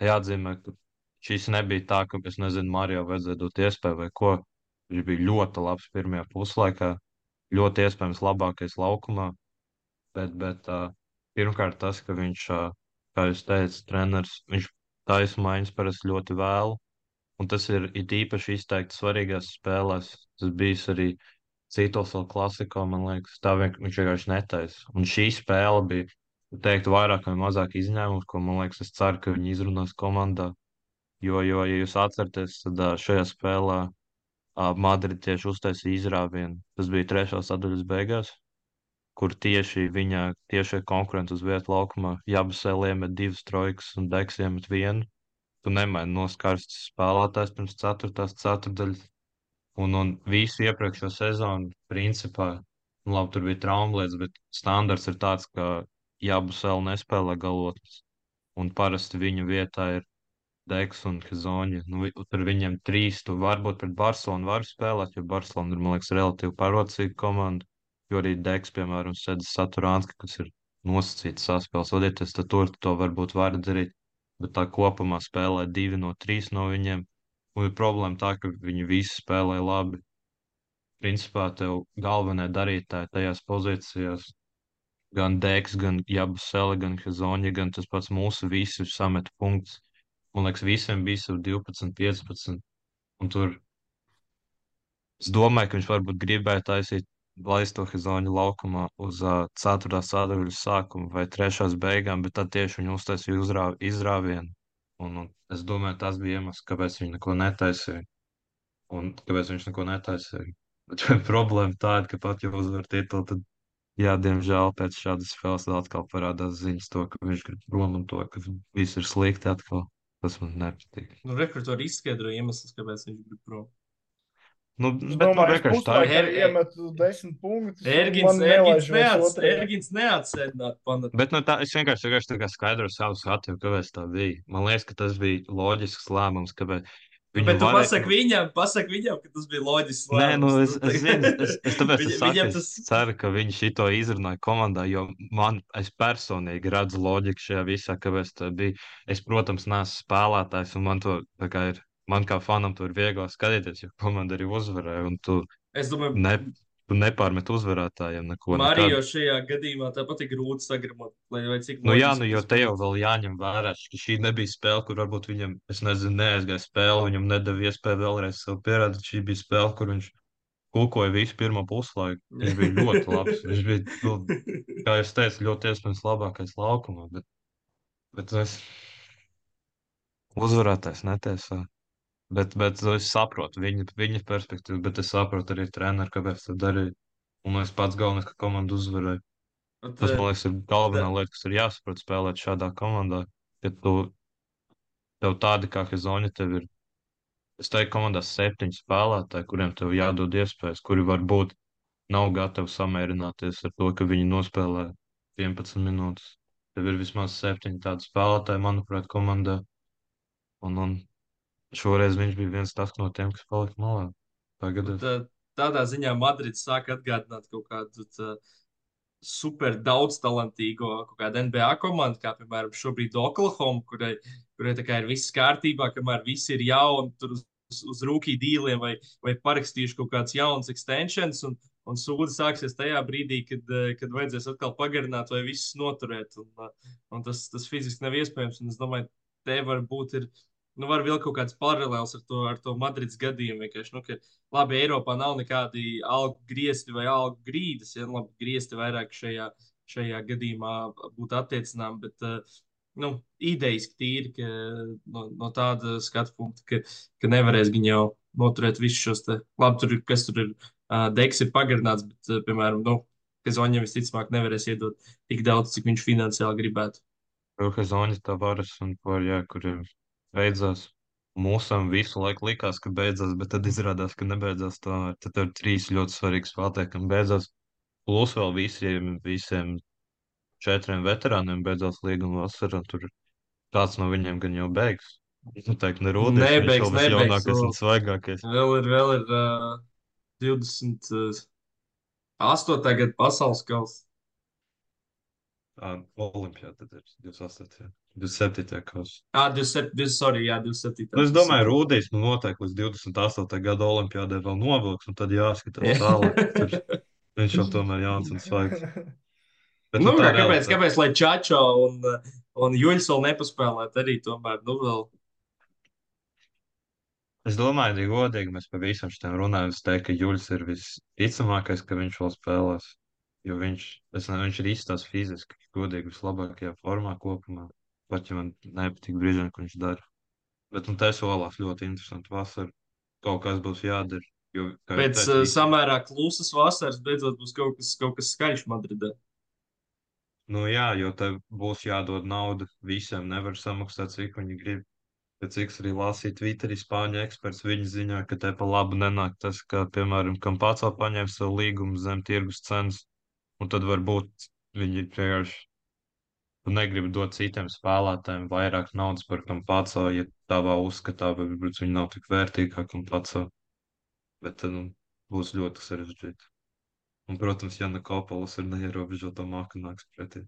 jāatzīmē, ka šis nebija tā, ka, es nezinu, Mario vajadzēja dot iespēju vai ko. Viņš bija ļoti labs pirmajā puslaikā, ļoti iespējams labākais laukumā, bet, bet uh, pirmkārt tas, ka viņš, uh, kā jūs teicat, treneris, viņš taisa maiņas parasti ļoti vēlu, un tas ir it īpaši izteikti svarīgās spēlēs. Tas bijis arī citos vēl klasikā, man liekas, tā vien, viņš vienkārši netaisa. Un šī spēle bija, teiktu, vairāk vai mazāk izņēmums, ko, man liekas, es ceru, ka viņi izrunās komandā. Jo, jo, ja jūs atceraties, tad ā, šajā spēlē ā, Madrid tieši uztaisīja izrāvienu. Tas bija trešās sadaļas beigās, kur tieši viņa tiešie konkurenti uz vietu laukumā Jabusēl iemet divas trojkas un Deks iemet vienu. tu nemaini noskarstus spēlētājs pirms ceturtās ceturdaļas. Un, un visu iepriekšējo sezonu, principā, nu, labi, tur bija traumas, bet standarts ir tāds, ka Jabusele nespēlē galotnes. Un parasti viņu vietā ir Deks un Hezonja. Nu, vi- tur viņiem trīs, tu varbūt pret Barcelonu var spēlēt, jo Barcelona ir, man liekas, relatīvi parocīga komanda. Jo arī Deks, piemēram, Sedis Saturānska, kas ir nosacīts saspēles vadītājs, tad tur to varbūt var darīt. Bet tā kopumā spēlē divi no trīs no viņiem. Un ir problēma tā, ka viņi visi spēlē labi. Principā tev galvenie darītāji tajās pozīcijās, gan Deks, gan Jabusele, gan Hezonja, gan tas pats mūsu visi sameta punktus. Man liekas, visiem bija jau divpadsmit, piecpadsmit. Un tur es domāju, ka viņš varbūt gribēja taisīt, laist to Hezonju laukumā uz uh, ceturtās sadaļas sākumu vai trešās beigām, bet tad tieši viņi uztaisīja uzrā, izrāvienu. Un, un es domāju, tas bija iemesls, kāpēc viņi neko netaisīja. Un kāpēc viņš neko netaisīja. Bet problēma tāda, ka pat ja uzvar titulu, tad, jā, diemžēl pēc šādas spēles vēl atkal parādās ziņas to, ka viņš grib prom un to, ka viss ir slikti atkal. Tas man nepatīk. Nu, rekrutori izskaidro iemeslus, kāpēc viņš grib prom. Nu, Es bet, nu, domāju, es vienkārši tā ir. puslaikā Er- er- iemetu desmit punktus. un Ergins, man Ergins, nelaiž vairs neats, otrajā. Ergins neatsēdināt panat. Bet nu, tā, es vienkārši, vienkārši tā kā skaidroju savu skatu, kāpēc tā bija. Man liekas, ka tas bija loģisks lēmums, kāpēc Nu, viņu bet tu varēja- pasaki viņam, pasaki viņam, ka tas bija loģisks Nē, nu, lēmums. es, es zinu, es, es tāpēc es Viņa- saku, viņam es tas- ceru, ka viņi šito izrunāja komandā, jo man, es personīgi redzu loģiku šajā visā, kāpēc tā bija. Es, protams, neesmu spēlētājs, un man to, tā kā ir, man kā fanam to ir vieglāk skatīties, jo komanda arī uzvarēja, un tu, Es domāju, ne, tu nepārmet uzvarētājiem neko. Mario nekad. šajā gadījumā tāpat ir grūti sagramot, lai vai cik Nu, jā, loģiski nu, jo tas te jau būtu. vēl jāņem vērā, ka šī nebija spēle, kur varbūt viņam, es nezinu, neaizgāja spēle, viņam nedeva iespēju vēlreiz sev pierādīt. Šī bija spēle, kur viņš kulkoja visu pirmo puslaiku. Viņš bija ļoti labs. Viņš bija, nu, kā jau es teicu, ļoti iespējams labākais laukumā, bet, bet es uzvarētājs netiesā. Bet, bet es saprotu viņa, viņa perspektīvu, bet es saprotu arī treneru, kāpēc to darīja. Un es pats galvenais, ka komanda uzvarēja. Bet, Tas, man eh, liekas, ir galvenā lieta, kas ir jāsaprot spēlēt šādā komandā. Ka tu, tev tādi kā Hezonja, tev ir, es teiktu, komandā septiņi spēlētāji, kuriem tev jādod iespējas, kuri varbūt nav gatavi samierināties ar to, ka viņi nospēlē vienpadsmit minūtes. Tev ir vismaz septiņi tādi spēlētāji, manuprāt, komandā. Un, un šoreiz viņš bija viens tas no tiem, kas palika malā. Tagad bet, es. eh, tādā ziņā Madrids sāk atgādināt kaut kādu tā, super daudz talantīgo kaut kādu N B A komandu, kā piemēram šobrīd Oklahoma, kurai, kurai tā kā ir viss kārtībā, kamēr visi ir jauni, tur uz, uz rūkī dīliem vai, vai parakstījuši kaut kāds jauns extensions, un, un sūdi sāksies tajā brīdī, kad, eh, kad vajadzēs atkal pagarināt vai visus noturēt, un, eh, un tas, tas fiziski nav iespējams, un es domāju, te varbūt ir, nu var vilkt kaut kāds paralēls ar to, ar to Madrids gadījumu, vienkārši, nu, ka labi, Eiropā nav nekādi algu griezti vai algu grīdas, ja labi, griezti vairāk šajā, šajā gadījumā būtu attiecinām, bet, uh, nu, idejiski tīri, ka no, no tāda skatu punkta, ka, ka nevarēs viņi jau noturēt visus šos te, labi, tur ir, kas tur ir, uh, Deks ir pagarināts, bet, uh, piemēram, nu, Kazoņam visticamāk nevarēs iedot tik daudz, cik viņš finansiāli gribētu. Hezonja Tavares un Porjā, kuriem beidzās. Mūsam visu laiku likās, ka beidzās, bet tad izrādās, ka nebeidzās tomēr. Tad tur ir trīs ļoti svarīgi spēlētāji, kam beidzās. Plus vēl visiem, visiem četriem veterāniem beidzās līguma vasarā. Tur kāds no viņiem gan jau beigs. Nu, teikt, nerūdīs, viņš Nebeigs, vēl nebeigs, visjaunākais vēl. un svaigākais. Vēl ir, vēl ir uh, divdesmit astotais gada pasaules kausa. Tā Olimpijā tad ir divdesmit astotajā divdesmit septītajā kausā. Ah, divdesmit septiņi, sorry, jā, divdesmit septiņi. Nu, es domāju, Rūdīs nu noteikti līdz divdesmit astotajā gada olimpiādē vēl novilks, un tad jāskatās tālāk. Tur viņš jau tomēr jauns un svaigs. Bet, Nu, tā kā, kāpēc, realitāte. kāpēc, lai Čačo un, un Juļs vēl nepaspēlētu arī tomēr, nu vēl. Es domāju, ja godīgi mēs par visam šitiem runājam, es teiktu, ka Juļs ir visticamākais, ka viņš vēl spēlēs. Jo viņš, es nezinu, viņš ir izstās fiziski, godīgi vislabākajā formā kopumā. Pat ja man nepatīk brīžiem, ko viņš dara. Bet nu, te solās ļoti interesanti vasara. Kaut kas būs jādara. Jo, kā jau Pēc teicu, uh, visi- samērā klusas vasaras beidzot būs kaut kas, kaut kas skaļš Madridē. Nu jā, jo te būs jādod nauda visiem, nevar samaksāt, cik viņi grib. Pēc cik es arī lasīju Twitterī spāņu eksperts viņa ziņā, ka te pa labu nenāk tas, ka, piemēram, Kampāco paņēma savu līgumu zem tirgus cenas, un tad varbūt viņi vienkārši negrib dot citiem spēlētājiem vairāk naudas par Kampāco, ja tādā uzskatā, varbūt viņi nav tik vērtīgi kā Kampāco, bet tad, nu, būs ļoti sarežģīti. Un, protams, Jana Kopalas ir neierobežota māka nāks pretī.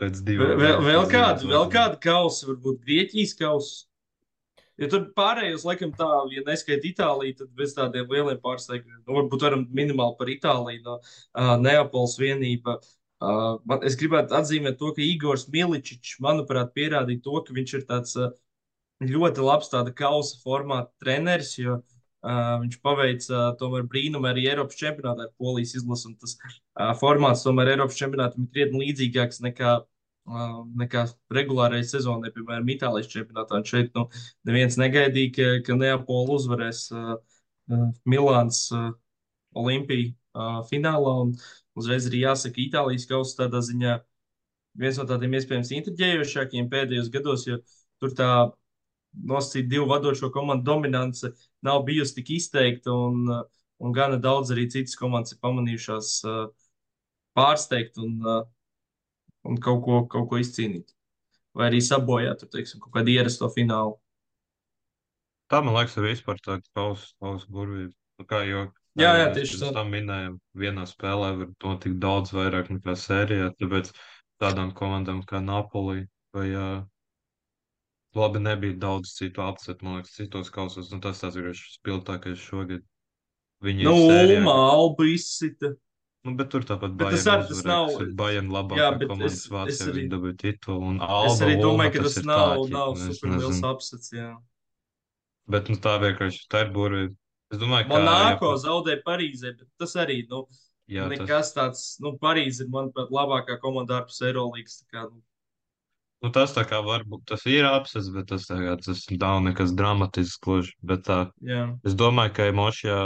Pēc divām. Vēl, vēl kāda, vēl kāda kausa, varbūt Grieķijas kausa. Ja tur pārējos, laikam, tā, ja neskaita Itāliju, tad bez tādiem lieliem pārsteigumiem. Nu, varbūt varam minimāli par Itāliju no uh, Neapoles vienība. Uh, man, es gribētu atzīmēt to, ka Igors Miličičs, manuprāt, pierādīja to, ka viņš ir tāds uh, ļoti labs tāda kausa formāta treneris, jo uh, viņš paveica uh, tomēr brīnumu arī Eiropas čempionātā ar Polijas izlasu, un tas uh, formāts tomēr Eiropas čempionātam ir krietni līdzīgāks nekā Uh, nekā regulārai sezonai, piemēram, Itālijas čempionātā. Un šeit nu, neviens negaidīja, ka, ka Neapola uzvarēs uh, uh, Milāns uh, Olimpiju uh, finālā. Un uzreiz arī jāsaka, Itālijas kausa tādā ziņā viens no tādiem iespējams intriģējošākiem pēdējos gados, jo tur tā nosacīt divu vadošo komandu dominance nav bijusi tik izteikta, un, uh, un gana daudz arī citas komandas ir pamanījušās uh, pārsteigt un uh, un kaut ko, kaut ko izcīnīt. Vai arī sabojāt, tur, teiksim, kaut kādu ierasto finālu. Tā, man liekas, ir vispār tā kausa, kausa burvība. Nu, kā jau Jā, jā, mēs tieši pirms tā. tam minējām, vienā spēlē var notikt daudz vairāk nekā sērijā, tāpēc tādām komandām kā Napoli vai uh, labi nebija daudz citu apset, man liekas, citos kausos, nu tas tās ir spilgtākais šogad. Viņi Nu, ir sērijā, Ulma, Alba izsita. nu, bet tur tāpat Bet tas Bayern arī tas uzvarēja, nav. kas ir Bayern Jā, labākā bet komanda es, es Vācijā, arī, viņi dabūja titulu, un es Alba arī Ulma, domāju, ka tas tas ir nav, tā, nav ķipa, es super liels nezinu. apsets, jā. Bet, nu, tā vienkārši, tā ir burvība. Es domāju, ka, ja Monako pat, zaudēja Parīzē, bet tas arī, nu, jā, tas, nekas tāds, nu, Parīze ir, manuprāt, labākā komanda ārpus Eirolīgas, tā kā, nu, nu, tas tā kā varbūt, tas ir apsis, bet tas tā kā, tas nav nekas dramatisks gluži, bet tā, jā. es domāju, ka Mošajā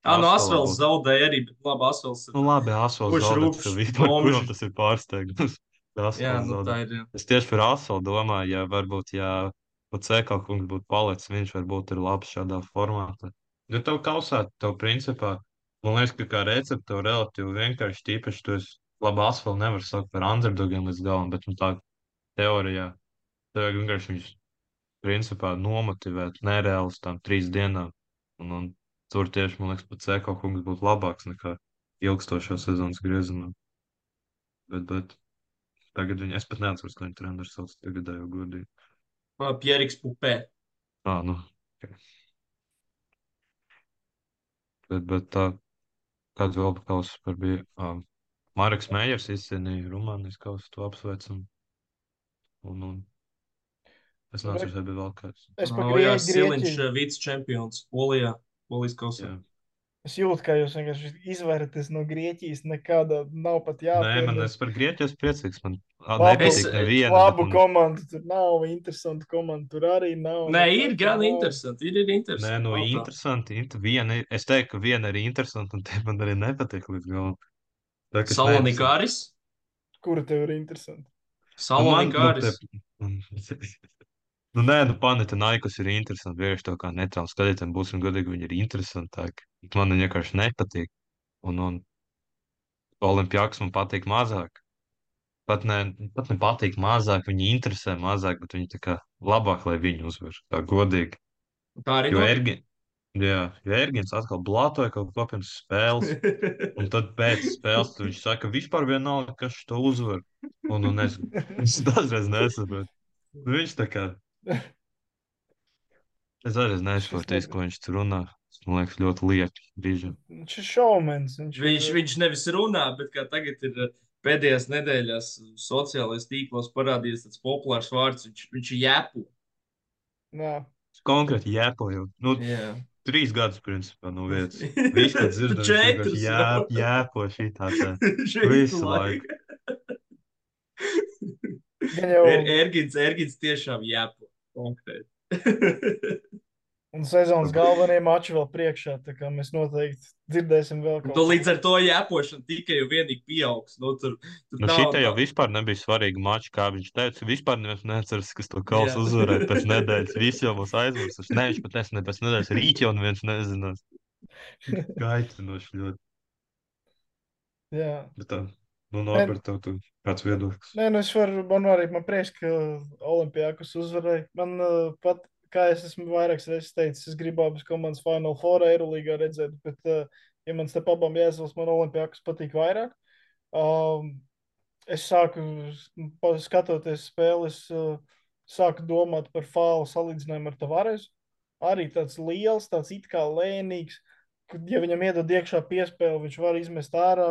Ā, no Asvelā Asvels būtu, zaudēja arī, bet labi, Asvels ir nu, labi, Asvels kurš zaudēt, rūpš, ka vispār, kuram bomži. tas ir pārsteigums, ka Jā, Asvels nu, tā zaudēt. ir, jā. Es tieši par Asvelu domāju, ja varbūt, ja pat Cekal kungs būtu palicis, viņš varbūt ir labs šādā formātā. Jo tev kausā, tev principā, man liekas, ka kā recepte tev relatīvi vienkārši tīpaši, tu esi, labi, Asvelu nevar saukt par underdogiem līdz galam, bet, nu, tā teorijā, tev vienkārši viņš principā nomotivēt nereāli uz tām trīs dienām. Un, un tur tieši, man liekas, pat Ceko kungs būtu labāks nekā ilgstošā sezonas griezienā. Bet, bet tagad viņi, es pat neatceros, kā viņa treneris sauc tagadējo godīgi. Ā, Pieriks Pupē. Ā, nu, okay. Bet, bet tā, kāds vēl kausas par bija? Um, Mareks Mējers izcīnīja Rumānijas kausu, to apsveicam. Un, un es neatceros, vai bija vēl kāds. Es pa O, jā, Grie- Siliņš, Grieķiju. vicečempions Polijā, Polijas kausā. Jā. Es jūtu, ka jūs vienkārši izvairaties no Grieķijas. Nekāda nav pat Nē, man jāpiedod. es par Grieķiju esmu priecīgs. Man ā, Labu, Es- nepatīk neviena. labu bet man- komandu tur nav, interesantu komandu tur arī nav. Nē, ir nekas gan nav. interesanti, ir, ir Nē, interesanti. nu, nav tā. interesanti. Int, viena, ir- es teiktu, ka viena ir interesanta, un te man arī nepatīk līdz galam. Tā, kas Salonika neinteresanta. Aris. Kura tev ir interesanta? Nu, man, Salonika nu, Aris. te, nu, nē, nu, Panathinaikos ir interesanti. Vienkārši to kā netrāli skatītājiem būsim godīgi, viņi ir interesantāki. Man viņi vienkārši nepatīk. Un, un Olimpiaks man patīk mazāk. Pat ne, pat ne patīk mazāk, viņi interesē mazāk, bet viņi tā kā labāk, lai viņi uzvar. Tā godīgi. Tā arī Jo notika. Ergi, jā, jo Ergins atkal blātoja kaut ko pirms spēles. Un tad pēc spēles tad viņš saka, vispār vienalga, kas to uzvar. Un, un es, es dažreiz nesaprotu. Nu, viņš tā kā, es dažreiz nesaprotu, Šis ko viņš tur runā. Tas, man liekas, ļoti lieki brīžiem. Viņš ir šaumens. Viņš, Viņš, ir, viņš nevis runā, bet kā tagad ir uh, pēdējās nedēļās sociālajos tīklos parādījies tāds populārs vārds. Viņš, viņš ir jēpu. jā. Konkrēti jēpoju. Nu, Jā. trīs gadus, principā, no vietas. Viss, ko dzirdam, viņš Četrus vienkārši jau. jē, jēpo šitā tā. Šeit Visu laiku. Gan jau Er, Ergins, Ergins tiešām jēpo. Konkrēti. Un sezonas galvenie mači vēl priekšā, tā kā mēs noteikti dzirdēsim vēl Un kaut tu ko. līdz ar to jēpošana tikai un vienīgi pieaugs. Nu, tur tur Nu, nav šitie jau tā. vispār nebija svarīgi mači, kā viņš teica. Vispār neviens neatceras, kas to Jā. kausu uzvarēja pēc nedēļas. Visi jau mūs aizmirsuši. Ne, viņš pat nesnē pēc nedēļas. Rīt jau neviens nezinās. Kaitinoši ļoti. Jā. Bet tā, nu, Nē, Norbert, tev tu kāds viedoklis? nē, nu es varu, man arī man prieks, ka Olimpijākus uzvarēja. Man uh, pat, kā es esmu vairākas reizes teicis, es gribu abas komandas Final Four Eirolīgā redzēt, bet, uh, ja man starp abām jāizvēlas, man Olimpijākus patīk vairāk. Um, es sāku, pa- skatoties spēles, uh, sāku domāt par fālu salīdzinājumu ar Tavaresu. Arī tāds liels, tāds it kā lēnīgs, kad, ja viņam iedod iekšā piespēli, viņš var izmest ārā,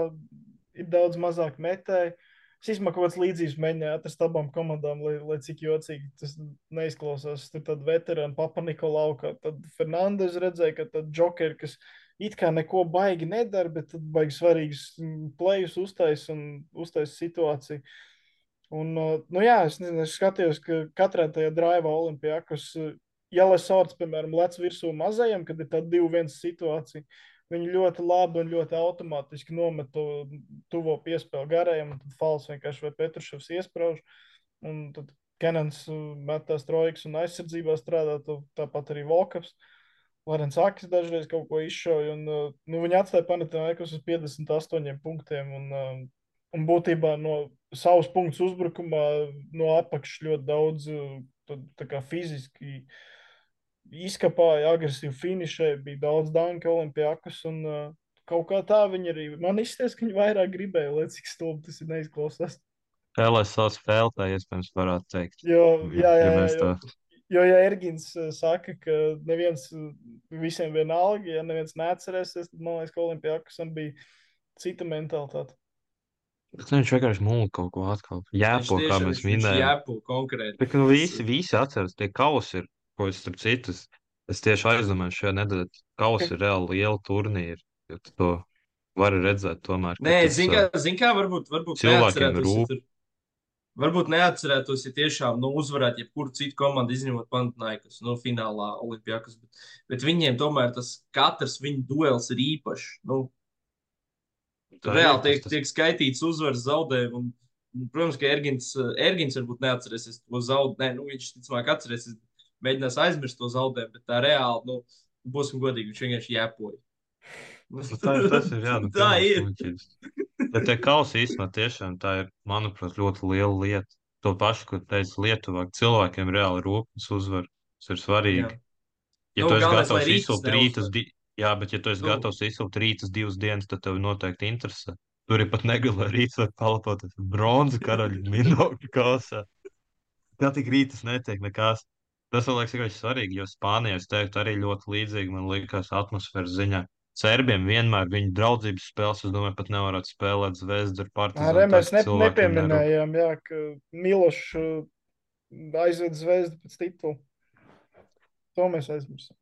ir daudz mazāk metēji. Es īstenībā kaut kāds līdzīgs mēģināju atrast abām komandām, lai, lai cik jocīgi tas neizklausās. Tur tad veterāni Papa Nikolau, kā tad Fernandes redzēja, ka tad Džokeri, kas it kā neko baigi nedara, bet tad baigi svarīgus mm, plejus uztais un uztais situāciju. Un, uh, nu jā, es, nezinu, es skatījos, ka katrā tajā draivā Olimpijākos, uh, ja Lesors, piemēram, lec virsū mazajam, kad ir tāda divi viens situācija, viņi ļoti labi un ļoti automātiski nomet to tuvo piespēli garajam, un tad Fals vienkārši vai Petruševs iesprauž, un tad Kenans uh, met tās trojkas un aizsardzībā strādā, to, tāpat arī Volkaps. Lorents Akis dažreiz kaut ko izšauja, un uh, nu, viņi atstāja Panathinaikos uz piecdesmit astoņiem punktiem, un, uh, un būtībā no savas punktus uzbrukumā no apakšas ļoti daudz uh, tad, tā kā fiziski izkapāja, agresīvi finišēja, bija daudz danka Olimpijākus, un uh, kaut kā tā viņi arī, man izsties, ka viņi vairāk gribēja, lai cik stulbi tas ir neizklausās. Spēlēs savas spēlē, iespējams, varētu teikt. Jo, jā, jā, Ja jā, mēs jo, tā. jo ja Ergins uh, saka, ka neviens uh, visiem vienalga, ja neviens neatcerēsies, tad man liekas, ka Olimpijākusam bija cita mentalitāte. Bet viņš vienkārši mūlika kaut ko atkal. Viņš Jēpo, kā tiešām mēs viņš, viņš minējām. jēpo konkrēti. Bet, nu, Tas, visi, visi atceras, tie kausi ir, ko es starp citus, es tieši aizdomāju šajā nedēļā, kausi ir reāli liela turnīri, jo tu to vari redzēt tomēr, ka nē, tas zin uh, kā, zin kā varbūt, varbūt cilvēkiem neatcerētos, ja rūp. tur, varbūt neatcerētos, ja tiešām, nu, uzvarētu jebkuru citu komandu, izņemot Panathinaikos, nu, finālā Olimpijākos, bet, bet viņiem tomēr tas katrs viņu duels ir īpašs, nu, tur Tā ir, reāli tas, tiek, tas, tiek skaitīts uzvaras zaudējumi, un, un, protams, ka Ergins, Ergins varbūt neatcerēsies to zaudējumu, nē, nu, viņš, ticamāk, atcerēsies, mēģinās aizmirst to zaudējumu, bet tā reāli, nu, būsim godīgi, viņš vienkārši jēpoja. nu, tā, tas ir, jā, nu, Tā pilnīgs ir. muļķības. Bet tie kausi īstenībā tiešām tā ir, manuprāt, ļoti liela lieta. To pašu, ko teica Lietuvā, cilvēkiem reāli rūpes uzvar, tas ir Jā. svarīgi. Ja Nu, tu esi galvenais, lai gatavs rītus izsūkt rītus, neuzvar. di... jā, bet ja tu esi Nu, gatavs izsūkt rītus divas dienas, tad tev noteikti interesē. Tur ir pat negala rīts vai palpot bronza karaļu minokļu kausā. Tā tik rītas netiek nekas. Tas, man liekas, ir svarīgi, jo Spānijā, es teiktu, arī ļoti līdzīgi, man liekas, atmosfēras ziņā. Serbiem vienmēr viņu draudzības spēles, es domāju, pat nevarētu spēlēt Zvezdu ar Arī Partizānu. mēs ne, Cilvēkiem nerūp. nepieminējām, jā, ka Milošs uh, aizved Zvezdu pēc titula. To mēs aizmirsām.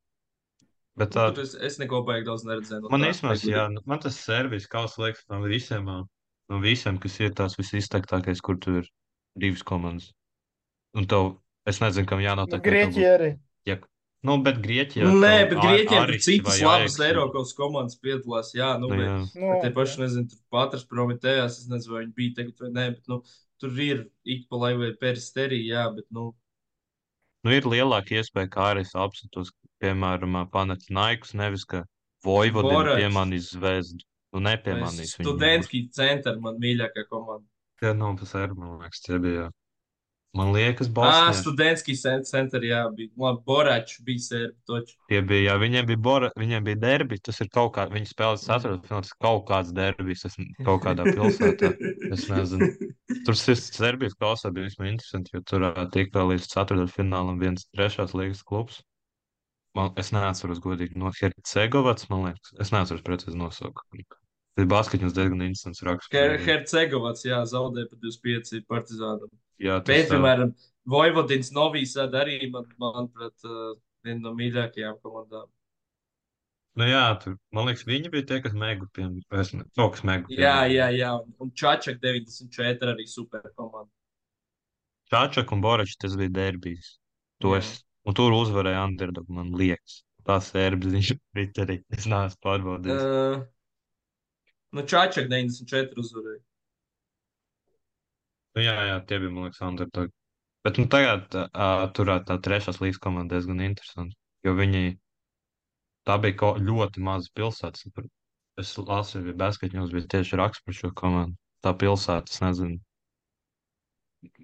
Bet nu, tā, tur es, es neko baigi daudz neredzēju no man tā. īstenībā, vai jā, gudīgi. nu, man tas Serbijas kausa liekas no visiem, no visiem, kas ir tās visizteiktākais, kur tur ir divas komandas. Un tev, es nezinu, kam Nu, jānotiek, lai tev Grieķija būtu. arī. Ja, nu, bet Grieķijā Nē, tev bet Ar- Grieķiem tur Ariksi citas vai labas Ajaks. Eiropas komandas piedalās, jā, nu, Nu, vai, jā. Nu, vai tie jā. paši, nezinu, tur Patras Prometējās, es nezinu, vai viņi bija tagad vai nē, bet, nu, tur ir Ikpalai vai Peristeri, jā, bet, nu, Nu, ir lielāka iespēja, kā arī es apskatos, piemēram, Panathinaikos, nevis ka Vojvodina Boračs piemanīs Zvezdu. Nu, vai nepiemanīs viņu. Būs. Studentski centra, man mīļākā komanda. Jā, nu, tas ir, man liekas, tie bija. Man liekas, Ā, Bosnieši. Studentski centra, jā, bija, labi, Boračs bija serbi, toči. Tie bija, jā, viņiem bija, bora, viņiem bija derbi, tas ir kaut kā, viņi spēlē Mm. ceturtfināls, kaut kāds derbijs, tas kaut kādā pilsētā, es nezinu. Tur tas Serbijas kausā bija vismaz interesanti, jo tur ā, tiek vēl līdz ceturtfinālam viens trešās līgas klubs. Man, es neatceros godīgi no Hercegovats, man liekas, es neatceros precīzi nosaukumu. Tas basketņus diezgan interesants raksts. Her Hercegovats, jā, zaudēja pa divdesmit pieci Partizānam. Jā, tas Bet, tā. piemēram, Vojvodins Novīsāda arī, man, manuprāt, uh, viena no mīļākajām komandām. Nu jā, tur, man liekas, viņi bija tie, kas mēgu piem, es ne, kaut kas mēgu piem. Jā, jā, jā, un, un Čačak deviņdesmit četri arī super komanda. Čāčak un Boračs, tas bija derbijs. To Jā. es, un tur uzvarēja Underdog, man liekas. tās sērbs viņš Twitterī. Es neesmu pārbaudījis. Uh, nu, Čāčak deviņdesmit četri uzvarēja. Nu, jā, jā, tie bija, man liekas, underdog. Bet, nu, tagad uh, turēt tā trešās līgas komanda diezgan interesanti, jo viņi, tā bija ko, ļoti maza pilsētas. Es lasu, ja Basketņos mums bija tieši raksts par šo komandu. Tā pilsēta, es nezinu,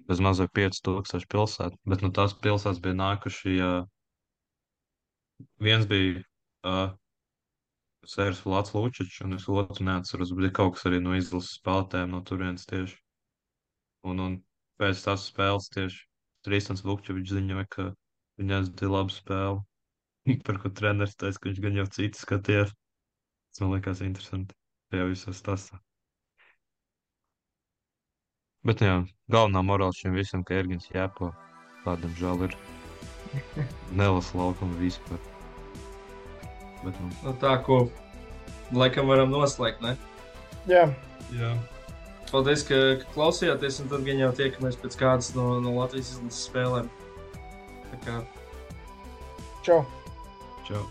bez mazai pieci tūkstoši pilsētu, bet, nu, tās pilsētas bija nākuši, uh, viens bija uh, Sērs Vlads Lučičs, un es otru neatceros, bija kaut kas arī no izlases spēlētājiem no turienes tieši. Un, un pēc tās spēles tieši Trīstans Vukčevičs ziņoja, ka viņa aizdi labu spēli, par ko treneris teica, ka viņš gan jau citu skatījās. Tas man liekas interesanti. Tajā visā stāstā. Bet jā, galvenā morāla šiem visam, ka Ergins Jēpo, tādam žēl ir nelasa laukumu vispār. Bet, nu. Nu, tā, ko laikam varam noslēgt, ne? Jā. Jā. Paldies, ka, ka klausījāties, un tad gan jau tiekamies pēc kādas no, no Latvijas izlases spēlēm. Tā kā. Čau. Čau.